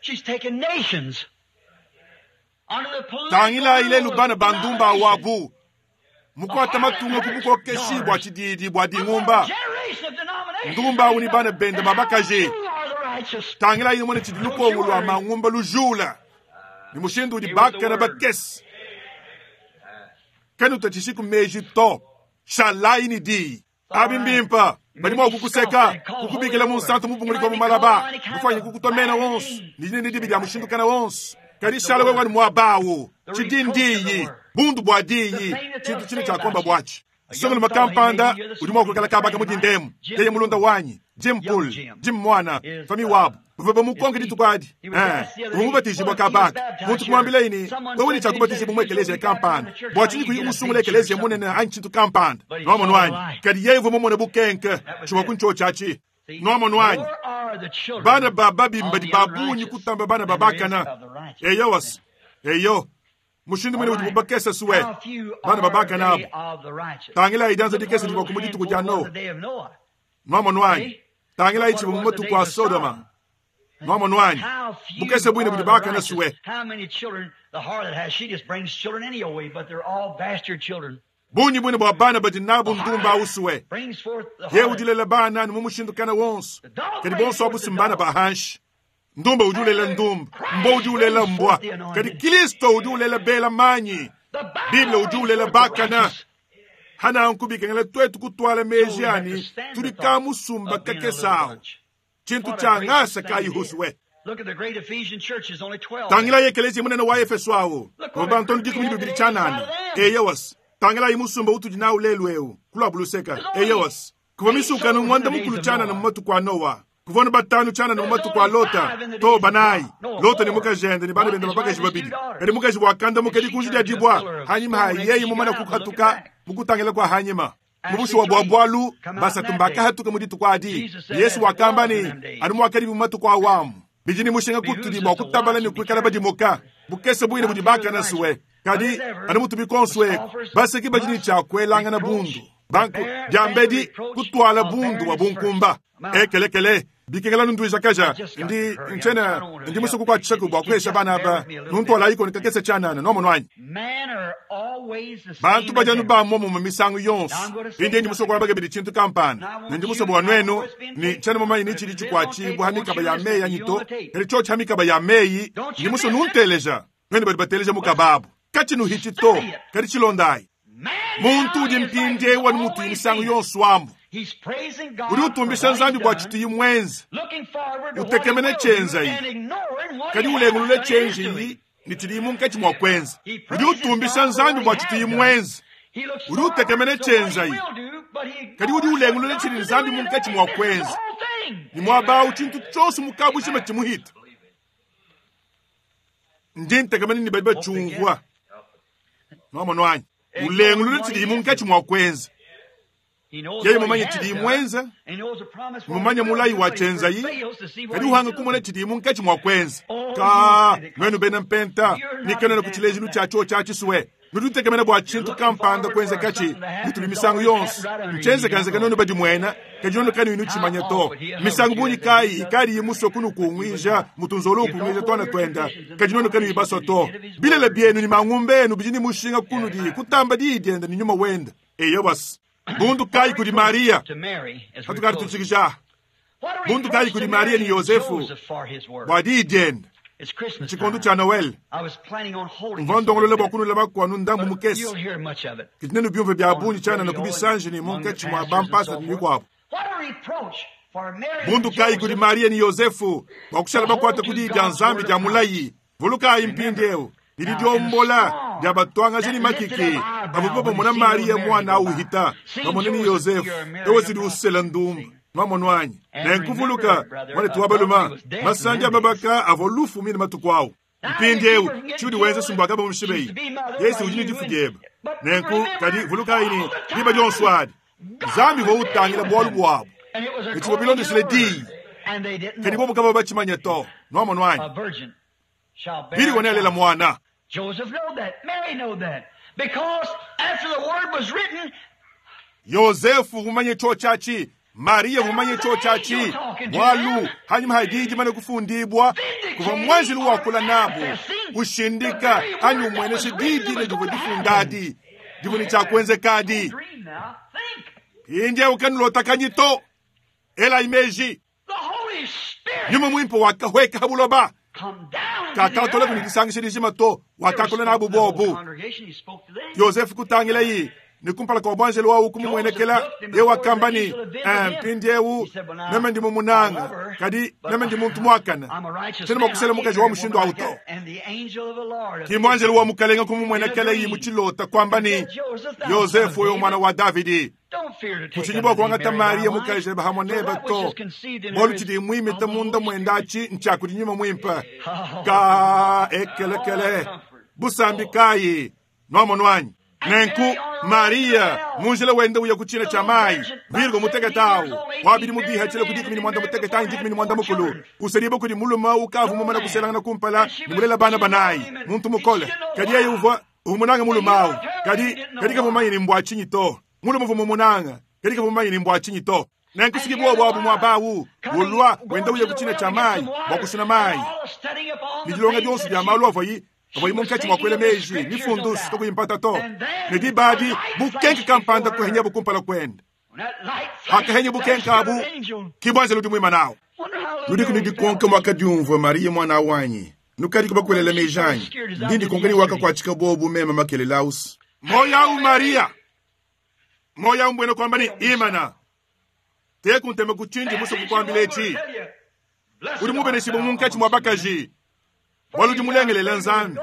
[SPEAKER 2] She's taken nations under the political
[SPEAKER 1] Tangila ile
[SPEAKER 2] rule of
[SPEAKER 1] lubana bandumba
[SPEAKER 2] denomination.
[SPEAKER 1] wabu. Mukwata matunga kubuko keshi bwa chididi bwa dingumba.
[SPEAKER 2] Generation of denomination.
[SPEAKER 1] Ndumba unibana bende babakaje.
[SPEAKER 2] You are the righteous.
[SPEAKER 1] Tangila ile mwana chidiluko ulwa mangumba lujula. Ni mushindu udi baka na bakesi. Kanu tachishi meji to. Shalai ni di. Abimbimpa. Bali mwa kukuseka, kukubikila mu santo mubunguli kwa mumalaba. Kufanya kukutomena wonse. Ni nini dibi dia mushindu kana wonse. Kadi shala wewe mwa bawo. Chidindiyi. Bundu bwa diyi. Chintu chine cha komba bwachi. Songolo makampanda, udi mwa kukala kabaka mudindemu. Yeye mulonda wanyi. Jim Pool, Jim Mwana, Fami Wabu. Baba mukonge ditukadi. Umubatizibwa kabaka. Muntu kumwambila ini, wewe ni chakubatizibwa mu ekelezia kampanda. Bwachini kuyi umusungula ekelezia munene anchitu kampanda. Nwamo nwanyi. Kadi yeye vumo mone bukenke. Chuma kuncho chachi. Nwamo nwanyi.
[SPEAKER 2] Nor are the children
[SPEAKER 1] Bana baba bimba
[SPEAKER 2] of
[SPEAKER 1] di
[SPEAKER 2] the
[SPEAKER 1] babunyi
[SPEAKER 2] unrighteous
[SPEAKER 1] kutamba bana
[SPEAKER 2] than there is
[SPEAKER 1] babakana.
[SPEAKER 2] of the righteous.
[SPEAKER 1] Eyo was. Eyo. Mushindu mwene udi mubakesa suwe.
[SPEAKER 2] How few
[SPEAKER 1] Bana
[SPEAKER 2] are
[SPEAKER 1] babakana
[SPEAKER 2] they
[SPEAKER 1] abo.
[SPEAKER 2] of the righteous?
[SPEAKER 1] Tangila idanza dikesa
[SPEAKER 2] Look
[SPEAKER 1] dibwa
[SPEAKER 2] what a
[SPEAKER 1] kumuditu
[SPEAKER 2] little
[SPEAKER 1] kuja
[SPEAKER 2] handful
[SPEAKER 1] no.
[SPEAKER 2] was the day of Noah.
[SPEAKER 1] Nwamo nwanyi. Tangila ichi
[SPEAKER 2] What was
[SPEAKER 1] mumatu
[SPEAKER 2] the
[SPEAKER 1] kwa
[SPEAKER 2] days of
[SPEAKER 1] Sodoma.
[SPEAKER 2] Sodom?
[SPEAKER 1] Nwamo nwanyi.
[SPEAKER 2] How few
[SPEAKER 1] Bukese bwine
[SPEAKER 2] are
[SPEAKER 1] budi
[SPEAKER 2] the
[SPEAKER 1] bakana
[SPEAKER 2] righteous?
[SPEAKER 1] suwe.
[SPEAKER 2] How many children the harlot has? She just brings children anyway, but they're all bastard children.
[SPEAKER 1] Bunyi bwine bwa bana badi nabu ndumba usuwe.
[SPEAKER 2] Brings forth the
[SPEAKER 1] Ye
[SPEAKER 2] harlot.
[SPEAKER 1] udilela bana ni mumushindu wonse.
[SPEAKER 2] The dog
[SPEAKER 1] Kadi
[SPEAKER 2] brings
[SPEAKER 1] bonso
[SPEAKER 2] forth
[SPEAKER 1] abu
[SPEAKER 2] the
[SPEAKER 1] simbana
[SPEAKER 2] dog.
[SPEAKER 1] bahanshi. Ndumba udiulela ndumba. Mbo udiulela mbwa. Kadi Kristo udiulela bela manyi.
[SPEAKER 2] The Bible
[SPEAKER 1] Biblia
[SPEAKER 2] brings
[SPEAKER 1] udiulela
[SPEAKER 2] forth the
[SPEAKER 1] bakana.
[SPEAKER 2] righteous.
[SPEAKER 1] Hana nkubikengela twetu kutwala meji
[SPEAKER 2] So we have to
[SPEAKER 1] ani
[SPEAKER 2] stand the
[SPEAKER 1] tuli
[SPEAKER 2] thought
[SPEAKER 1] kamusumba
[SPEAKER 2] of being a little
[SPEAKER 1] kakesawo.
[SPEAKER 2] bunch.
[SPEAKER 1] Chintu
[SPEAKER 2] What a
[SPEAKER 1] cha
[SPEAKER 2] gracious
[SPEAKER 1] ngasa
[SPEAKER 2] thing
[SPEAKER 1] ka
[SPEAKER 2] it is.
[SPEAKER 1] ihuswe.
[SPEAKER 2] Look at the great Ephesian church, there's only 12.
[SPEAKER 1] Tangila yekelezi munene wa Efeso awo.
[SPEAKER 2] Look what
[SPEAKER 1] Ngoba
[SPEAKER 2] a
[SPEAKER 1] ntoni
[SPEAKER 2] group
[SPEAKER 1] dikumi
[SPEAKER 2] we have
[SPEAKER 1] bibili
[SPEAKER 2] today
[SPEAKER 1] chanana.
[SPEAKER 2] inside of them.
[SPEAKER 1] Eya was. Tangila imusumba utudi na ulelu eu. Kula buluseka.
[SPEAKER 2] There's only
[SPEAKER 1] Eya was. Kuva misuka
[SPEAKER 2] eight
[SPEAKER 1] no mwanda
[SPEAKER 2] souls in the
[SPEAKER 1] mukulu
[SPEAKER 2] days of
[SPEAKER 1] chanana
[SPEAKER 2] Noah.
[SPEAKER 1] mumatu kwa Noah. Kuvona batanu chanana
[SPEAKER 2] There's
[SPEAKER 1] mumatu kwa
[SPEAKER 2] only
[SPEAKER 1] Lota.
[SPEAKER 2] five in the
[SPEAKER 1] To
[SPEAKER 2] days of
[SPEAKER 1] banai.
[SPEAKER 2] Noah. Noah
[SPEAKER 1] Lota ni
[SPEAKER 2] four.
[SPEAKER 1] mukajende ni bana
[SPEAKER 2] Lot
[SPEAKER 1] bende
[SPEAKER 2] and his
[SPEAKER 1] babakaji
[SPEAKER 2] wife and
[SPEAKER 1] babili.
[SPEAKER 2] two daughters.
[SPEAKER 1] Kadi mukaji wakanda
[SPEAKER 2] And
[SPEAKER 1] mukadi
[SPEAKER 2] she
[SPEAKER 1] kunji
[SPEAKER 2] turned to a
[SPEAKER 1] dibwa.
[SPEAKER 2] pillar of
[SPEAKER 1] Hanyima
[SPEAKER 2] stone after
[SPEAKER 1] hayeyi
[SPEAKER 2] she
[SPEAKER 1] mumana
[SPEAKER 2] got out, but look at
[SPEAKER 1] kukatuka.
[SPEAKER 2] back.
[SPEAKER 1] Mukutangila kwa hanyima.
[SPEAKER 2] Actually,
[SPEAKER 1] Mubushi wa
[SPEAKER 2] three
[SPEAKER 1] bwabwalu
[SPEAKER 2] come out in
[SPEAKER 1] basa
[SPEAKER 2] that
[SPEAKER 1] tumbaka
[SPEAKER 2] day.
[SPEAKER 1] hatuka muditu kwa adi.
[SPEAKER 2] Jesus said,
[SPEAKER 1] Yesu
[SPEAKER 2] as it
[SPEAKER 1] wakamba
[SPEAKER 2] was in
[SPEAKER 1] ni
[SPEAKER 2] them days.
[SPEAKER 1] anu mwakadi mumatu kwa awamu. Bijini mushinga
[SPEAKER 2] Behooves
[SPEAKER 1] kutudi
[SPEAKER 2] us
[SPEAKER 1] bwa
[SPEAKER 2] to
[SPEAKER 1] kutabala
[SPEAKER 2] watch
[SPEAKER 1] ni
[SPEAKER 2] and be
[SPEAKER 1] kwikala
[SPEAKER 2] careful.
[SPEAKER 1] badimoka. Bukese bwine
[SPEAKER 2] Not
[SPEAKER 1] budi
[SPEAKER 2] fear the
[SPEAKER 1] baka na suwe.
[SPEAKER 2] righteous, but
[SPEAKER 1] Kadi
[SPEAKER 2] as ever,
[SPEAKER 1] anu mutu
[SPEAKER 2] the
[SPEAKER 1] bikonswe.
[SPEAKER 2] scoffers
[SPEAKER 1] Baseki bajini
[SPEAKER 2] must
[SPEAKER 1] cha kwelanga na
[SPEAKER 2] reproach
[SPEAKER 1] bundu. Banku
[SPEAKER 2] bear bear the
[SPEAKER 1] jambedi
[SPEAKER 2] reproach
[SPEAKER 1] kutwala
[SPEAKER 2] of
[SPEAKER 1] bundu wa
[SPEAKER 2] barrenness first.
[SPEAKER 1] bunkumba.
[SPEAKER 2] I'm out.
[SPEAKER 1] Ekelekele bikengela nundu
[SPEAKER 2] I
[SPEAKER 1] kaja
[SPEAKER 2] just got
[SPEAKER 1] ndi
[SPEAKER 2] to hurry. I'm, I
[SPEAKER 1] nchena
[SPEAKER 2] don't want to
[SPEAKER 1] ndi musuku
[SPEAKER 2] help
[SPEAKER 1] kwa
[SPEAKER 2] these
[SPEAKER 1] chiku
[SPEAKER 2] kids.
[SPEAKER 1] bwa
[SPEAKER 2] Kids,
[SPEAKER 1] kwesha
[SPEAKER 2] just
[SPEAKER 1] bana
[SPEAKER 2] bear
[SPEAKER 1] ba
[SPEAKER 2] with me a little
[SPEAKER 1] nuntu
[SPEAKER 2] bit.
[SPEAKER 1] alaiko nikakese chanana nomo nwanyi.
[SPEAKER 2] Men are always the
[SPEAKER 1] Bantu
[SPEAKER 2] same as
[SPEAKER 1] bajanu
[SPEAKER 2] ever.
[SPEAKER 1] bamomo mu misango
[SPEAKER 2] Now
[SPEAKER 1] yonse.
[SPEAKER 2] I'm going to say
[SPEAKER 1] Inde ndi musuku
[SPEAKER 2] something.
[SPEAKER 1] wabage bidi chintu kampani.
[SPEAKER 2] And I want
[SPEAKER 1] Ndi
[SPEAKER 2] you,
[SPEAKER 1] musuku wa
[SPEAKER 2] I know
[SPEAKER 1] nwenu
[SPEAKER 2] it's been
[SPEAKER 1] ni
[SPEAKER 2] taped,
[SPEAKER 1] chana mamayi
[SPEAKER 2] but
[SPEAKER 1] ni
[SPEAKER 2] if
[SPEAKER 1] chili
[SPEAKER 2] it is on
[SPEAKER 1] chikwa
[SPEAKER 2] tape,
[SPEAKER 1] chibwa
[SPEAKER 2] I want
[SPEAKER 1] hamikaba
[SPEAKER 2] you
[SPEAKER 1] ya
[SPEAKER 2] listening.
[SPEAKER 1] meyi
[SPEAKER 2] You on
[SPEAKER 1] anyito.
[SPEAKER 2] the tape.
[SPEAKER 1] Eri chochi hamikaba ya meyi
[SPEAKER 2] Don't
[SPEAKER 1] ndi
[SPEAKER 2] you
[SPEAKER 1] musu
[SPEAKER 2] miss it.
[SPEAKER 1] nunteleja. Nwenu bali bateleja mukababu. Kachinu hichi to
[SPEAKER 2] Study it.
[SPEAKER 1] kadi chilondai.
[SPEAKER 2] Man
[SPEAKER 1] Muntu
[SPEAKER 2] now
[SPEAKER 1] udi
[SPEAKER 2] is like
[SPEAKER 1] mpinde
[SPEAKER 2] he's
[SPEAKER 1] wanu mutu
[SPEAKER 2] always
[SPEAKER 1] imisango
[SPEAKER 2] been.
[SPEAKER 1] yonso ambu.
[SPEAKER 2] He's praising
[SPEAKER 1] Udi
[SPEAKER 2] God for
[SPEAKER 1] utumbisha
[SPEAKER 2] what he's
[SPEAKER 1] nzambi bwa
[SPEAKER 2] done,
[SPEAKER 1] chituyi mwenzi.
[SPEAKER 2] looking forward to what he
[SPEAKER 1] Utekemene
[SPEAKER 2] will do,
[SPEAKER 1] chenza iyi.
[SPEAKER 2] and ignoring what
[SPEAKER 1] Kadi
[SPEAKER 2] he has
[SPEAKER 1] ulengulule
[SPEAKER 2] done and is
[SPEAKER 1] chenji
[SPEAKER 2] doing.
[SPEAKER 1] iyi ni chilimu nkachi mwa kwenza.
[SPEAKER 2] He
[SPEAKER 1] Udi
[SPEAKER 2] praises
[SPEAKER 1] utumbisha
[SPEAKER 2] God for
[SPEAKER 1] nzambi
[SPEAKER 2] what he
[SPEAKER 1] bwa
[SPEAKER 2] has
[SPEAKER 1] chituyi
[SPEAKER 2] done.
[SPEAKER 1] mwenzi.
[SPEAKER 2] He looks
[SPEAKER 1] Udi
[SPEAKER 2] forward
[SPEAKER 1] utekemene
[SPEAKER 2] to what he
[SPEAKER 1] chenza iyi.
[SPEAKER 2] will do, but he
[SPEAKER 1] Kadi udi
[SPEAKER 2] ignores what
[SPEAKER 1] ulengulule
[SPEAKER 2] God
[SPEAKER 1] chili
[SPEAKER 2] is
[SPEAKER 1] nzambi
[SPEAKER 2] doing
[SPEAKER 1] munkachi
[SPEAKER 2] today.
[SPEAKER 1] mwa
[SPEAKER 2] He misses the
[SPEAKER 1] kwenza.
[SPEAKER 2] whole thing.
[SPEAKER 1] Ni mwaba uchintu chose mukabu chima chimuhita. Ndi ntekamene ni bali
[SPEAKER 2] Hope they get
[SPEAKER 1] bachungwa.
[SPEAKER 2] it.
[SPEAKER 1] Nomo nwanyi.
[SPEAKER 2] Ignoring
[SPEAKER 1] Ulengulule
[SPEAKER 2] what he
[SPEAKER 1] chilimu
[SPEAKER 2] is
[SPEAKER 1] nkachi
[SPEAKER 2] doing.
[SPEAKER 1] mwa kwenza.
[SPEAKER 2] He knows
[SPEAKER 1] Yeye
[SPEAKER 2] what he
[SPEAKER 1] mumanye
[SPEAKER 2] has
[SPEAKER 1] chili
[SPEAKER 2] done,
[SPEAKER 1] mwenza.
[SPEAKER 2] and he knows the promise what he
[SPEAKER 1] Mumanye
[SPEAKER 2] will
[SPEAKER 1] mulayi
[SPEAKER 2] do,
[SPEAKER 1] wa
[SPEAKER 2] but he
[SPEAKER 1] chenza iyi.
[SPEAKER 2] fails to see what
[SPEAKER 1] Kadi
[SPEAKER 2] he's
[SPEAKER 1] uhanga kumona
[SPEAKER 2] doing.
[SPEAKER 1] chilimu nkachi mwa kwenza.
[SPEAKER 2] Oh, you
[SPEAKER 1] Ka nwenu bena
[SPEAKER 2] Pentecostals,
[SPEAKER 1] mpenta.
[SPEAKER 2] you're not
[SPEAKER 1] Nikenena
[SPEAKER 2] example
[SPEAKER 1] kuchilejilu
[SPEAKER 2] of that.
[SPEAKER 1] chacho chachiswe. Nudutekemene bwa
[SPEAKER 2] You're
[SPEAKER 1] chintu
[SPEAKER 2] looking
[SPEAKER 1] kampanda
[SPEAKER 2] forward
[SPEAKER 1] kwenza
[SPEAKER 2] for
[SPEAKER 1] kachi.
[SPEAKER 2] something to happen
[SPEAKER 1] Mutuli
[SPEAKER 2] that's
[SPEAKER 1] misango
[SPEAKER 2] already
[SPEAKER 1] yonse.
[SPEAKER 2] happened right under you.
[SPEAKER 1] Mchenze
[SPEAKER 2] You don't
[SPEAKER 1] kanze
[SPEAKER 2] know
[SPEAKER 1] kanono
[SPEAKER 2] it.
[SPEAKER 1] badi mwena. Kajinono kani inu
[SPEAKER 2] How
[SPEAKER 1] chimanya
[SPEAKER 2] off
[SPEAKER 1] to.
[SPEAKER 2] would he have
[SPEAKER 1] Misango
[SPEAKER 2] hovered you
[SPEAKER 1] bunyi
[SPEAKER 2] as a
[SPEAKER 1] kai
[SPEAKER 2] he does?
[SPEAKER 1] ikari yimuso kunu
[SPEAKER 2] But you would
[SPEAKER 1] kungwija
[SPEAKER 2] not.
[SPEAKER 1] mutunzolo
[SPEAKER 2] You
[SPEAKER 1] kungwija
[SPEAKER 2] thought
[SPEAKER 1] twana
[SPEAKER 2] over your
[SPEAKER 1] twenda.
[SPEAKER 2] traditions and
[SPEAKER 1] Kajinono kani
[SPEAKER 2] denominations
[SPEAKER 1] ibaso
[SPEAKER 2] and
[SPEAKER 1] to.
[SPEAKER 2] you did of his
[SPEAKER 1] Bilele
[SPEAKER 2] word.
[SPEAKER 1] byenu ni mangumbenu bijini mushinga kunu di kutamba di dienda ni nyuma wenda. Eyo basi. Bundu
[SPEAKER 2] What
[SPEAKER 1] kai
[SPEAKER 2] a
[SPEAKER 1] kudi
[SPEAKER 2] reproach
[SPEAKER 1] Maria.
[SPEAKER 2] to Mary as we're
[SPEAKER 1] Hatukari
[SPEAKER 2] closing.
[SPEAKER 1] tuchikisha.
[SPEAKER 2] What a
[SPEAKER 1] Bundu kai
[SPEAKER 2] reproach
[SPEAKER 1] kudi
[SPEAKER 2] to
[SPEAKER 1] Maria
[SPEAKER 2] Mary
[SPEAKER 1] ni
[SPEAKER 2] and
[SPEAKER 1] Yosefu.
[SPEAKER 2] Joseph for his word.
[SPEAKER 1] Bwa di dienda. Ntshikondo tshia Noël. Mvua ndongolola bua kunula bakuanu ndambu mukese. Kadi nenubiumvue bia bungi tshianana ku bisanji ne munkatshi mua bampasata ne bikuabu. Bundu kayi kudi Mariya ne Yozefu bua kushala bakuate ku diyi dia Nzambi dia mulayi! Vulukayi mpindieu ne didiombola dia batuangaji ne makiki bavua bamona Mariya muana au uhita, bamona ne Yozefu eu utshidi usela ndumba. Nwamonu anyi? Nenku vuluka, muanetu wa balume, masandi a babaka avua lufu mine matuku au. Mpindieu tshiudi wenza si mbua kabamushibeyi. Yesu udi ne difu diebe. Nenku, kadi vulukayi ne, diba dionso adi, Nzambi uvua utangila bualu buabu, ne tshivua bilondeshile diyi. Kadi bobu kabavua batshimanye to. Nwamonu anyi? Bili nealela muana. Yozefu mumanye tshiotshi atshi, Mariya mumanye tshiotshi atshi, bualu hanyima ha diyi dimane kufundibua, kuvua muanjelu wakula nabu, ushindika anyi umuenesha diyi dine divua difunda adi, divua ne tshia kuenzeka adi. Mpindieu kanulotakanyi to, elayi meji. Nyuma muimpe wakahueka ha buloba, kakatola ne disangisha dijima to, wakakula nabu bobu. Yozefu kutangilayi ne kumpala kua muanjelu wawu kumumuenekela, ye wakamba ne, mpindieu meme ndi mumunanga, kadi meme ndi muntu muakane, tshiena mua kusela mukaji wa mushindu awu to. Ki muanjelu wa mukalenga kumumuenekelayi mu tshilota kuamba ne, Yozefu wewe mwana wa Davidi, kutshinyi bua kuangata Mariya mukaji pamue nebe to, bualu tshidi muimita munda muende atshi ntshia kudi nyuma muimpe. Ka ekelekele busambi kayi nuamonu anyi? Nenku Mariya mu njila wende uya ku tshina tshia mayi, Virgo mutekete awu wa bidimu bihatshile ku 16 anyi 14, usedibua kudi mulume ukavua mumane kuselangana kumpala ne mulela bana banayi, muntu mukole. Kadi yeye uvua umunanga mulume awu, kadi kadi kavua mumanye ne mbua tshinyi to. Mulume uvua mumunanga, kadi kavua mumanye ne mbua tshinyi to. Nenku fiki buobu abu muaba awu, ulua wenda uya ku tshina tshia mayi bua kusuna mayi, ne dilonga dionso dia malu avuayi avuayi munkatshi mua kuela meji mifundu kakuyi mpata to. Ne diba adi bukenke kampanda kuhenyabu kumpala kuende. Hakahenya bukenke abu, ki buanjelu udi muimane awu. Nudiku ne dikonka muakadiumvua Mariya muana wanyi. Nukadiku bakuelela meji anyi? Ndi ndikonka ne wakakuatshika bobu meme makelela ausi. Moyo awu Mariya, moyo awu mbuena kuamba ne imana. Teku ntema ku tshindi musue kukuambila etshi. Udi mubeneshibue munkatshi mua bakaji, bualu udi mulengelela Nzambi.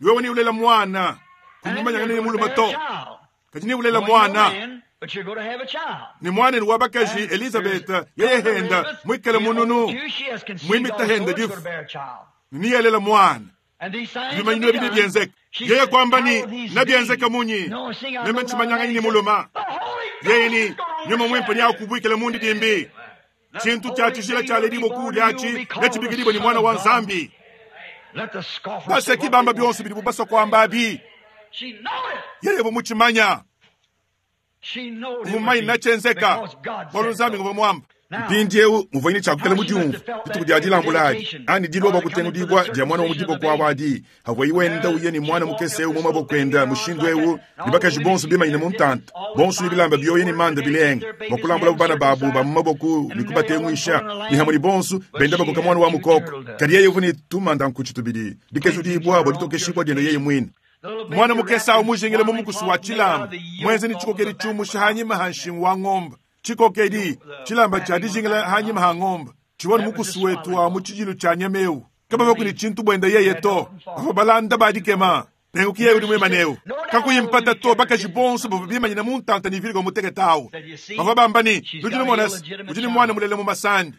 [SPEAKER 1] Wewe ne ulela muana, kumumanyangana ne mulume to, kadi ne ulela muana. Ne muanenu wa bakaji Elizabeth yeye henda muikale mununu, muimita henda difu, ne yelela muana. Bimanyinu ebi nebienzeke. Yeye kuamba ne, Nebienzeke munyi? Meme ntshimanyanganyi ne mulume. Yeye ne, Nyuma muimpe neakubuikile mundidimbi. Tshintu tshia tshijila tshialedibua kuudi atshi netshibikidibue ne Muana wa Nzambi. Baseki bamba bionso bidibu basua kuamba abi. Yeye uvua mutshimanya. Uvua mumanye netshienzeka, bualu Nzambi nguvua muamba. Mpindieu muvua ne tshia kuikala mudiumvue dituku dia dilambula adi, anyi dilua bua kutengudibua dia muana wa mu diboko abu adi, avuaye wenda uya ne muana mukese eu mu maboko ende mushindu eu, ne bakaji bonso bimanyine mu ntanta, bonso ne bilamba bioya ne manda bilenga, bua kulambulabu bana babu ba mu maboko ne kubatenguisha, ne hamue ne bonso benda bakoka muana wa mukoko. Kadi yeye uvua ne tumanda-nkutshi tubidi, dikezudibua bua ditokeshibua diende yeye muine. Muana mukese au mujingile mu mukusu wa tshilamba, muenze ne tshikokedi tshiumusha hanyima ha nshingu wa ngombe. Tshikokedi, tshilamba tshia dijingila hanyima ha ngombe, tshivua ne mukusu wetu wa mu tshidilu tshia nyama eu. Kabavua ne tshintu buenda yeye to, bavua balanda ba dikema. Nenku ki yeye udi muimane eu. Kakuyi mpata to, bakaji bonso bavua bimanyine mu ntanta ne Virgo mutekete au. Bavua bamba ne, Nudi numona se, udi ne muana mulela mu masandi.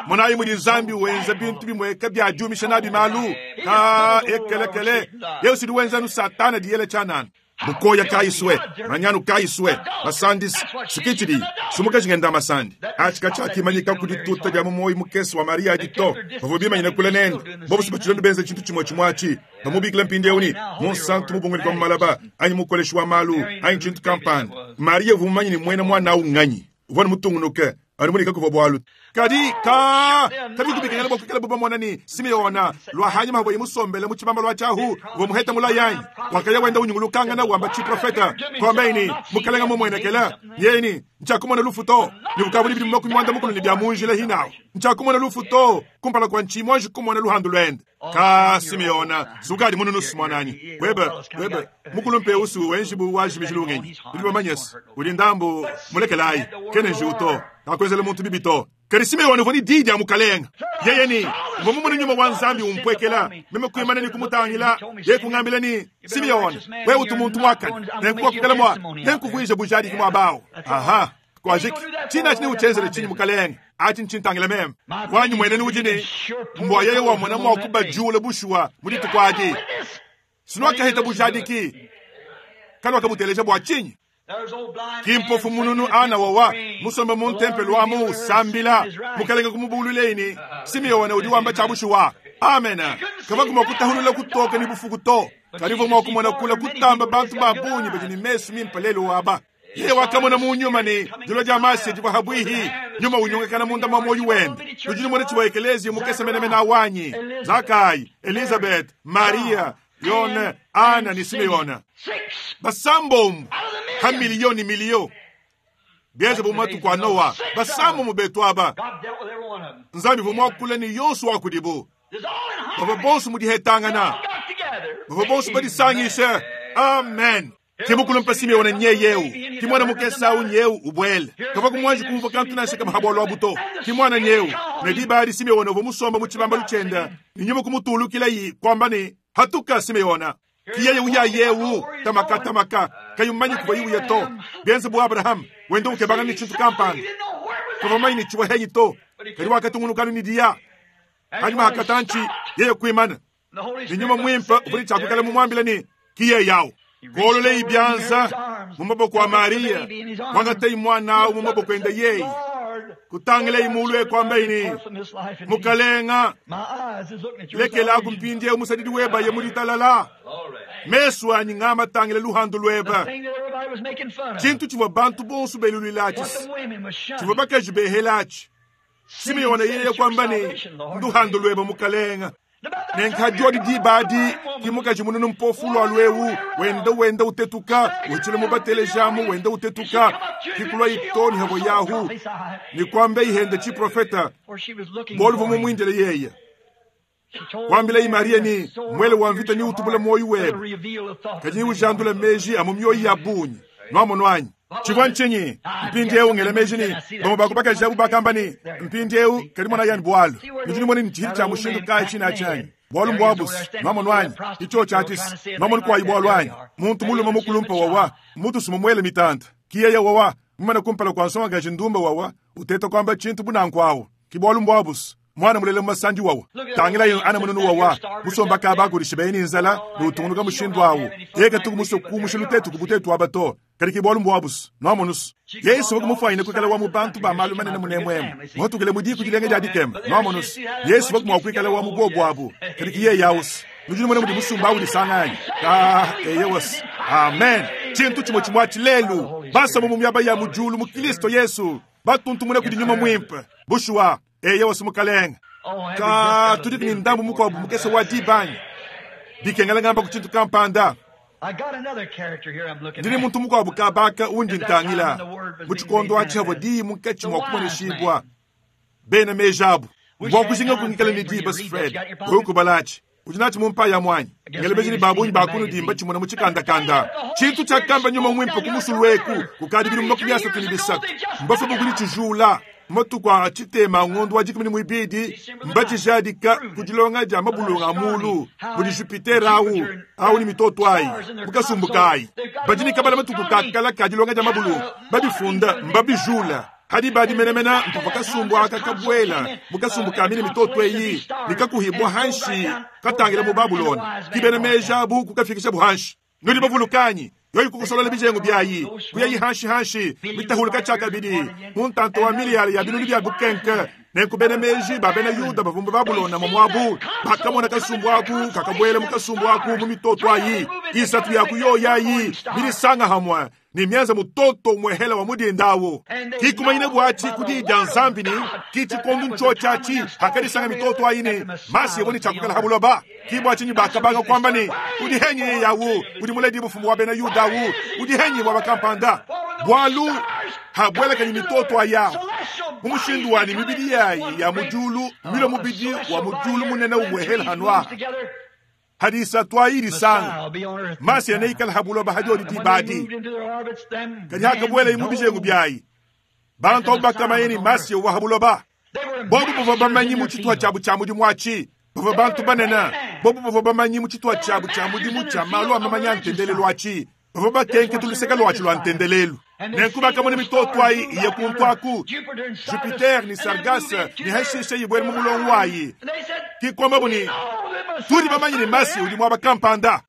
[SPEAKER 1] Monayi mudi Nzambi wenza bintu bimueka bia diumisha nabi malu. Ka ekelekele, yeye udi wenza anu Satana diyela tshianana. Bukoya kayi sue, manyanu kayi sue, masandi sikitshidi, sumukaji ngenda masandi. Atshi katshiakimanyika ku dituta dia mu muoyo mukese wa Mariya adi to. Bavua bimanyine kule nende. Bobu si batshilonda benza tshintu tshimue tshimue atshi. Bamubikila mpindieu ne, munsantu mubunguli pa malaba, anyi mukoleshi wa malu, anyi tshintu kampanda. Mariya uvua mumanye ne muena muana au nnganyi. Uvua mutungunuke anu mudi kakuvua bualu. Kadi ka kabikubikengela bua kuikala bamona ne Simeona lua hanyima havuaye musombele mu tshibambalu atshi ahu, uvua muheta mulayi anyi? Wakaya wenda unyungulukangana wamba tshiprofeta, kuambaye ne, Mukalenga mumuenekela. Yeye ne, Ntshiakumona lufu to. Ne bukavua ne bidimu 60 ne bia mu njila hinawu. Ntshiakumona lufu to kumpala kua ntshiyi muanji kumona luhandu luende. Ka Simeona, sukadi mununusu muananyi. Webe, webe, mukulumpe eu wenji bu wajimiji lungenyi. Nudi bamanye se, udi ndambu mulekelayi, kena njiwu to. Kakuenzela muntu bibi to. Kadi Simeona uvua ne diyi dia Mukalenga. Yeye ne, Mvua mumone Nyuma wa Nzambi umpuekela, meme kuimana ne kumutangila, yeye kungambila ne, Simeona, wewe utu muntu muakane, nenkuakukela mua, nenkuvuije bujadiki muaba awu. Aha. Kuajiki. Tshina atshi neutshienzele tshinyi, Mukalenge? Atshi ntshintangila meme. Wanyi muenenu udi ne, mbua yeye wamona mua kubajula bushuwa mu dituku adi. Sinuakaheta bujadiki, kanuakabuteleja bua tshinyi? Ki mpofu mununu ana wawa musombe mu ntempelo amu usambila, Mukalenge kumubuluileyi ne, Simeona udi wamba tshia bushuwa. Amena. Kavua mua kutahulula kutoka ne bufuku to, kadi uvua mua kumona kula kutamba bantu ba bungi badi ne mesu mimpe lelu aba. Yeye wakamona mu nyuma ne dilua dia Masiya divua habuihi, nyuma unyungakana munda mua muoyo wende. Nudi numona tshivua ekeleziya mukese menemene awu anyi? Zakayi, Elizabeth, Mariya, Yone, Ana ne Simeona. Basambombo ha miliyo ne miliyo. Bienze bu matuku a Noa, basambombo betu aba. Nzambi uvua muakule ne yonso wa kudibu. Bavua bonso mu dihetangana. Bavua bonso badisangishe. Amen. Ke mukulumpe Simeona nyeye eu, ki muana mukese au nyeu ubuele. Kavua kumuanji kumvua kantu nansha kamue ha bualu abu to. Ki muana nyeu. Ne diba adi Simeona uvua musomba mu tshibambalu tshiende, ne nyuma kumutulukilayi, kuamba ne, Hatuka, Simeona. Ki yeye uya yeu, tamaka tamaka, kayi mumanye kuvua uya to. Bienze bu Abraham, wenda ukebangana ne tshintu kampanda. Kavua mumanye ne tshivua henyi to, kadi wakatungunuka anu ne diya. Panyima ha katantshi, yeye kuimana. Ne nyuma muimpe uvua ne tshia kuikala mumuambile ne, ki yeye awu. Kuololei bianza mu maboko a Mariya, kuangatei muana awu mu maboko ende yeye, kutangilei mulu e kuambai ne, Mukalenga, lekelaku mpindieu musadidi weba ye mu ditalala. Mesu anyi ngamatangile luhandu lueba. Tshintu tshivua bantu bonso beluluila atshi, tshivua bakaji behela atshi. Simeona yeye kuamba ne, Nduhandu lueba, Mukalenga. Ne nkadiodi diba adi, ki mukaji mununu mpofu lualu eu wenda wenda utetuka, uhitshila mu batelejamu wenda utetuka, ki kulua itoni havo yahu, ne kuamba ihende tshiprofeta, bualu vua mumuindile yeye. Kuambilayi Mariya ne, Muele wa mvita neutubule muoyo webe, kadi neujandule meji a mu mioyo ya bungi. Nuamonu anyi? Tshivua ntshinyi? Mpindieu ngela meji ne, bamue ba ku bakaji abu bakamba ne, Mpindieu, kadi monayi anu bualu. Nudi numona ne tshihidi tshia mushindu kayi tshine atshi anyi? Bualu mbuabu se, nuamonu anyi? Ke tshiotshi atshi se, nuamonu kuayi bualu anyi? Muntu mulume mukulumpe wawa, mutusu mumuele mitanta. Ki yeye wawa, mumane kumpala kua nsongakaji ndumba wawa, uteta kuamba tshintu bu nanku awu. Ki bualu mbuabu se, muana mulela mu masandi wawa. Tangilayi ana mununu wawa, musomba kaba akudisha beye ne nzala ne utungunuka mushindu awu. Yeye katuku musue kumusha lutetuku bu tuetu aba to. Kadi ki bualu mbuabu se, nuamonu se, Yesu uvua mufwanyine kuikala wa mu bantu ba malu manene munemuemu, muhatukile mu diku dilenga dia dikema. Nuamonu se, Yesu uvua mua kuikala wa mu buobu abu, kadi ki yeye awu se. Nudi numona mudi musumba awu udisanga anyi? Ka, eyowa se. Amen. Tshintu tshimue tshimue atshi lelu, basomba mu miaba ya mu diulu mu Kilisto Yesu, batuntumuna kudi Nyuma Muimpe. Bushuwa, eyowa se, Mukalenge. Ka, tudiku ne ndambu mukuabu mukese wa diba anyi? Bikengela ngamba ku tshintu kampanda. Ndi ne muntu mukuabu kabaka undi ntangila mu tshikondo atshi havua diyi munkatshi mua kumoneshibua. Bena meji abu. Mvua kujinga kungikala ne diba, Fred, wewe kubala atshi. Udi natshi mu mpaya muanyi. Ngela meji ne ba bungi ba kunudi mbatshimona mu tshikandakanda. Tshintu tshiakamba Nyuma Muimpe ku musulu eku kukadi bidimu 33. Mbafue bu kuditshijula. Matuku a tshitema a ngondo wa dikumi ne muibidi mbatshijadika ku dilonga dia mabulunga a mulu mudi Jupiter au au ne mitoto ayi mu kasumbu kayi. Badi ne kabala matuku ka kala ka dilonga dia mabulunga, babifunda, mbabijula. Hadi badi menemene mpavua kasumbu aka kabuela mu kasumbu ka mine mitoto eyi ne kakuhibua hanshi katangila mu Babulona. Ki bena meji abu kukafikishabu hanshi. Nudi bavuluka anyi? Yoyi kukosolola bijengu biayi, kuyayi hanshi-hanshi, mitahuluka tshiakabidi mu ntanta wa miliyare ya binunu bia bukenke. Nenku bena meji ba bena Yuda bavua mu Babulona muabu bakamona kasumbu aku kakabuela mu kasumbu aku mu mitoto ayi isatu ya ku yoyi ayi midisanga hamue ne mienza mutoto umuehela wa mudinda awu. Ki kumanyine buatshi ku diyi dia Nzambi ne, ki tshikondo ntshiotshi atshi hakadisanga mitoto ayi ne Masiya uvua ne tshia kuikala ha buloba. Ki bua tshinyi bakabanga kuamba ne, Udi henyi yeye awu udi muledi bufumu wa bena Yuda awu? Udi henyi muaba kampanda? Bualu. Habuelakanyi mitoto ayawu mu mushindu wa ne mibidi yayi ya mu diulu mmilue mubidi wa mu diulu munene umuehela hanu aha. Hadi isatu ayi disanga, Masiya neikale ha buloba hadiodi diba adi. Kadi hakabuelayi mu bijengu biayi, bantu abu bakamanya ne Masiya uvua ha buloba. Bobu bavua bamanyi mu tshituha tshiabu tshia mudimu atshi, bavua bantu banene. Bobu bavua bamanyi mu tshituha tshiabu tshia mudimu tshia malu a mamanya a ntendelelu atshi, bavua bakenkete luseke luatshi lua ntendelelu. Nenku bakamona mitoto ayi iye kuntu aku, Jupiter ne Sargasse, ne hashishe ibuele mu mulongo wayi. Ki kuambabu ne, Tudi bamanye ne Masiya udi muaba kampanda.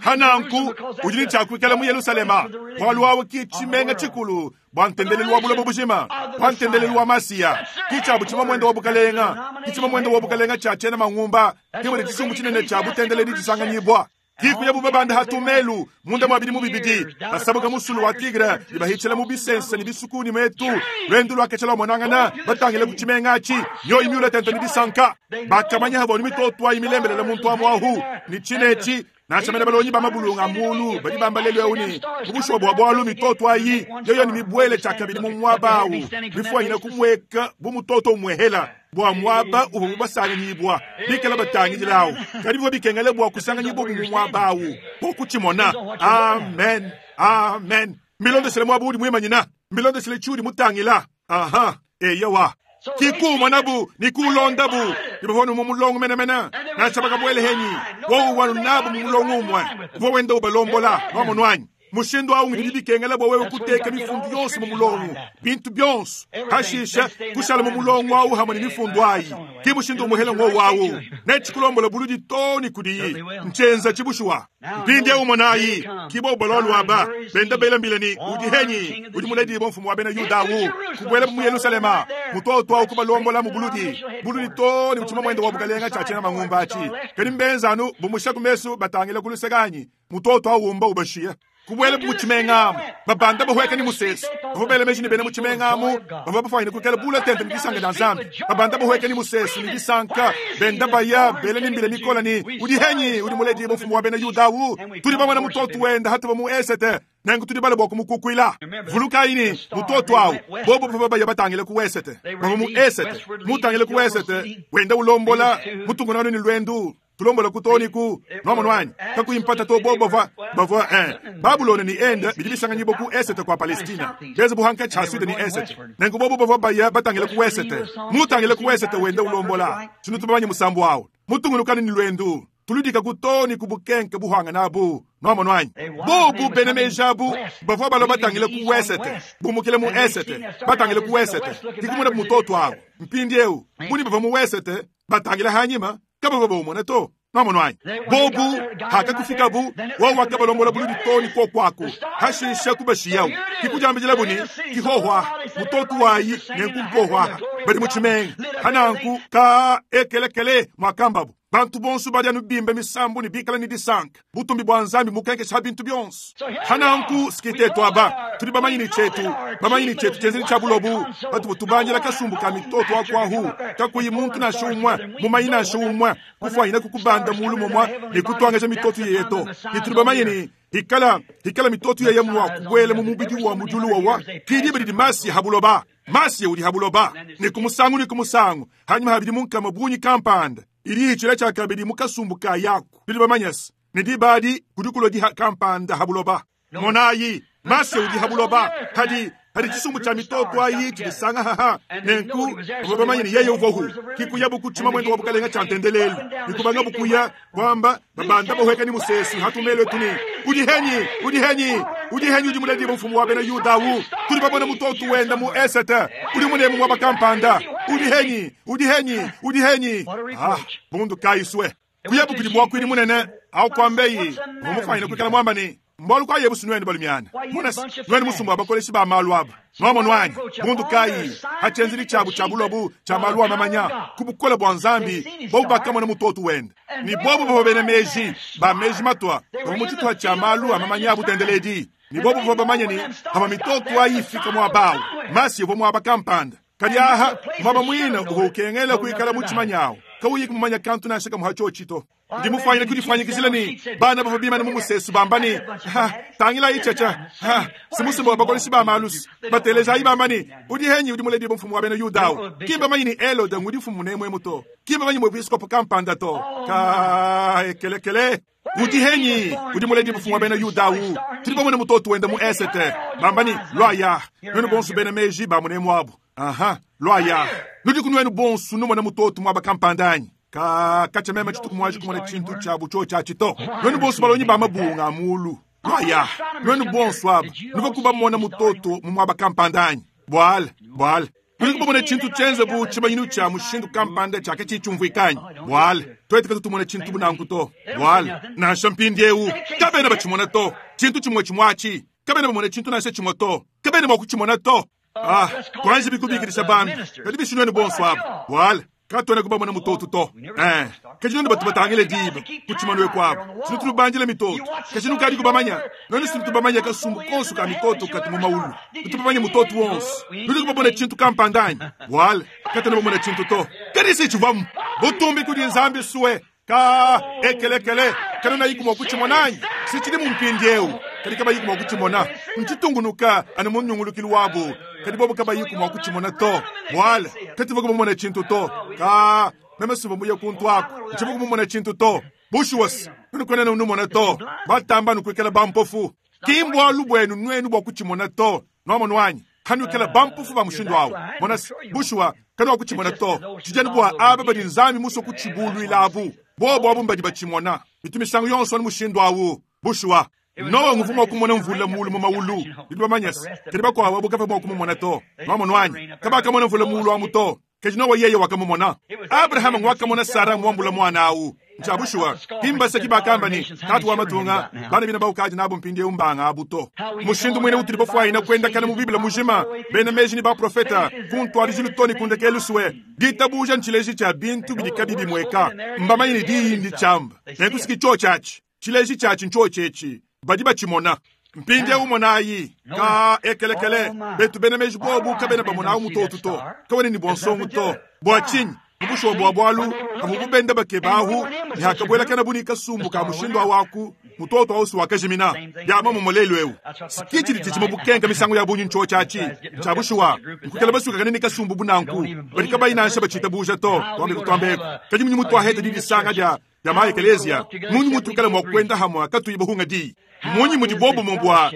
[SPEAKER 1] Ha nanku, udi ne tshia kuikala mu Yelusalema, bualu awu ki tshimenga tshikulu bua ntendelelu wa buloba bujima, bua ntendelelu wa Masiya. Ki tshiabu tshimamuende wa bukalenga, ki tshimamuende wa bukalenga tshia tshiena mangumba, ke mudi tshisumbu tshinene tshia butendeledi tshisanganyibua. Diku yabu babanda ha tumelu munda mua bidimu bibidi, basabuka musulu wa Tigre ne bahitshila mu bisense ne bisuku ne metu. Luendu luaketshia luamonangana batangile ku tshimenga atshi, mioyo miule tente ne disanka. Bakamanya havua ne mitoto ayi milembelele muntu amu ahu ne tshine etshi. Nansha mene balongi ba mabulunga a mulu badi bamba lelu eu ne, mu bushuwa bua bualu mitoto ayi yoyo ne mibuele tshiakabidi mu muaba au, mifuanyine kumueka bu mutoto umuehela bua muaba uvua mubasanganyibua bikala batangidila au. Kadi bivua bikengela bua kusanganyibua mu muaba au bua kutshimona. Amen, amen. Mbilondeshile muaba udi muimanyina, mbilondeshile tshiudi mutangila. Aha, eyowa. Ki kuumonabu ne kuulondabu, ne bavua mu mulongo menemene. Nansha bakabuele henyi, wowu uvua nabu mu mulongo umue, uvua wenda ubalombola. Nwamonu anyi? Mushindu au ngudi bikengela bua wewe kuteka mifundu yonso mu mulongo, bintu bionso, hashishe kushala mu mulongo au hamwe ne mifundu ayi. Ki mushindu umuhela ngowu au netshikulombola buludi too ne kudiyi. Ntshienza tshibushuwa. Mpindieu monayi, ki bobu balua aba benda bela mbila ne, Udi henyi? Udi muledibue mfumu wa bena Yuda au? Kubuela mu Yelushalema, mutoto au kubalombola mu buludi buludi too ne mu tshimamuende wa bukalenga tshia tshiena mangumba atshi. Kadi mbenza anu bumusha ku mesu batangila ku luseke anyi? Mutoto au umba ubashiya. Kubuela mu tshimenga amu, babanda bahueka ne musesu. Bavua bela meji ne bena mu tshimenga amu bavua bafuanyine kuikala bula tente ne disanka dia Nzambi. Babanda bahueka ne musesu ne disanka, benda baya bela ne mbila mikole ne, Udi henyi? Udi muledibue mfumu wa bena Yuda au? Tudi bamona mutoto wenda hatuva mu esete, nenku tudi bale bua kumukukuila. Vulukayi ne, mutoto au, bobu bavua baya batangile ku wesete, bavua mu esete, mutangile ku wesete, wenda ulombola mutungunanu ne luendu. Tulombola ku too ne ku nwamonu anyi? Kakuyi mpata to, bobu bavua, bavua, eh, Babulona ne Inde bidi bisanganyibua ku esete kua Palestina, bienze bu hankatshi ha sude ne esete. Nenku bobu bavua baya batangile ku wesete, mutangile ku wesete wenda ulombola. Tshinutu bamanye musambu awu, mutungunukanu ne luendu, tuludika ku too ne ku bukenke buhuangane abu. Nwamonu anyi? Bobu bena meji abu bavua balua batangile ku wesete, bumukile mu esete, batangile ku wesete, ke kumonabu mutoto awu. Mpindieu, bunyi bavua mu wesete, batangile hanyima, kabavua baumona to. Nwamonu anyi? Bobu hakakufikabu, wowu wakabalombola buludi too ne kuoku aku, hashishe kubashiyawu. Ke kudiambidilabu ne, Kihohua, mutotu wayi nenku nkohuaha, badi mu tshimenga. Hananku ka ekelekele muakambabu. Bantu bonso badi anu bimba misambu ne bikala ne disanka. Butumbi bua Nzambi mukenkesha bintu bionso. Hananku sikitetu aba, tudi bamanye ne tshietu, bamanye ne tshietu tshienzedi tshia bulobu, patuvua tubandila kasumbu ka mitoto akuahu, kakuyi muntu nansha umue, mumanyi nansha umue, kufuanyina kukubanda mulu mumue ne kutuangaja mitoto yeye to. Ne tudi bamanye ne hikala, hikala mitoto yeye mua kubuela mu mubidi wa mu diulu wawa, ki diba didi Masiya ha buloba. Masiya udi ha buloba, ne ku musangu ne ku musangu, hanyima ha bidimu nkama bungi kampanda, idi itshila tshiakabidi mu kasumbu ka yaku. Tudi bamanye se, ne diba adi kudi kulua diha kampanda ha buloba. Monayi, Masiya udi ha buloba, hadi, hadi tshisumbu tshia mitoto ayi tshidisanga haha. Nenku bavua bamanye ne yeye uvuahu, ki kuyabu ku tshimamuende wa bukalenga tshia ntendelelu, ne kubangabu kuya kuamba babanda bahueka ne musesu hatumelu etu ne, Udi henyi? Udi henyi? Udi henyi udi muledibue mfumu wa bena Yuda au? Tudi bamona mutoto wenda mu esete, udi munemu muaba kampanda. Udi henyi? Udi henyi? Udi henyi? Ah, bundu kayi sue kuyabu kudi muakuidi munene au kuambeyi uvua mufuanyine kuikala muamba ne, Mbualu kayi ebu sinuenu balumiana? Mona se, nuenu musumba wa bakoleshi ba malu aba. Nwamonu anyi? Bundu kayi ha tshienzedi tshiabu tshia bulobu tshia malu a mamanya ku bukole bua Nzambi, bobu bakamona mutoto wende. Ne bobu bavua bena meji, ba meji matua, bavua mu tshituha tshia malu a mamanya a butendeledi. Ne bobu bavua bamanye ne, pavua mitoto ayi ifika muaba au, Masiya uvua muaba kampanda. Kadi aha, muaba muine uvua ukengela kuikala mu tshimanyawu. Kauyi kumumanya kantu nansha kamwe ha tshiotshi to. Ndi mufwanyine kudifwanyikizila ne bana bavua bimane mu musesu bamba ne, Ha, tangilayi tshiatshia. Ha, si musumba wa bakolesi ba malusu. Batelejayi bamba ne, Udi henyi udi muledibue mfumu wa bena Yuda awu? Ki mbamanyi ne Helode ngudi mfumu nemuemu to. Ki mbamanyi muepiskopo kampanda to. Ka, ekelekele. Udi henyi udi muledibue mfumu wa bena Yuda awu? Tudi bamone mutoto wende mu esete. Bamba ne, Luaya, nuenu bonso bena meji ba munemu abu. Aha, luaya. Nudiku nuenu bonso numona mutoto muaba kampanda anyi? Ka, katshia meme tshituku muanji kumona tshintu tshia bu tshiotshi atshi to. Nuenu bonso balongi ba mabunga a muulu, luaya. Nuenu bonso aba, nuvua bamona mutoto mu muaba kampanda anyi? Buala, buala. Nudiku bamone tshintu tshienze bu tshimanyinu tshia mushindu kampanda tshia katshiyi tshiumvuika anyi? Buala, tuetu katutu tumona tshintu bu nanku to. Buala, nansha mpindieu, kabena batshimona to. Tshintu tshimue tshimue atshi, kabena bamone tshintu nansha tshimue to. Kabena mua kutshimona to. Ah, tuanji bikubikidisha bambi, kadi bishi nuenu bonso aba? Buala, katuena kubamona mutoto to. Eh, kadi nuenu batu batangile diba ku tshimanu eku aba, sinu tunubandila mitoto, kadi nukadi kubamanya. Nuenu sinu tubamanya kasumbu konso ka mitoto katu mu maulu, nutu bamanye mutoto wonso. Nudi kubamona tshintu kampanda anyi? Buala, katuena bamona tshintu to. Kadi si tshivuamu butumbi kudi Nzambi sue. Ka ekelekele, kanunayiku mua kutshimona anyi? Si tshidi mu mpindieu, kadi kabayiku mua kutshimona. Ntshitungunuka anu mu nyungulukilu wabu, kadi bobu kabayiku mua kutshimona to. Buala, katuvua kumumona tshintu to. Ka meme sivua muye kuntu aku, ntshivua kumumona tshintu to. Bushuwa si nunukuena numona to. Batamba nukuikala bampofu. Ki mbualu buenu nuenu bua kutshimona to. Nuamonu anyi? Kanuikala bampofu ba mushindu awu. Mona, bushuwa, kanuakutshimona to. Tshidi anu bua aba badi Nzambi musue kutshibuluila abu. Bobu abu mbadi batshimona. Bitu misangu yonso anu mushindu awu. Bushuwa. Nowa nguvua mua kumona mvula muulu mu mawulu. Nudi bamanye se, kadi bakuabu abu kabavua mua kumumona to. Nuamonu anyi? Kabakamona mvula muulu amu to. Kadi Nowa yeye wakamumona. Abrahama ngwakamona Sara muambula muana au. Ntshia bushuwa, ki mbaseki bakamba ne, Tatu wa matunga, bana bina baukadi nabu mpindieu mbanga abu to. Mushindu muine utudi bafuanyine kuendakana mu Bible mujima, bena meji ne baprofeta, ku ntuadijilu too ne ku ndekelu sue, ditabuja ntshileji tshia bintu bidi kabi bimueka. Mbamanye ne diyi nditshiamba, nenku si ki tshiotshi atshi. Tshileji tshiatshi ntshiotshi etshi, badi batshimona. Mpindieu monayi, ka ekelekele, betu bena meji bobu kabena bamonawu mutotu to, kawena ne bua nsongo to. Bua tshinyi? Mu bushuwa bua bualu, amu bu benda bakeba ahu, ne hakabuelakanabu ne kasumbu ka mushindu awu aku, mutoto au si wakajimina. Bia muomumue lelu'eu, si ki tshidi tshijima bukenka misangu ya bungi ntshiotshi atshi. Ntshia bushuwa, nkuikala basuikakane ne kasumbu bu nanku, badi kabayi nansha batshitabuja to. Tuambe kutuamba eku, kadi munyi mutuaheta didisanga dia dia ma ekeleziya, munyi mutuikala mua kuenda hamue katuyi bahunga diyi? Munyi mudi buobumue bua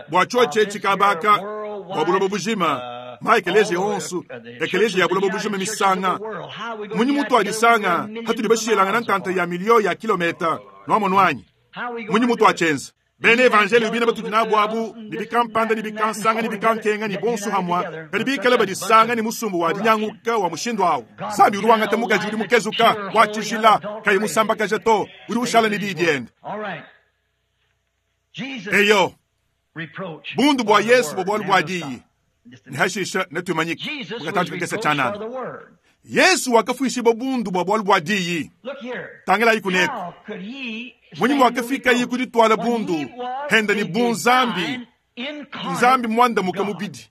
[SPEAKER 1] bua tshiotshi etshi kabaka bua buloba bujima, ma ekeleziya onso, ekeleziya ya buloba bujima misanga? Munyi mutuadisanga hatudi bashilangana ntanta ya miliyo ya kilometa? Nuamonu anyi? Munyi mutuatshienza? Bena evanjeliyo bina batudi nabu abu, ne bikampanda ne bikansanga ne bikankenga ne bonso hamua, kadi bikale badisanga ne musumbu wa dinyanguka wa mushindu awu. Nzambi udi wangata mukaji udi mukezuka, wa tshijila, kayi musambakaja to, udi ushala ne diyi diende. Eyo, bundu bua Yesu bua bualu bua diyi, ne hashisha netuimanyike mu katantshi kakese tshianana. Yesu wakafuishibua bundu bua bualu bua diyi. Tangilayi kuneku. Munyi muakafikaye ku dituala bundu hende ne bunzambi, Nzambi muandamuke mubidi?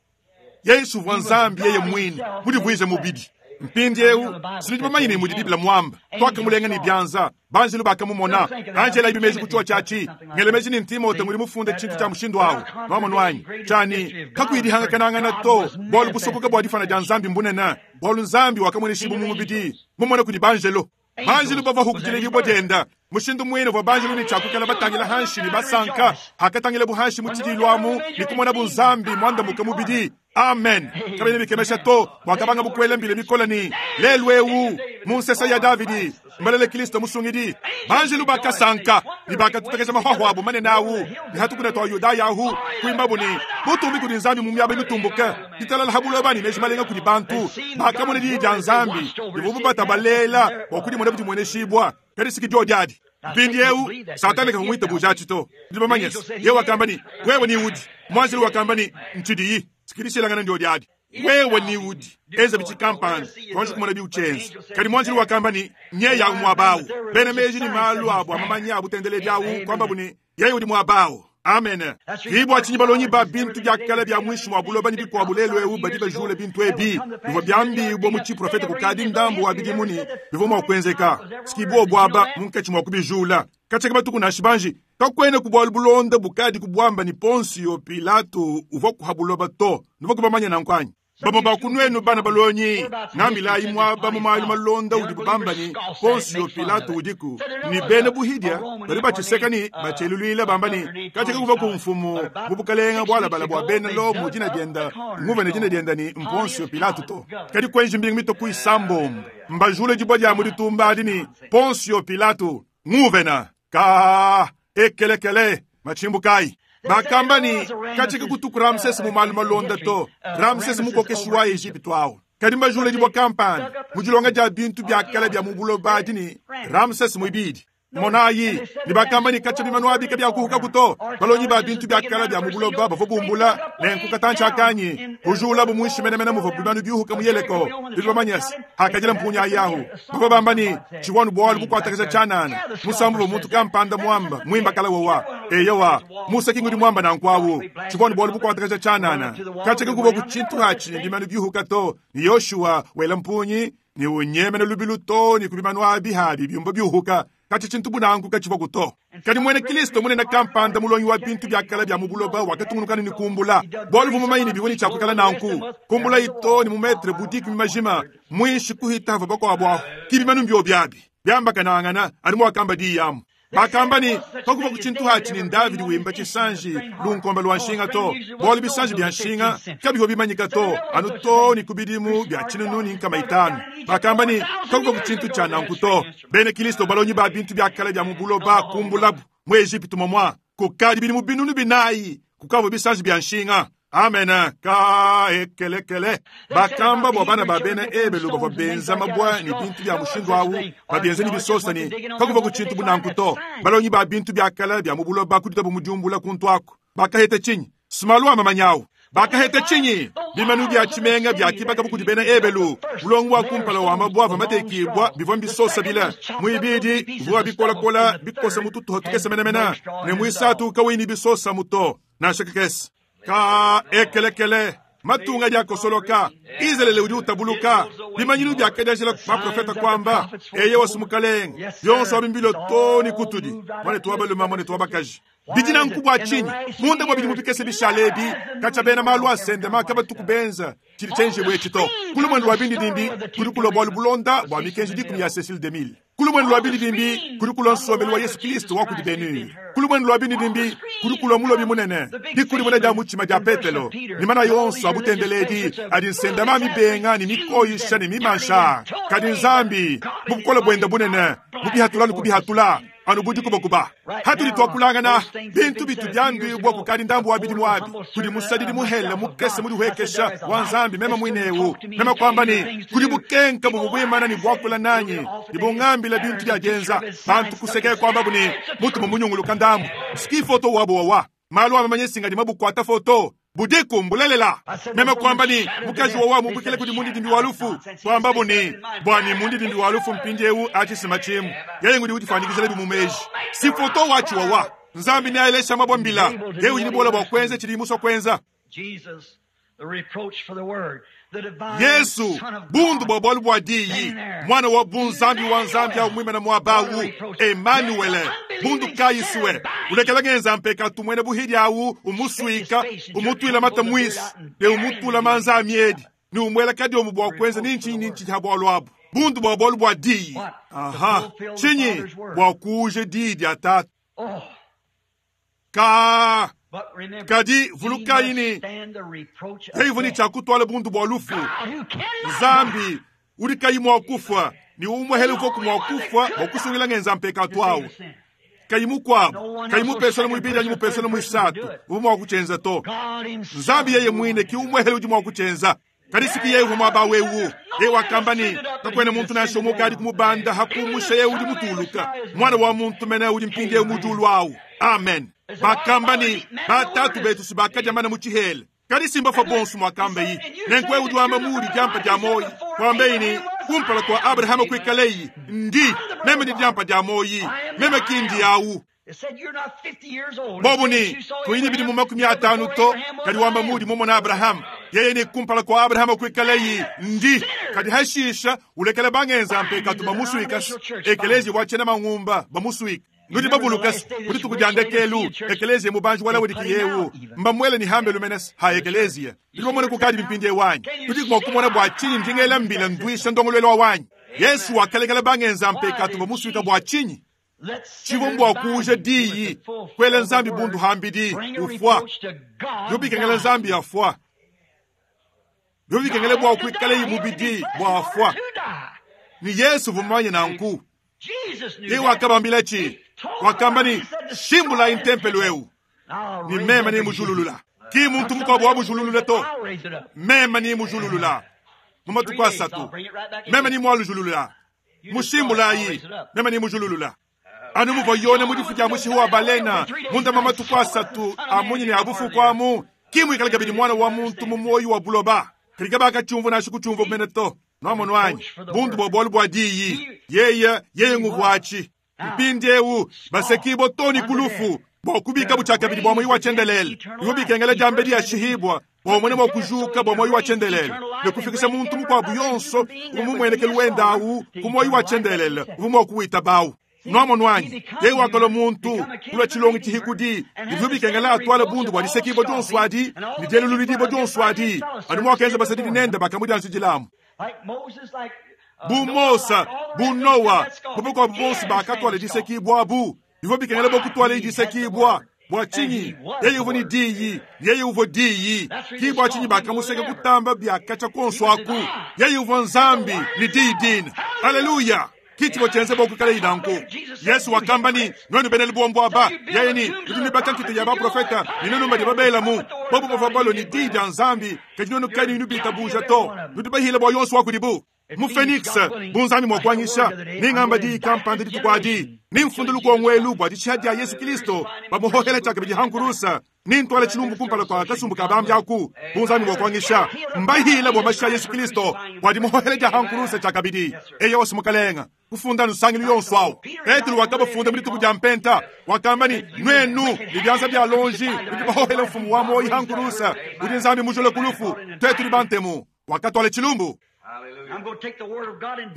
[SPEAKER 1] Yesu uvua Nzambi yeye muine mudivuije mubidi. Mpindieu, sinudi bamanye ne mudi Bible muamba, tuakamulenga ne bianza, banjelu bakamumona. Anji elayibi meji ku tshiotshi atshi. Ngela meji ne Timote ngudi mufunde tshintu tshia mushindu au. Nuamonu anyi? Tshia ne, kakuyi dihangakanangana to, bualu busokoka bua difana dia Nzambi mbunene, bualu Nzambi wakamueneshibua mu mubidi, mumona kudi banjelo. Banjelu bavua ku diledibua dienda. Mushindu muine uvua banjelu ne tshia kuikala batangila hanshi ne basanka hakatangilabu hanshi mu tshidiilu amu ne kumonabu Nzambi muandamuke mubidi. Amen. Kabiena bikemesha to muakabangabu kuela mbila mikole ne, Lelu eu, mu nsesa ya Davidi, mbalele Kristo Musungidi. Banjelu bakasanka ne bakatutakasha mahuahua abu manene au ne ha tukuna tua Yudaya ahu, kuimbabu ne, Butumbi kudi Nzambi mu miaba mitumbuke, ditalala ha buloba ne meji malenga kudi bantu. Bakamona diyi dia Nzambi divuabu batabalela bua kudimona dimueneshibua, kadi si ki diodi adi. Mpindieu, Satana kavua muitabuje atshi to. Nudi bamanye se, yeye wakamba ne, Wewe ni udi. Muanjelu wakamba ne, Ntshidiyi. Si ki dishilangana ndiodi adi. Wewe ni udi. Enza bitshi kampanda, tuanji kumona biutshienza. Kadi muanjelu wakamba ne, Nyeye au muaba au. Bena meji ne malu abu a mamanya a butendeledi au kuambabu ne, Yeye udi muaba au. Amene. Ki bua tshinyi balongi ba bintu bia kale bia muinshi mua buloba ne bikuabu lelu eu badi bajula bintu ebi bivua biambibua mu tshiprofete kukadi ndambu wa bidimu ne bivua mua kuenzeka. Siki buobu aba munkatshi mua kubijula. Katshia ke matuku nansha banji kakuena ku bualu bulonda bukadi kubuamba ne Ponsio Pilato uvua kuha buloba to. Nuvua kubamanya nanku anyi? Bamue ba ku nuenu bana balongi, ngambilayi muaba mu malu malonda udibu bamba ne Ponsio Pilato udiku, ne bena buhidia badi batshiseka ne batshieluluila bamba ne katshia kakuvua ku mfumu mu bukalenga bualabala bua bena Lomo dina dienda nguvua ne dina dienda ne Ponsio Pilato to. Kadi kuenji mbingu mitue ku isambombo mbajule dibua dia mu ditumba adi ne Ponsio Pilato nguvena ka ekelekele matshimbu kayi. Bakamba ne katshia kutuku Ramsese mu malu malonda to. Ramsese mukokeshi wa Ejipitu awu. Kadi mbajule dibua kampanda mu dilonga dia bintu bia kale bia mu buloba adi ne Ramsese muibidi. Monayi, ne bakamba ne katshia bimanu abi kabiakuhukaku to. Balongi ba bintu bia kale bia mu buloba bavua bumbula nenku katantshi akanyi kujulabu muinshi menemene muvua bimanu biuhuka mu Yeleko. Tudi bamanye se hakadila mpunya yahu. Bavua bamba ne tshivua nu bualu bukuatakaja tshianana musambu wa muntu kampanda muamba muimba kala wowa. Eyowa, Musa ki ngudi muamba nanku awu. Tshivua nu bualu bukuatakaja tshianana katshia kakuvua ku tshintu atshi ne bimanu biuhuka to. Ne Yoshua wela mpunyi ne unyemena lubilu to ne ku bimanu abi habi biumba biuhuka. Katshia tshintu bunanku katshivua ku to. Kadi muena Kristo munene kampanda mulongi wa bintu bia kale bia mu buloba wakatungunuka ne kumbula bualu buvua mumanye ne bivua ne tshiakukala nanku. Kumbula ito ne mu metre bu dikumi majima muinshi kuhita havua bakuabu ahu. Ki bimanu mbiobi abi biambakanangana anu muakamba diyi amu. Bakamba ne kakuvua ku tshintu atshi ne Davidi wimba tshisanji lunkombe lua nshinga to, bualu bisanji bia nshinga kabivua bimanyika to anu to ne ku bidimu bia tshinunu ne nkama itanu. Bakamba ne kakuvua ku tshintu tshia nanku to. Bena Kristo balongi ba bintu bia kale bia mu buloba kumbulabu mu Ejipitu momua kukadi bidimu binunu binayi kukavua bisanji bia nshinga. Amen. Ka ekelekele. Bakamba bua bana ba bena Ebelu bavua benza mabua ne bintu bia mushindu awu babienza ne bisosa ne kakuvua ku tshintu bunanku to. Balongi ba bintu bia kale bia mu buloba kuditabu mu diumbula kuntu aku. Bakaheta tshinyi? Sumalu wa mamanyawu. Bakaheta tshinyi? Bimanu bia tshimenga bia kibaka kudi bena Ebelu. Mulongo wa kumpala wa mabua avua matekibua bivua mbisosa bile. Muibidi bivua bikolakola bikosa mu tutuha tukese menemene ne muisatu kawuyi ne bisosa muto nansha kakese. Ka ekelekele matunga diakosoloka Izalele udi utabuluka bimanyinu biakadianjila baprofeta kwamba eye wasumukalenga bionso abi mbilo to ne kutudi mwanetu wa balume mwanetu wa bakaji. Bidi nanku bua tshinyi munda bua bidimu bikese bishale ebi katshia bena malu asendema kabatuku benza tshidi tshienjibue etshi to. Ku lumue lua bindidimbi kudi kulua bualu bulonda bua mikenji dikumi ya Cecile DeMille. Ku lumue lua bindidimbi kudi kulua nsombelu wa Yesu Kristo wa kudi Benur. Ku lumue lua bindidimbi kudi kulua mulobi munene dikudimuna dia mutshima dia Petelo ne mana yonso a butendeledi adi nsendama mibenga ne mikoyisha ne mimansha. Kadi Nzambi mu bukole buende bunene mu bihatula ne kubihatula anu bu dikubakuba. Hatudi tuakulangana bintu bitu biambibua kukadi ndambu wa bidimu abi kudi musadidi muhele mukese mudihuekesha wa Nzambi mema mwinewu mema kwamba ne kudi bukenka buvua buimana ne buakula nanyi ne bungambila bintu bia dienza bantu kusekeye kwambabu ne mutu mumunyunguluka ndambu ski foto wabo wawa malu amamanye singa di mabukwata foto budiku mbulelela meme kwamba ni mukaji wawa mubukile kudi mundidimbi wa lufu kwambabu ni bwani mundidimbi wa lufu mpindiewu atshisima tshimu yeye ngudi udifanikizela bimumeji si foto wachi wawa Nzambi ni aelesha mabwa mbila yeye udi ni bola bwa kwenza chili muswa kwenza. Yesu bundu bwa bwalu bwa diyi mwana wa bunzambi wa nzambi au mwimena mwabawu Emmanuel bundu kayiswe ulekela ngenza mpeka tumwene buhidi awu umusuika umutwila mata mwisi ne umutula manza amiedi ni umwela kadi omu bwa kwenza ninchi ninchi ha bwalu abu bundu bwa bwalu bwa diyi aha chinyi bwa kuje diyi dia tatu ka kadi vulukayi ni heivuni tshakutwala bundu bwa lufu Nzambi udi kayi mua kufa ni umwe hele uvoku mua kufa bwa kusungila ngenza mpekatu awu kayi mukuabu kayi mupesana muibidi anyi mupesana muisatu uvu mua kutshenza to. Nzambi yeye mwine ki umwe hele udi mua kutshenza. Kadi siki yeye uvua muaba wewu yeye wakamba ni kakwena muntu nansha umwe ukadi kumubanda hakumusha yeye udi mutuluka mwana wa muntu mene udi mpindiewu mujulu awu. Amen. Bakamba ni batatu betu sibakadia mana mu tshihele kadi simba fa bonso mwakamba yi nenkwe udi wamba mudi diampa dia moyi kwamba ini kumpala kwa Abrahama kuikaleyi ndi meme ndi diampa dia moyi meme kindi awu. Bobu ne, Kuyi ne bidimu 50 to, kadi wamba muudi mumone Abrahama. Yeye ne, Kumpala kua Abrahama kuikalayi, ndi. Kadi hashisha ulekela bangenza mpekatu bamusuika, ekeleziya wa tshiena mangumba bamusuika. Nudi bavuluka ku dituku dia ndekelu, ekeleziya mubanji wa Laodikiya eu mbamuele ne hambelu mene ha ekeleziya. Nudi bamone kukadi mpindieu anyi? Tudiku mua kumona bua tshinyi ndi ngela mbila nduisha ndongoluelu wanyi? Yesu wakalekela bangenza mpekatu bamusuika bua tshinyi? Tshivua mbua kuuja diyi, kuela Nzambi bundu hambidi, ufua. Bivua bikengela Nzambi afua. Bivua bikengela bua kuikalayi mubidi bua afua. Ne Yesu uvua mumanye nanku. Yeye wakabambila tshi, wakamba ne, Shimbulayi ntempelo eu, ne meme nemujululula. Ki muntu mukuabu wamujululula to, meme nemujululula mu matuku asatu, meme nemualujulula. Mushimbulayi, meme nemujululula. Anu muvua Yone mu difu dia mushihi wa balena munda mua matuku asatu a munyi ne a bufuku amu, ki muikale kabidi Muana wa muntu mu muoyo wa buloba. Kadi kabakatshiumvua nansha kutshiumvua mene to. Nwamonu anyi? Bundu bua bualu bua diyi. Yeye, yeye nguvuatshi. Mpindiewu, basekibua too ne ku lufu, bua kubikabu tshiakabidi bua muoyo wa tshiendelele. Bivua bikengela diambedi ashihibua bua umone mua kujuka bua muoyo wa tshiendelele ne kufikisha muntu mukuabu yonso uvua mumuenekelu wende awu ku muoyo wa tshiendelele uvua mua kuwitabawu. Nwamonu anyi? Yeye wakalua muntu, kulua tshilongi tshihikudi. Bivua bikengela atuale bundu bua disekibua dionso adi ne dielululidibua dionso adi, anu muakenza basadidi nende bakamudianjidilamu. Bu Mose, bu Noa, bu bakuabu bonso bakatuala disekibua abu. Bivua bikengela bua kutuala disekibua. Bua tshinyi? Yeye uvua ne diyi, yeye uvua diyi. Ki bua tshinyi bakamuseka kutamba bia katshia kuonso aku. Yeye uvua Nzambi ne diyi dine. Aleluya! Ki tshivua tshienze bua kuikalayi nanku. Yesu wakamba ne, Nuenu bena lubombo aba, yeye ne, nudi nuibaka nkita ya baprofeta ne nuenu badi babelamu. Bobu bavua balue ne diyi dia Nzambi, kadi nuenu kanuyi nubitabuja to. Nudi bahile bua yonso wa kudibu. Mu Phoenix, bu Nzambi mua kuanyisha, nengamba diyi kampanda dituku adi, nemfunde lukongo elu bua dishiha dia Yesu Kilisto, bamuhohela tshiakabidi ha nkurusa, nentuale tshilumbu kumpala kua kasumbu ka bambi aku, bu Nzambi mua kuanyisha, mbahile bua mashi a Yesu Kilisto bua dimuhohela dia ha nkurusa tshiakabidi. Eyowa, Mukalenga, kufunda nsangilu yonso awu. Petelo wakabafunda mu dituku dia Mpenta, wakamba ne, Nuenu ne bianza bia lonji nudi bahohela mfumu wa muoyo ha nkurusa, udi Nzambi mujule ku lufu, tuetu tudi bantemu. Wakatuala tshilumbu.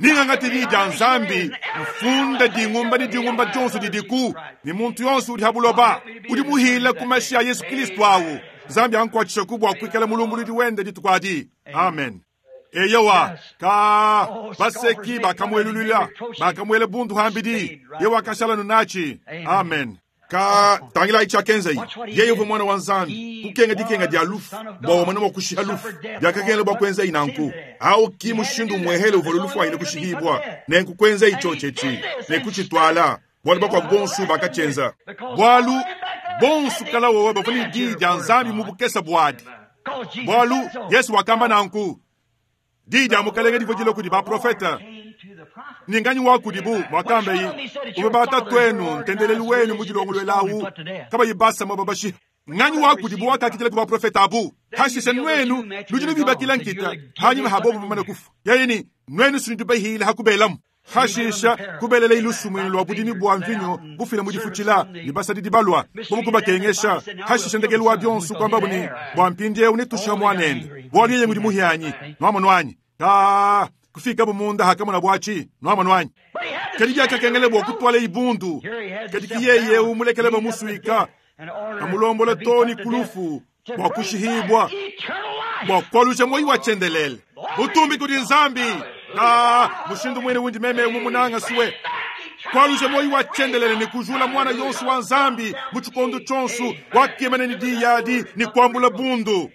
[SPEAKER 1] Ningangate diyi dia Nzambi, mfunda dingumba ne dingumba dionso didiku, ne muntu yonso udi ha buloba udi muhila ku mashi a Yesu Kristo awu. Nzambi ankuatshishaku bua kuikala mulumbuludi wende dituku adi. Amen. Eyowa, ka baseki bakamuelulula, bakamuela bundu hambidi, ye wakashala nunatshi. Amen. Ka tangilayi tshiakenzaye. Yeye uvua Muana wa Nzambi, kukenga dikenga dia lufu bua umone mua kushiha lufu. Biakakengela bua kuenzayi nanku. Au ki mushindu umuehele uvua lufu wayile kushihibua. Nenku kuenzayi tshiotshi etshi ne kutshituala, bualu bakuabu bonso bakatshienza. Bualu bonso kala wowa bavua ne diyi dia Nzambi mu bukese buadi. Bualu Yesu wakamba nanku. Diyi dia Mukalenge divua dilua kudi baprofete. Ne nganyi wa kudibu muakambayi, uvua batatuenu ntendelelu wenu mudilongoluela awu, kabayi basa muaba bashiha? Nganyi wa kudibu wakakidila ku baprofete abu? Hashishe nuenu nudi nubibakila nkita hanyima ha bobu bamane kufua. Yeye ne, Nuenu si nudi bahile ha kubelamu. Hashisha kubelela lusumuinu lua budimi bua mvinyo bufila mu difutshila, ne basadidi balua bobu kubakengesha. Hashisha ndekelu wa bionso kuambabu ne, Bua mpindieu netushiha muanende, bualu yeye ngudi muhianyi. Nuamonu anyi? Ka kufikabu munda hakamona atshi. Nuamonu anyi? Kadi biakakengela bua kutuala ibundu, kadi ki yeye eu mulekele bamusuika, amulombola too ne ku lufu bua kushihibua, bua kualuja muoyo wa tshiendelele. Butumbi kudi Nzambi! Ka mushindu muine undi meme mumunanga sue kualuja muoyo wa tshiendelele ne kujula muana yonso wa Nzambi mu tshikondo tshionso wakimana ne diyi adi ne kuambula bundu.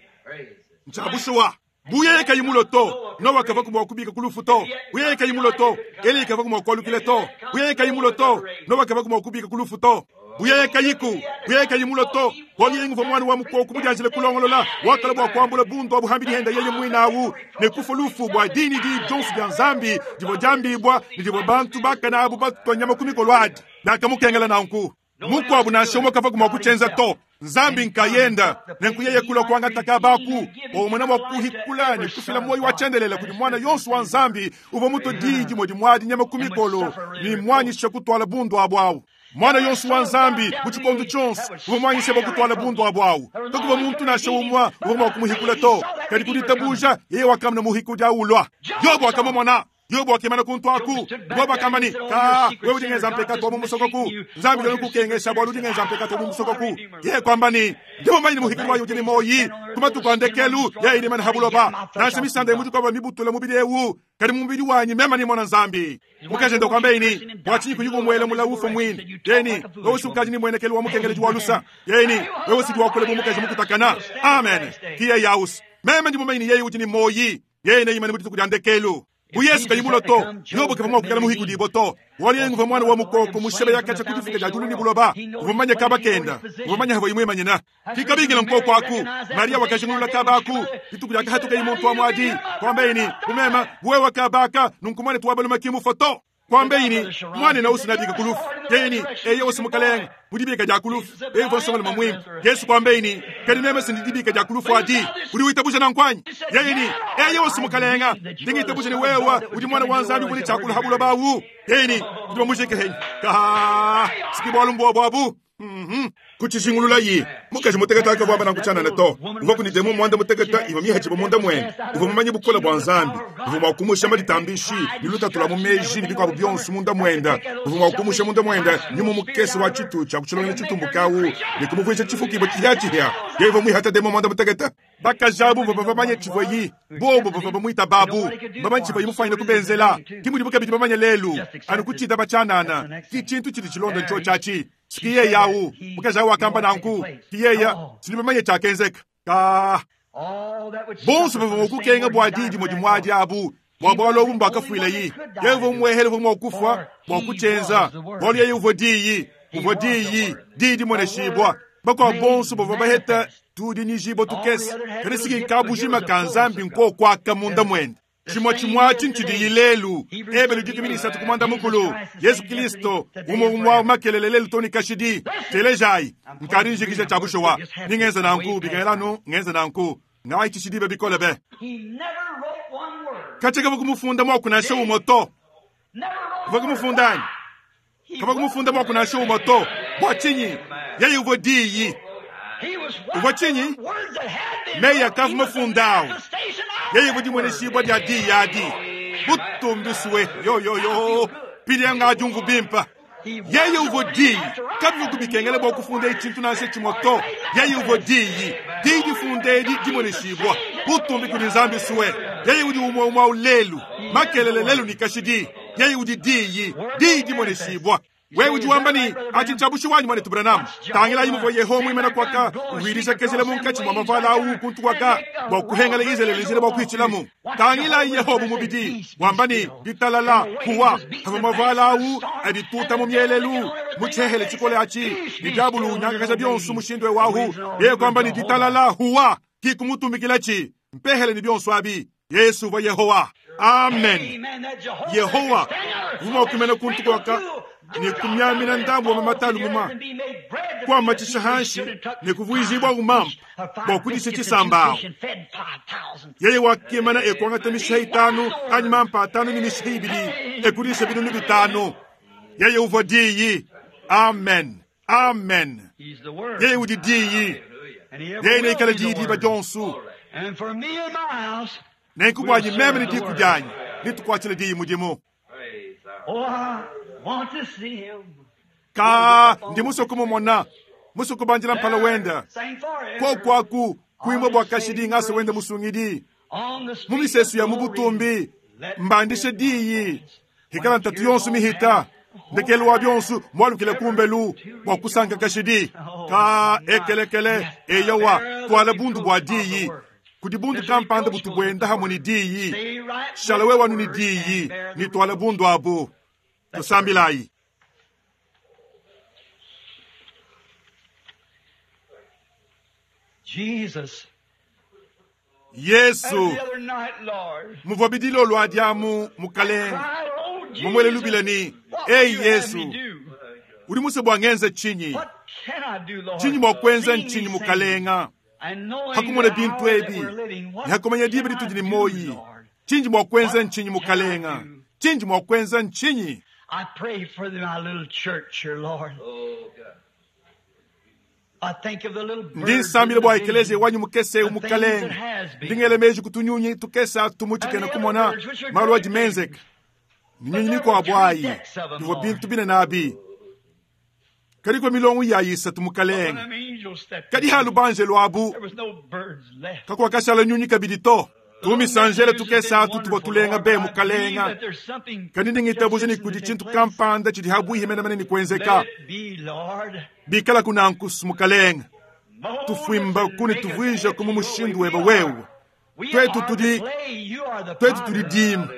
[SPEAKER 1] Ntshia bushuwa. Bu yeye kayi mulue to, Noa kavua mua kubika ku lufu to. Bu yeye kayi mulue to, Eliya kavua mua kualukila to. Bu yeye kayi mulue to, Noa kavua mua kubika ku lufu to. Bu yeye kayiku, bu yeye kayi mulue to, bualu yeye nguvua muana wa mukoko mudianjile kulongolola, wakala bua kuambula bundu abu hambidi henda yeye muine awu, ne kufua lufu bua diyi ne diyi dionso dia Nzambi divua diambibua ne divua bantu bakane abu batua nyama ku mikolo adi. Biakamukengela nanku. Mukuabu nansha umue kavua mua kutshienza to, Nzambi nkayenda. Nenku yeye kulua kuangata kaba aku bua umona mua kuhikula ne kufila muoyo wa tshiendelele kudi muana yonso wa Nzambi uvua mutue diyi dimue dimuadi nyama ku mikolo ne muanyisha kutuala bundu abu awu. Mwana yonso wa Nzambi mu tshikondo tshionso uvua muanyishe bua kutuala bundu abu awu. Kakuvua muntu nansha umue uvua mua kumuhikula to. Kadi ku ditabuja yeye wakamona muhikudi awu ulua. Yobo wakamumona. Yobo wakimana kuntu aku. Yobo akamba ne, Kaa, wewe udi ngenza mpekatu wa mu musokoku. Nzambi udi kukengesha bualu udi ngenza mpekatu wa mu musokoku. Yeye kuamba ne, Ndi mumanye ne muhikudi wayi udi ne muoyi. Ku matuku a ndekelu, yeye ne mana ha buloba. Nansha misanda ya mudikoba mibutula mubidi ewu, kadi mu mubidi wanyi meme ne mona Nzambi. Mukaji ende kuamba ne, bua tshinyi kuyi kumuela mulawu ufua muine? Yeye ne, wewe si ukadi ne muenekelu wa mukengeledi wa lusa. Yeye ne, wewe si wakula bu mukaji mukutakana. Amen. Ki yeye ausi. Meme ndi mumanye ne yeye udi ne muoyi. Yeye neimane mu dituku dia ndekelu. Bu Yesu kayi mulue to, Yobo kavua mua kuikala muhikudibue to. Bualu yeye nguvua muana wa mukoko mushebe yakatshia ku difuka dia diulu ne buloba. Uvua mumanye kaba kenda. Uvua mumanye havua imuimanyina. Kikabingila nkoko aku. Mariya wakajingulula kaba aku. Dituku diakahatukaye muntu wa muadi, kuambaye ne, Bu meme, bu wewe kaba aka, nunku muanetu wa balume ki mufue to. Kuambaye ne, Muanenu au sinabika ku lufu. Yeye ne, Eyo si Mukalenge, mu dibika dia ku lufu. Yeye uvua nsongalume muimpe. Yesu kuambaye ne, Kadi meme si ndi dibika dia ku lufu adi. Udi witabuja nanku anyi? Yeye ne, Eyo si Mukalenge, ndi ngitabuja ne wewe udi Muana wa Nzambi uvua ne tshia kulua ha buloba awu. Yeye ne, Tudi bamujike henyi? Kahaha, si ki bualu mbuobu abu. Mm-hmm. Kutshijingululayi, mukaji mutekete kavua wamba nanku tshianana to. Uvua ne demon muanda mutekete ivua mihatshibue munda muende. Uvua mumanye bukole bua Nzambi. Uvua mua kumusha maditambishi ne lutatu lua mu meji ne bikuabu bionso munda muende. Uvua mua kumusha munda muende nyuma mukese wa tshitu tshia ku tshilongelu tshitumbuke au ne kumuvuija tshifukibua tshipiatshipia. Yeye uvua muihate demon muanda mutekete. Bakaji abu bavua bamanye tshivuayi, bobu bavua bamuitaba abu, bamanye tshivuayi mufuanyine kubenzela. Ke mudibu kabidi bamanye lelu, anu kutshitaba tshianana, ki tshintu tshidi tshilonda ntshiotshi atshi. Ki yeye awu, mukaji awu wakamba nanku. Ki yeye, tudi bamanye tshiakenzeka. Kaa. Bonso bavua mua kukenga bua diyi dimue dimue adi abu, bua bualu abu mbuakafuilayi. Yeye uvua umuehele uvua mua kufua bua kutshienza, bualu yeye uvua Diyi, uvua Diyi, Diyi dimueneshibua. Bakuabu bonso bavua baheta tudinyijibua tukese, kadi siki kabujima ka Nzambi nkokuaka munda muende. Tshimue tshimue atshi ntshidiyi lelu. Ebelu 13 ku muanda mukulu, Yezu Kilisto umue umue wa makelele lelu too ne kashidi. Telejayi, nkadi njikija tshia bushuwa. Ndi ngenza nanku bikengela anu ngenza nanku. Ngayitshishi diba bikole be. Katshia kavua kumufunda muaku nansha umue to. Uvua kumufunda anyi? Kavua kumufunda muaku nansha umue to. Bua tshinyi? Yeye uvua Diyi. Uvua tshinyi? Meyi akavua mafunda awu. Yeye uvua dimueneshibua dia Diyi adi. Butumbi sue. Yo, yo, yo. Pidia ngadiumvu bimpe. Yeye uvua Diyi. Kabivua kubikengela bua kufunda tshintu nansha tshimue to. Yeye uvua Diyi. Diyi difunda edi dimueneshibua. Butumbi kudi Nzambi sue. Yeye udi umue umue awu lelu, makelele lelu ne kashidi. Yeye udi Diyi. Diyi dimueneshibua. Wewe udi wamba ne, Atshi ntshia bushuwa anyi, Muanetu Branham? Tangilayi muvua Yehowa muimane kuaka, uvuidija kezela munkatshi mua mavuala awu kuntu kuaka, bua kuhengela Izalele njila bua kuhitshilamu. Tangilayi Yehowa bu mubidi, wamba ne, Ditalala, huwa. Pavua mavuala awu adituta mu mielelu, mu tshihehele tshikole atshi, ne diabulu unyangakaja bionso mushindu eu ahu, yeye kuamba ne, Ditalala, huwa. Ki kumutumbikilatshi mpehele ne bionso abi. Yesu uvua Yehowa. Amen. Yehowa uvua mua kuimana kuntu kuaka ne kumiamina ndambu wa mamata a lumuma, kuamatshisha hanshi ne kuvuijibua umampa bua kudisha tshisamba awu. Yeye wakimana e kuangata mishiha itanu anyi mampa atanu ne mishiha ibidi e kudisha binunu bitanu. Yeye uvua Diyi. Amen. Amen. Yeye udi Diyi. Yeye neikale Diyi diba dionso. Nenku buanyi meme ne diku dianyi, netukuatshile Diyi mudimu. Kaa, ndi musue kumumona, musue kubandila mpala wende. Koku aku, kuimba bua kashidi ngasa wende musungidi. Mu misesu ya mu butumbi, mbandishe diyi, hikala ntatu yonso mihita. Ndekelu wa bionso, mualukile kumbelu bua kusanka kashidi. Kaa, ekelekele, eyowa, tuala bundu bua diyi. Kudi bundu kampanda butu buenda hamue ne diyi. Shala wewe anu ne diyi, ne tuala bundu abu. Tusambilayi.
[SPEAKER 2] Jesus.
[SPEAKER 1] Yesu, muvua bidilolo adi amu Mukalenge mumuele lubila ne, Eyi Yesu, udi musue bua ngenze tshinyi? Tshinyi mua kuenza ntshinyi Mukalenga? Hakumona bintu ebi ne hakumanya diba ditudi ne muoyi, tshindi mua kuenza ntshinyi Mukalenga? Tshindi mua kuenza ntshinyi?
[SPEAKER 2] I pray for my little church here, Lord. I think of the little
[SPEAKER 1] Ndi
[SPEAKER 2] birds
[SPEAKER 1] nsambila
[SPEAKER 2] in the
[SPEAKER 1] bua ekeleziya
[SPEAKER 2] vision,
[SPEAKER 1] wanyi mukese
[SPEAKER 2] the things that
[SPEAKER 1] umukalenga.
[SPEAKER 2] has been.
[SPEAKER 1] Ndingele meji kutunyunyi tukesa tumuchikena kumona malu adi menzeka. Ni nyunyi mikuabu ayi bivua bintu binene abi. Kadi kua milongo ya isatu
[SPEAKER 2] When
[SPEAKER 1] mukalenga.
[SPEAKER 2] them angels stepped
[SPEAKER 1] Kadi
[SPEAKER 2] in,
[SPEAKER 1] halu banjelu abu
[SPEAKER 2] there was no birds left.
[SPEAKER 1] kakuakashala nyunyi kabidi to. Tumisanjele tukesa atu tuvua tulenga be mukalenga. Kadi ndingitabuja ni kudi tshintu kampanda tshidi habuihi menemene ni kuenzeka.
[SPEAKER 2] Let it be, Lord.
[SPEAKER 1] Bikala kunankusu mukalenga.
[SPEAKER 2] Mold
[SPEAKER 1] Tufuimba
[SPEAKER 2] us and
[SPEAKER 1] kuni
[SPEAKER 2] make us
[SPEAKER 1] tuvuija
[SPEAKER 2] after
[SPEAKER 1] kumu
[SPEAKER 2] your
[SPEAKER 1] mushindu
[SPEAKER 2] way.
[SPEAKER 1] weba
[SPEAKER 2] We
[SPEAKER 1] wewe.
[SPEAKER 2] are- we
[SPEAKER 1] Twetu
[SPEAKER 2] are the
[SPEAKER 1] tudi-
[SPEAKER 2] clay, you are the
[SPEAKER 1] Twetu tudi
[SPEAKER 2] potter.
[SPEAKER 1] dima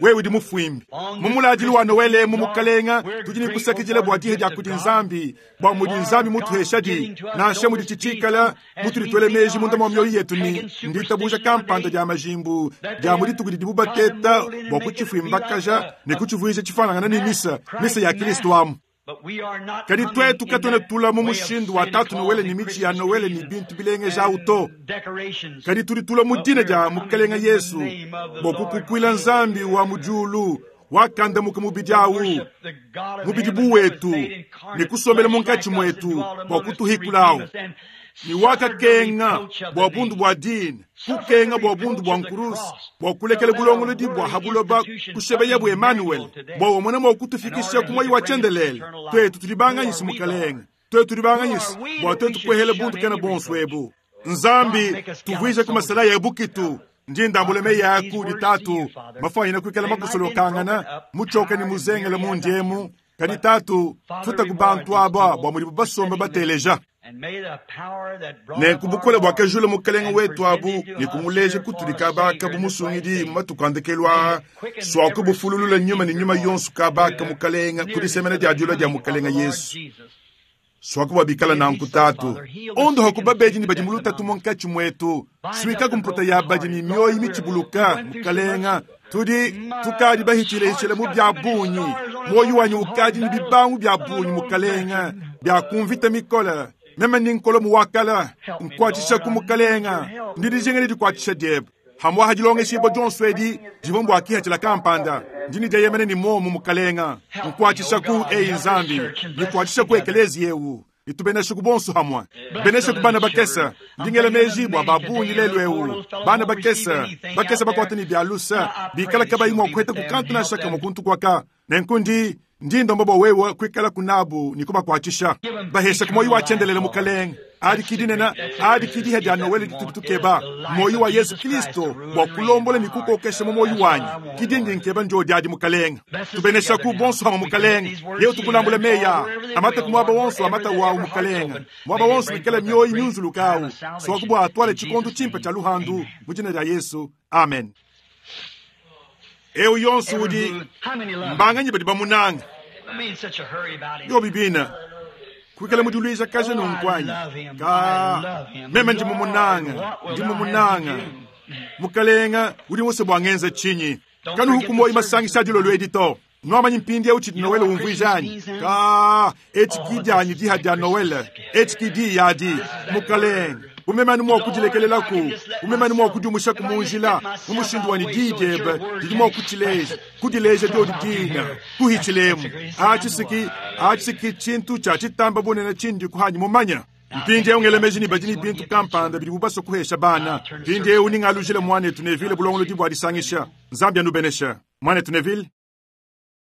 [SPEAKER 1] wewe udi mufuimbi mumuladili wa nowele mu mukalenga tudi ni kusakidila bua dihe dia kudi nzambi bua mudi nzambi mutuheshadi nansha mudi tshitshikala mutudi meji munda mwa mioyo yetu ni nditabuja kampanda dia majimbu dia mudi tukudi dibu bateta bua kutshifuimbakaja ne kutshivuija tshifanangana ne misa misa ya kristu amu
[SPEAKER 2] But we are not
[SPEAKER 1] kadi
[SPEAKER 2] coming
[SPEAKER 1] twetu
[SPEAKER 2] in
[SPEAKER 1] katuena
[SPEAKER 2] that
[SPEAKER 1] tula mu
[SPEAKER 2] way of
[SPEAKER 1] mushindu wa
[SPEAKER 2] Santa
[SPEAKER 1] tatu
[SPEAKER 2] Claus
[SPEAKER 1] nowele
[SPEAKER 2] and
[SPEAKER 1] ni michi ya
[SPEAKER 2] Christmas
[SPEAKER 1] nowele ni
[SPEAKER 2] trees
[SPEAKER 1] bintu bilengeja
[SPEAKER 2] and
[SPEAKER 1] uto
[SPEAKER 2] decorations.
[SPEAKER 1] kadi tudi tula mu
[SPEAKER 2] But
[SPEAKER 1] dina
[SPEAKER 2] we
[SPEAKER 1] dia
[SPEAKER 2] are coming
[SPEAKER 1] mukalenga
[SPEAKER 2] in the
[SPEAKER 1] yesu
[SPEAKER 2] name of the
[SPEAKER 1] bua
[SPEAKER 2] Lord
[SPEAKER 1] kukukuila
[SPEAKER 2] Jesus.
[SPEAKER 1] nzambi wa mujulu wakandamuka mubidi awu
[SPEAKER 2] Worship the God of
[SPEAKER 1] mubidi
[SPEAKER 2] heaven that was
[SPEAKER 1] buwetu
[SPEAKER 2] made incarnate
[SPEAKER 1] ni kusombela
[SPEAKER 2] flesh
[SPEAKER 1] munkatshi
[SPEAKER 2] like us and
[SPEAKER 1] mwetu
[SPEAKER 2] dwelt
[SPEAKER 1] bua
[SPEAKER 2] among us to
[SPEAKER 1] kutuhikulawu
[SPEAKER 2] redeem us and
[SPEAKER 1] ni
[SPEAKER 2] suffered the
[SPEAKER 1] wakakenga
[SPEAKER 2] reproach of the
[SPEAKER 1] bua bundu
[SPEAKER 2] name.
[SPEAKER 1] bua dina kukenga bua bundu bua nkurusi bua kulekela bulongolodi bua habuloba kushebeya bu emanuele bua wamona mua kutufikisha ku moyi wa tshiendelele twetu tudi banganyisi mukalenga twetu tudi banganyisi bua twetu kuehela bundu kena bonso ebu nzambi tuvuije ku masala ya bukitu ndi ndambula meyi aku ditatu mafanyina kuikala makusolokangana mutshoka ni muzengele mundiemu kadi tatu futa ku bantu aba bua mudibu basomba bateleja
[SPEAKER 2] And may the power that brought
[SPEAKER 1] nenku
[SPEAKER 2] up our
[SPEAKER 1] bukole
[SPEAKER 2] Lord
[SPEAKER 1] buakajula mukalenga
[SPEAKER 2] and
[SPEAKER 1] wetu abu
[SPEAKER 2] presented to
[SPEAKER 1] ne
[SPEAKER 2] us
[SPEAKER 1] kumuleja
[SPEAKER 2] here for
[SPEAKER 1] kutudi
[SPEAKER 2] a
[SPEAKER 1] kabaka
[SPEAKER 2] Savior in this
[SPEAKER 1] bumusungidi
[SPEAKER 2] last
[SPEAKER 1] mu
[SPEAKER 2] day.
[SPEAKER 1] matuku andekelu aa swaku bufululula nyuma ne nyuma yonso kabaka mukalenga kudisemena dia diula dia mukalenga yesu swaku bua nanku tatu ondoha ku babedi ni badi mulutatu munkatshi muetu suika kumputa ya badi ni mioyo mitshibuluka mukalenga tudi tukadi bahitshilehitshile mu bia bunyi moyo wanyi ukadi ni bibangu bia bunyi mukalenga bia kumvita mikola meme ni nkolo muwakala nkuatshisha ku mukalenga ndi dijinga ni dikuatshisha diebe hamwaha dilongeshibua dionso edi divua mbua kihatshila kampanda ndini dieyemene ni momu mukalenga nkuatshisha ku eyi nzambi nikuatshisha ku ekeleziya ewu itubenesha ku bonso hamwe benesha ku bana bakesa ndingele meji bua babunyi lelu ewu bana bakesa bakesa bakuata ni bia lusa bikala kabayi mua kuheta kukantu nansha kamue kuntu kuaka nenku ndi ndi ndomba bua wewe kuikala kunabu ni kubakuatshisha bahesha ku moyi wa tshiendelele mukalenga adi kidinena adi kidiha dia nowele ditudi tukeba moyi wa yesu kristo bua kulombola ni kukokesha mu moyi wanyi kidindi nkeba ndio diadi mukalenga tubenesha ku bonso hama mukalenga yeu tukulambula meya amata ku muaba wonso amata wawu mukalenga muaba wonso wikala mioyi miunzulukawu swaku bua atwale tshikondo tshimpe tshia luhandu mu dina dia yesu amen eu yonso udi
[SPEAKER 2] How many love him?
[SPEAKER 1] mbanganyi badi bamunanga
[SPEAKER 2] Don't be in such a hurry about him.
[SPEAKER 1] yo bibina kuikala mudiluisha kaja nunkwanyi ka meme ndi mumunanga ndi mumunanga mukalenga udi wose bua ngenza tshinyi kanuhuku moyi masangisha adilolo edi to nuamanyi mpindi eu tshidi nowele umvuijanyi ka eti kidianyi diha dia nowele eti kidi yadi mukalenga umemani mua kudilekelelaku umemani mua kudiumushaku munjila mu mushindu wani diyi diebe didi mua kutshileja kudileja diodi dina kuhitshilemu atshisiki atshisiki tshintu tshia tshitamba bunene tshindi kuhanyi mumanya mpindiewu ngelemeji ni badi ni bintu kampanda bidi bubaswa kuhesha bana mpindiewu ningalujile mwanetu nevile bulongolodi bua disangisha nzambi anubenesha mwanetu nevile.